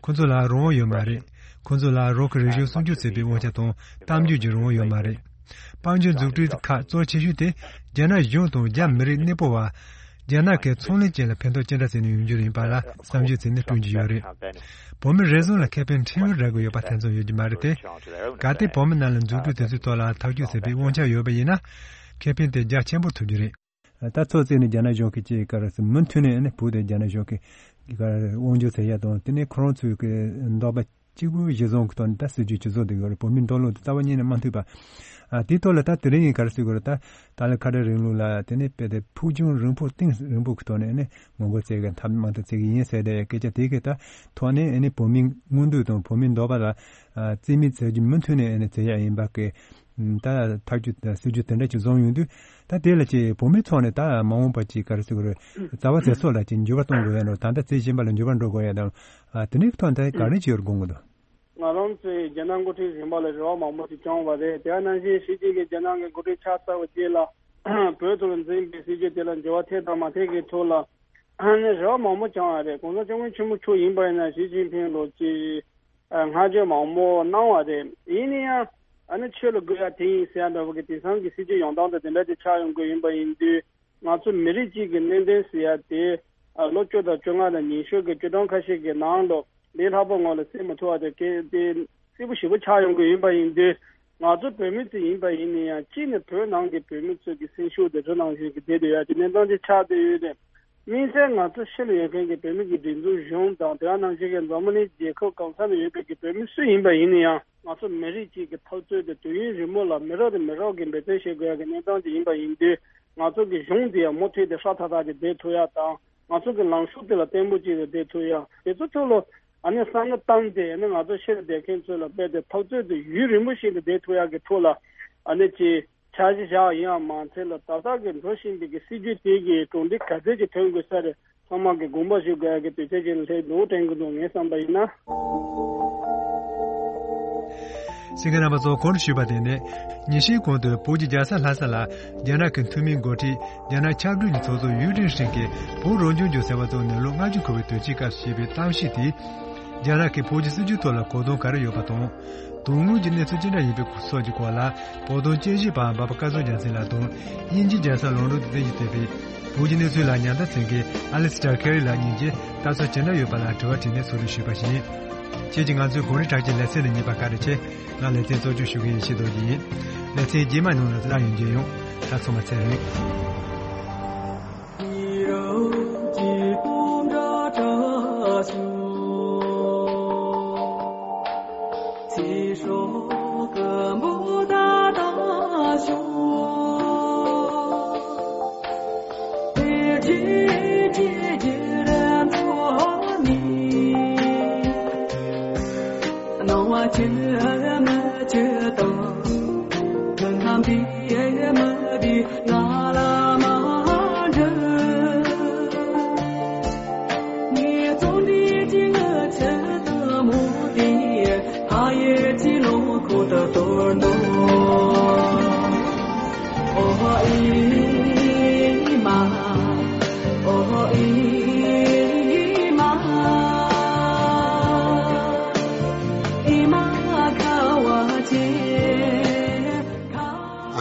ཁོ་ཚོ་ལ་རང་དབང་ཡོད་མ་རེད། ཁོ་ཚོ་ལ་རང་གི་རིག་གཞུང་སྲུང་སྐྱོབ་བྱེད་པའི་དབང་ཆ་དང་གཏམ་བརྗོད་ཀྱི་རང་དབང་ཡོད་མ་རེད། དཔལ་འབྱོར་འཛུགས་སྐྲུན་ཁག་གཙོ་ཆེ་ཤོས་དེ་རྒྱ་ནག་གཞུང་དང་རྒྱ་མི་རིགས་གནས་སྤོ་བ། རྒྱ་ནག་གི་ཚོང་ལས་ཅན་ལ་ཕན་ཐོགས་ཅི་འདྲ་བྱས་ནས་ཡོང་རྒྱུ་ཡིན་པ་ལ་བསམ་གཞིག་བྱས་ནས་བསྐྲུན་གྱི་ཡོད་རེད། བོད་མི་རེ་ཟུང་ལ་ཁེ་ཕན་ཕྲན་བུ་རག་གི་ཡོད་པ་དེ་ཙམ་ཡོད་ཀྱི་མ་རེད་དེ། གལ་ཏེ་བོད་མི་རྣམས་ལ་འཛུགས་སྐྲུན་དེ་ཚོའི་ཐོག་ལ་ཐག་གཅོད་བྱེད་པའི་དབང་ཆ་ཡོད་པ་ཡིན་ན། ཁེ་ཕན་དེ་རྒྱ་ཆེན་པོ་ཐོབ་རྒྱུ་རེད། ད་ཚོད་བརྩིས་ནས་རྒྱ་ནག་གཞུང་གིས་ཅིག་ག་རེ་ཟེར་མུ་མཐུད་ནས་ནི་བོད་དེ་རྒྱ་ནག་གཞུང་གིས་ག་རེ་དབང་སྒྱུར་བྱེད་ཡ་དང་། དེ་ནས་ཁོ་རང་ཚོའི་གི་འདོད་པ་གཅིག་པུ་གཞི་བཟུང་གི་ཐོག་ནས་ད་སྲིད་ཇུས་ཇི་བཟུང་དེ་གི་རེད། བོད་མིའི་འགྲོ་ལུགས་དེ་རྩ་བ་ཉིད་ནས་མ་མཐུན་པ། ཨ་དེའི་ཐོག་ལ་ད་དེ་རིང་གི་ག་རེ་ཟེར་དགོས་རེད། ད་ཏཱ་ལའི་ཁ་བྲལ་རིང་ལུགས་ལ་དེ་ནས་དཔེ་དེ་ཕུགས་རྒྱང་རིང་པོ་གཏིང་རིང་པོ་གི་ཐོག་ནས་ནི་ངོ་རྒོལ་བྱེད་མཁན་འཐབ་མང་དུ་བྱེད་ཀྱི་ཡིན་ཟེར་ཏེ་སྐད་ཆ་དེ་གི་ད་ཐོག་ནས་ནི་བོད་མིའི་མངོན་འདོད་དང་བོད་མིའི་འདོད་པ་ལ་རྩིས་མེད་བྱེད་རྒྱུ་མུ་མཐུད་ནས་ནི་བྱེད་ཡ་ཡིན་པ་གི། ད་ཐག་གཅོད་དང་སྲིད་ཇུས་དེ་འདྲ་ཅིག་བཟུང་ཡོང་དུས། ད་དེ་ལ་ཅིག་བོད་མི་ཚོ་ནས་ད་མ་འོངས་པ་ཅིག་ག་རེ་ཟེར་དགོས་རེད། རྩ་བ་དེ་ཚོ་ལ་ཅིག་འགྱུར་བ་གཏོང་དགོས་ཡ་དང་། ད་ལྟ་བྱེད་བཞིན་པ་ལ་འགྱུར་བ་འགྲོ་དགོས་ཡ་དང་། ཨ་དེ་འདྲའི་ཐོག་ནས་ད་ག་རེ་བྱེད་དགོས་ཀྱི་འདུག་ང་རང་ཚོས་རྒྱ་ནག་འགོ་ཁྲིད་རིམ་པ་ལ་རེ་བ་མང་པོ་ཞིག་བཅངས་པ་རེད། དེ་ནང་བཞིན་ཞི་ཅིན་ཕིང་རྒྱ་ནག་གི་འགོ་ཁྲིད་ཆགས་ཚར་བ་རྗེས་ལ་བོད་དུ་འཛིན་པའི་སྲིད་ཇུས་དེ་ལ་འགྱུར་བ་ཐེབས་དང་མ་ཐེབས་ཀྱི་ཐོག་ལ་ཨ་ནི་རེ་བ་མང་པོ་བཅངས་པ་རེད། གོང་ས་སྐྱབས་མགོན་ཆེན་པོ་མཆོག་ཡིན་པ་ཡིན་ན་ཞི་ཅིན་ཕིང་ལོ་ཅིག་ཨ་བསྔགས་བརྗོད་མང་པོ་གནང་བ་རེད། ཡིན་ན་ཡང་ཨ་ནི་ཆོས་ལ་དགོས་ཡ་དེ་ཡིན་ཟེར་ཡ་འདྲ་བོ་གི་དེང་སང་གི་སྲིད་ཇུས་ཡོང་སྟངས་དང་དེ་འདྲ་དེ་ཆགས་ཡོང་གི་ཡིན་པ་ཡིན་དུས། ང་ཚོ་མི་རིགས་གཅིག་གི་གནད་དོན་ཟེར་ཡ་དེ་ཨ་ལོ་བཅུ་དང་བཅོ་ལྔ་དང་ཉི་ཤུ་གི་བཅུ་ཐམ་ཁ་ཤས་ཀྱི་ནང་ལོ་ལས་སླ་པོ་ངོ་ལ་སེལ་མི་ཐུབ་པ་དེ་གལ་ཏེ་སེར་པོ་ཞེ་པོ་ཆགས་ཡོང་གི་ཡིན་པ་ཡིན་དུས། ང་ཚོ་བོད་མི་ཚོ་ཡིན་པ་ཡིན་ན་ཡང་གཅིག་ནས་བོད་ནང་གི་བོད་མི་ཚོ་གི་སེམས་ཤུགས་དེ་ཚོ་ནང་བཞིན་གྱི་བསྡད་སྡོད་ཡ་གི་གནས་སྟངས་དེ་ཆགས་བསྡད་ཡོད་རེད། དམིགས་བསལ་ང་ཚོ་ཕྱི་ལ་ཡོད་མཁན་གྱི་བོད་མི་གི་སྒྲིག་འཛུགས་གཞུང་དང་དེ་ག་ནང་བཞིན་གྱི་འཛམ་བུ་གླིང་རྒྱལ་ཁབ་གང་ས་ན་ཡོད་པའི་གི་བོད་མི་སུ་ཡིན་པ་ཡིན་ན་ཡང་། ང་ཚོ་མི་རིགས་གཅིག་གི་འཐབ་རྩོད་དེ་དུས་ཡུན་རིང་མོ་ལ་མི་རབས་ནས་མི་རབས་ཀྱི་འབད་བརྩོན་བྱེད་དགོས་ཡ་གི་གནས་སྟངས་ཅིག་ཡིན་པ་ཡིན་དུས། ང་ཚོ་གི་གཞུང་དེ་ཡང་མུ་མཐུད་དེ་སྲ་ཐག་ཐག་ཅིག་བསྡད་ཐུབ་ཡ་དང་། ང་ཚོ་གི་ལངས་ཕྱོགས་དེ་ལ་བརྟན་པོ་ཅིག་ཏུ་བསྡད་ཐུབ་ཡ། དེ་ཚོ་ཐོག་ལ་ཨ་ནི་བསམ་བློ་བཏང་སྟེ། ཨ་ནི་ང་ཚོ་ཕྱི་ལ་བསྡད་མཁན་ཚོ་ལ་རྦད་དེ་འཐབ་རྩོད་དེ་ཡུན་རིང་པོ་ཞིག་ཏུ་བསྡད་ཐུབ་ཡ་གི་ཐོག་ལ་ཨ་ནི་ཅིག་འཆར་གཞི་བཞག་ཡིན་ཡང་མ་ཚད་ལ། ད་ལྟ་གི་འགྲོ་བཞིན་པའི་གི་སྲིད་ཇུས་དེ་གི་གྲུབ་འབྲས་ག་ཚད་ཅིག་ཐོན་དགོས་ས་རེད། ཚང་མ་གི་དགོངས་པ་ཞུ་དགོས་ཡ་གི་དུས་ཚོད་ཅིག་ལ་སླེབས་འདུག་དྲན་གི་འདུག་ངས་བསམ་པ་ཡིན་ན། གསན་མཁན་རྣམ་པ་ཚོ། གོང་དུ་ཞུས་པ་དེ་ནི་ཉིན་ཤས་གོང་དུ་བོད་ཀྱི་རྒྱལ་ས་ལྷ་ས་ལ་རྒྱ་ནག་གི་འཐུས་མིའི་འགོ་ཁྲིད། རྒྱ་ནག་ཆབ་སྲིད་ཀྱི་ཚོགས་གཙོ་ཡུས་ཀྲིན་ཧྲིན་གྱིས་བོད་རང་སྐྱོང་ལྗོངས་ཟེར་བ་བཙུགས་ནས་ལོ་ལྔ་བཅུ་འཁོར་བའི་དུས་ཆེན་སྐབས་སུ་བྱས་པའི་གཏམ་བཤད་དེས། རྒྱ་ནག་གིས་བོད་ཀྱི་སྲིད་ཇུས་ཐོག་ལ་གོ་དོན་ག་རེ་ཡོད་པ་དང་། དོན་དངོས་ཀྱི་གནས་ཚུལ་ཅི་འདྲ་ཡིན་པའི་སྐོར་སོགས་ཀྱི་སྐོར་ལ། བོད་དོན་དཔྱད་ཞིབ་པ་འབའ་པ་སྐལ་བཟང་རྒྱལ་མཚན་ལགས་དང་། དབྱིན་ཇིའི་རྒྱལ་ས་ལོན་ཌོན་དུ་རྟེན་གཞི་བྱས་པའི་བོད་ཀྱི་གནས་ཚུལ་ལ་ཉམས་ལེན་མཛད་མཁན་ཨ་ལི་སི་ཏར་ཁེ་རི་ལགས་གཉིས་ཀྱིས་ལྟ་ཚུལ་ཇི་འདྲ་ཡོད་པ་ལ་དྲི་བ་དྲིས་ནས་ཚོགས་འདུ་ཞུས་པ་ཡིན། ཁྱེད་ཀྱིས་ང་ཚོའི་གངས་རི་བྲག་ཅའི་ལེ་ཚན་ནང་ཉན་པར་བཀའ་དྲིན་ཆེ། ང་ལེ་ཚན་གཙོ་སྐྱོང་ཞུ་མཁན་ཡེ་ཤེས་རྡོ་རྗེ་ཡིན། ལེ་ཚན་རྗེས་མའི་ནང་ལ་རང་ཡོང་རྒྱུ་ཡིན། ད་ཚང་མ་ཚེ་རིང་།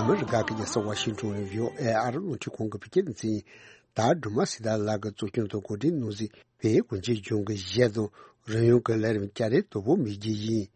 ཨ་མི་རི་ཀ་གི་རྒྱལ་ས་ཝ་ཤིང་ཊོན་ནས་བྷི་ཨོ་ཨེ་ཨ་རི་རླུང་འཕྲིན་ཁང་གི་བོད་སྐད་སྡེ་ཚན་ཡིན། ད་སྒྲོལ་མ་སྲི་ཐར་ལགས་ཀྱིས་གཙོ་སྐྱོང་དང་གོ་སྒྲིག་གནང་མཛད་པའི་གངས་ཅན་ལྗོངས་ཀྱི་གཞས་དང་རོལ་དབྱངས་ཀྱི་ལས་རིམ་སྐྱ་རེངས་དོ་པོ་མི་བརྗེད་ཡིན།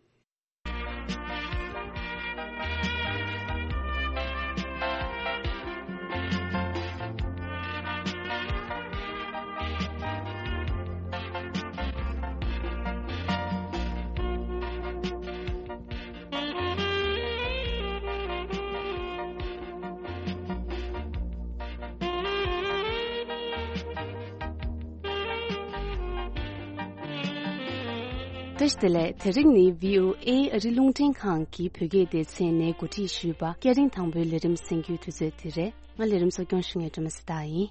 བཀྲ་ཤིས་བདེ་ལེགས། དེ་རིང་ནི་བྷི་ཨོ་ཨེ་ཨ་རི་རླུང་འཕྲིན་ཁང་གི་བོད་སྐད་སྡེ་ཚན་ནས་གོ་སྒྲིག་ཞུས་པ་སྐད་རིམ་དང་པོའི་ལས་རིམ་གསན་རྒྱུའི་དུས་ཚོད་དེ་རེད། ང་ལས་རིམ་གཙོ་སྐྱོང་ཞུ་མཁན་སྒྲོལ་མ་སྲི་ཐར་ཡིན།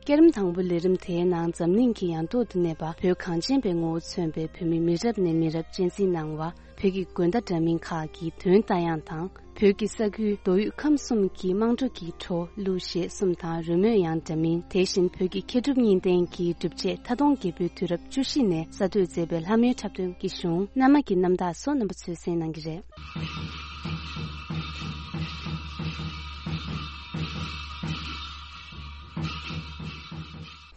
སྐད་རིམ་དང་པོའི་ལས་རིམ་དེའི་ནང་འཛམ་གླིང་གི་ཡང་ཐོག་ཏུ་གནས་པ་བོད་གངས་ཅན་པའི་ངོ་བོ་མཚོན་པའི་བོད་མི་མི་རབས་ནས་མི་རབས་གཅེས་འཛིན་གནང་བ། བོད་ཀྱི་དགོན་བདག་འདྲ་མིན་ཁག་གི་དོན་ལྟ་ཡང་དང་། བོད་ཀྱི་ས་ཁུལ་མདོ་དབུས་ཁམས་གསུམ་གྱི་དམངས་ཁྲོད་ཀྱི་བྲོ་གླུ་གཞས་གསུམ་དང་རོལ་མོའི་དབྱངས་འདྲ་མིན། དེ་བཞིན་བོད་ཀྱི་མཁས་གྲུབ་གཉིས་ལྡན་གྱི་སྒྲུབ་བྱེད་ཐ་སྟོང་རྒྱལ་པོའི་དུས་རབས་བཅུ་བཞི་ནས་གསར་གཏོད་མཛད་པའི་ལྷ་མོའི་འཁྲབ་སྟོན་གྱི་གཞུང་། གནའ་མ་གི་རྣམ་ཐར་སོགས་རྣམ་པ་ཚོས་གསན་གནང་གི་རེད།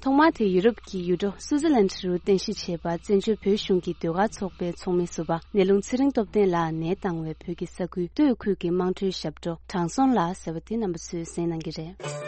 ཐོག་མར་དེ་ཡུ་རོབ་ཀྱི་ཡུལ་གྲུ་སུའུ་ཙེར་ལན་རུ་རྟེན་གཞི་བྱས་པ་བཙན་བྱོལ་བོད་གཞུང་གི་ཟློས་གར་ཚོགས་པའི་ཚོགས་མི་ཟུར་པ་ནེ་ལུང་ཚེ་རིང་སྟོབས་ལྡན་ལགས་ནས་བཏང་བའི་བོད་ཀྱི་ས་ཁུལ་སྟོད་ཁུལ་གྱི་དམངས་ཁྲོད་ཞབས་བྲོ་དྲང་སྲོང་ལ་ཟེར་བ་དེ་རྣམ་པ་ཚོས་གསན་གནང་གི་རེད།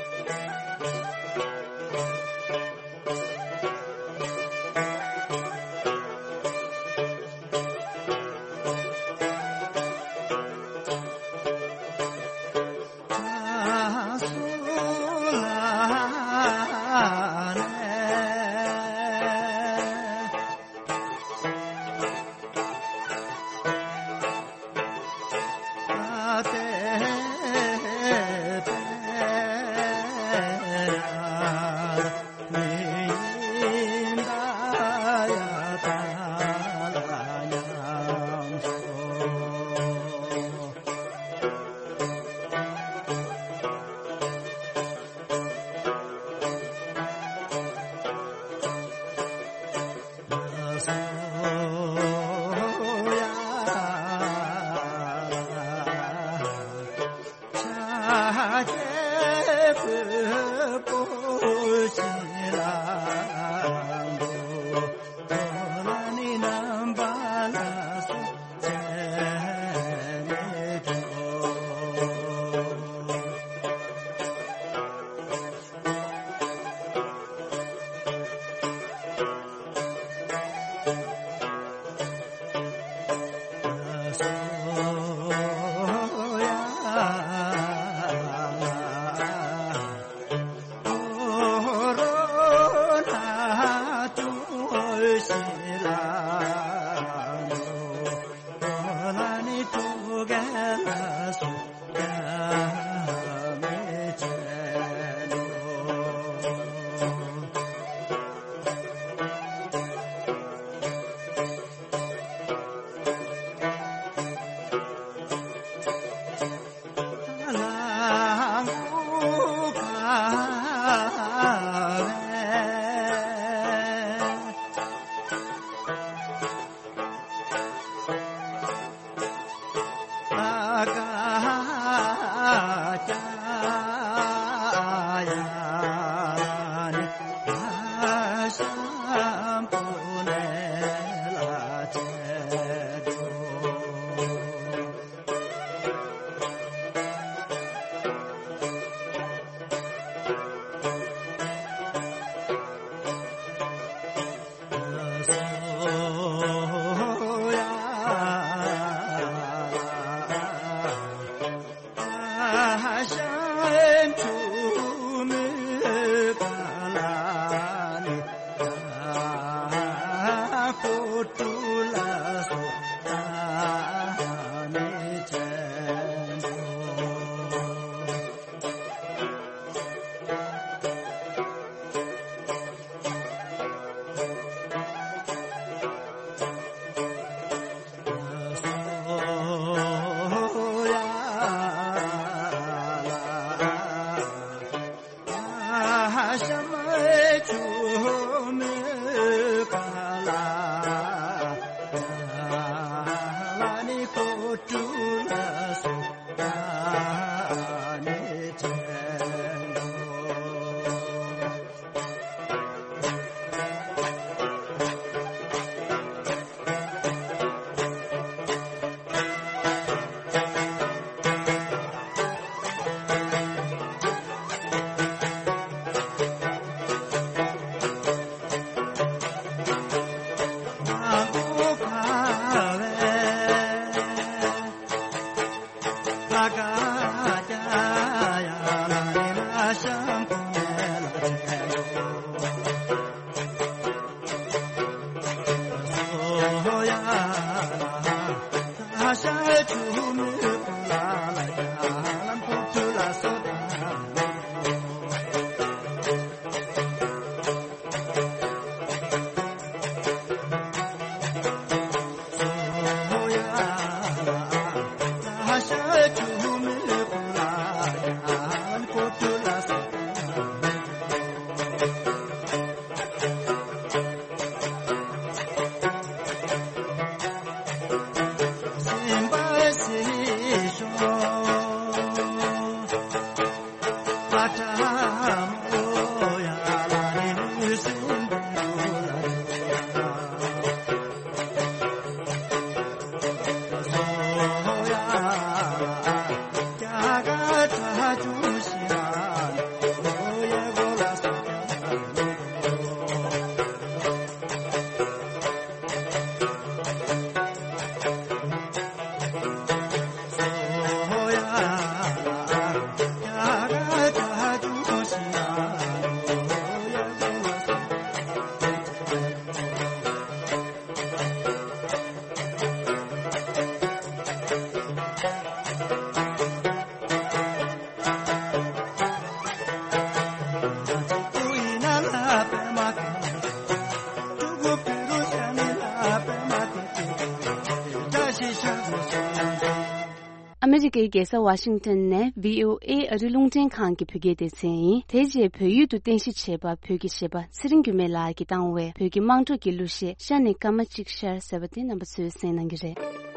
ཨ་མེ་རི་ཀའི་རྒྱལ་ས་ཝ་ཤིང་ཏོན་ནས་བྷི་ཨོ་ཨེ་ཨ་རི་རླུང་འཕྲིན་ཁང་གི་བོད་སྐད་སྡེ་ཚན་ཡིན། དེ་རྗེས་བོད་ཡིག་ཏུ་རྟེན་གཞི་བྱས་པ་བོད་ཀྱི་གཞས་པ་ཚེ་རིང་འགྱུར་མེད་ལགས་ཀྱིས་བཏང་བའི་བོད་ཀྱི་དམངས་ཁྲོད་ཀྱི་གླུ་གཞས་ཤ་ནས་སྐར་མ་གཅིག་ཤར་ཟེར་བ་དེ་རྣམ་པ་ཚོས་གསན་གནང་གི་རེད།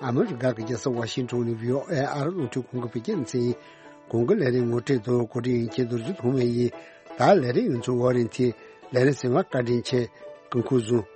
ཨ་མི་རི་ཀ་གི་རྒྱལ་ས་ཝ་ཤིང་ཊོན་ནས་བྷི་ཨོ་ཨེ་ཨ་རི་རླུང་འཕྲིན་ཁང་གི་བོད་སྐད་སྡེ་ཚན། གོང་གི་ལས་རིམ་ངོ་སྤྲོད་དུ་གོ་སྒྲིག་མཁན་རྡོ་རྗེ་ཐོགས་མེད་ཡིན། ད་ལས་རིམ་ཡོངས་རྫོགས་འོག་རིམ་དེ་ལས་རིམ་ཟིན་པ་བཀའ་དྲིན་ཆེ། སྐུ་ཁམས་བཟང་།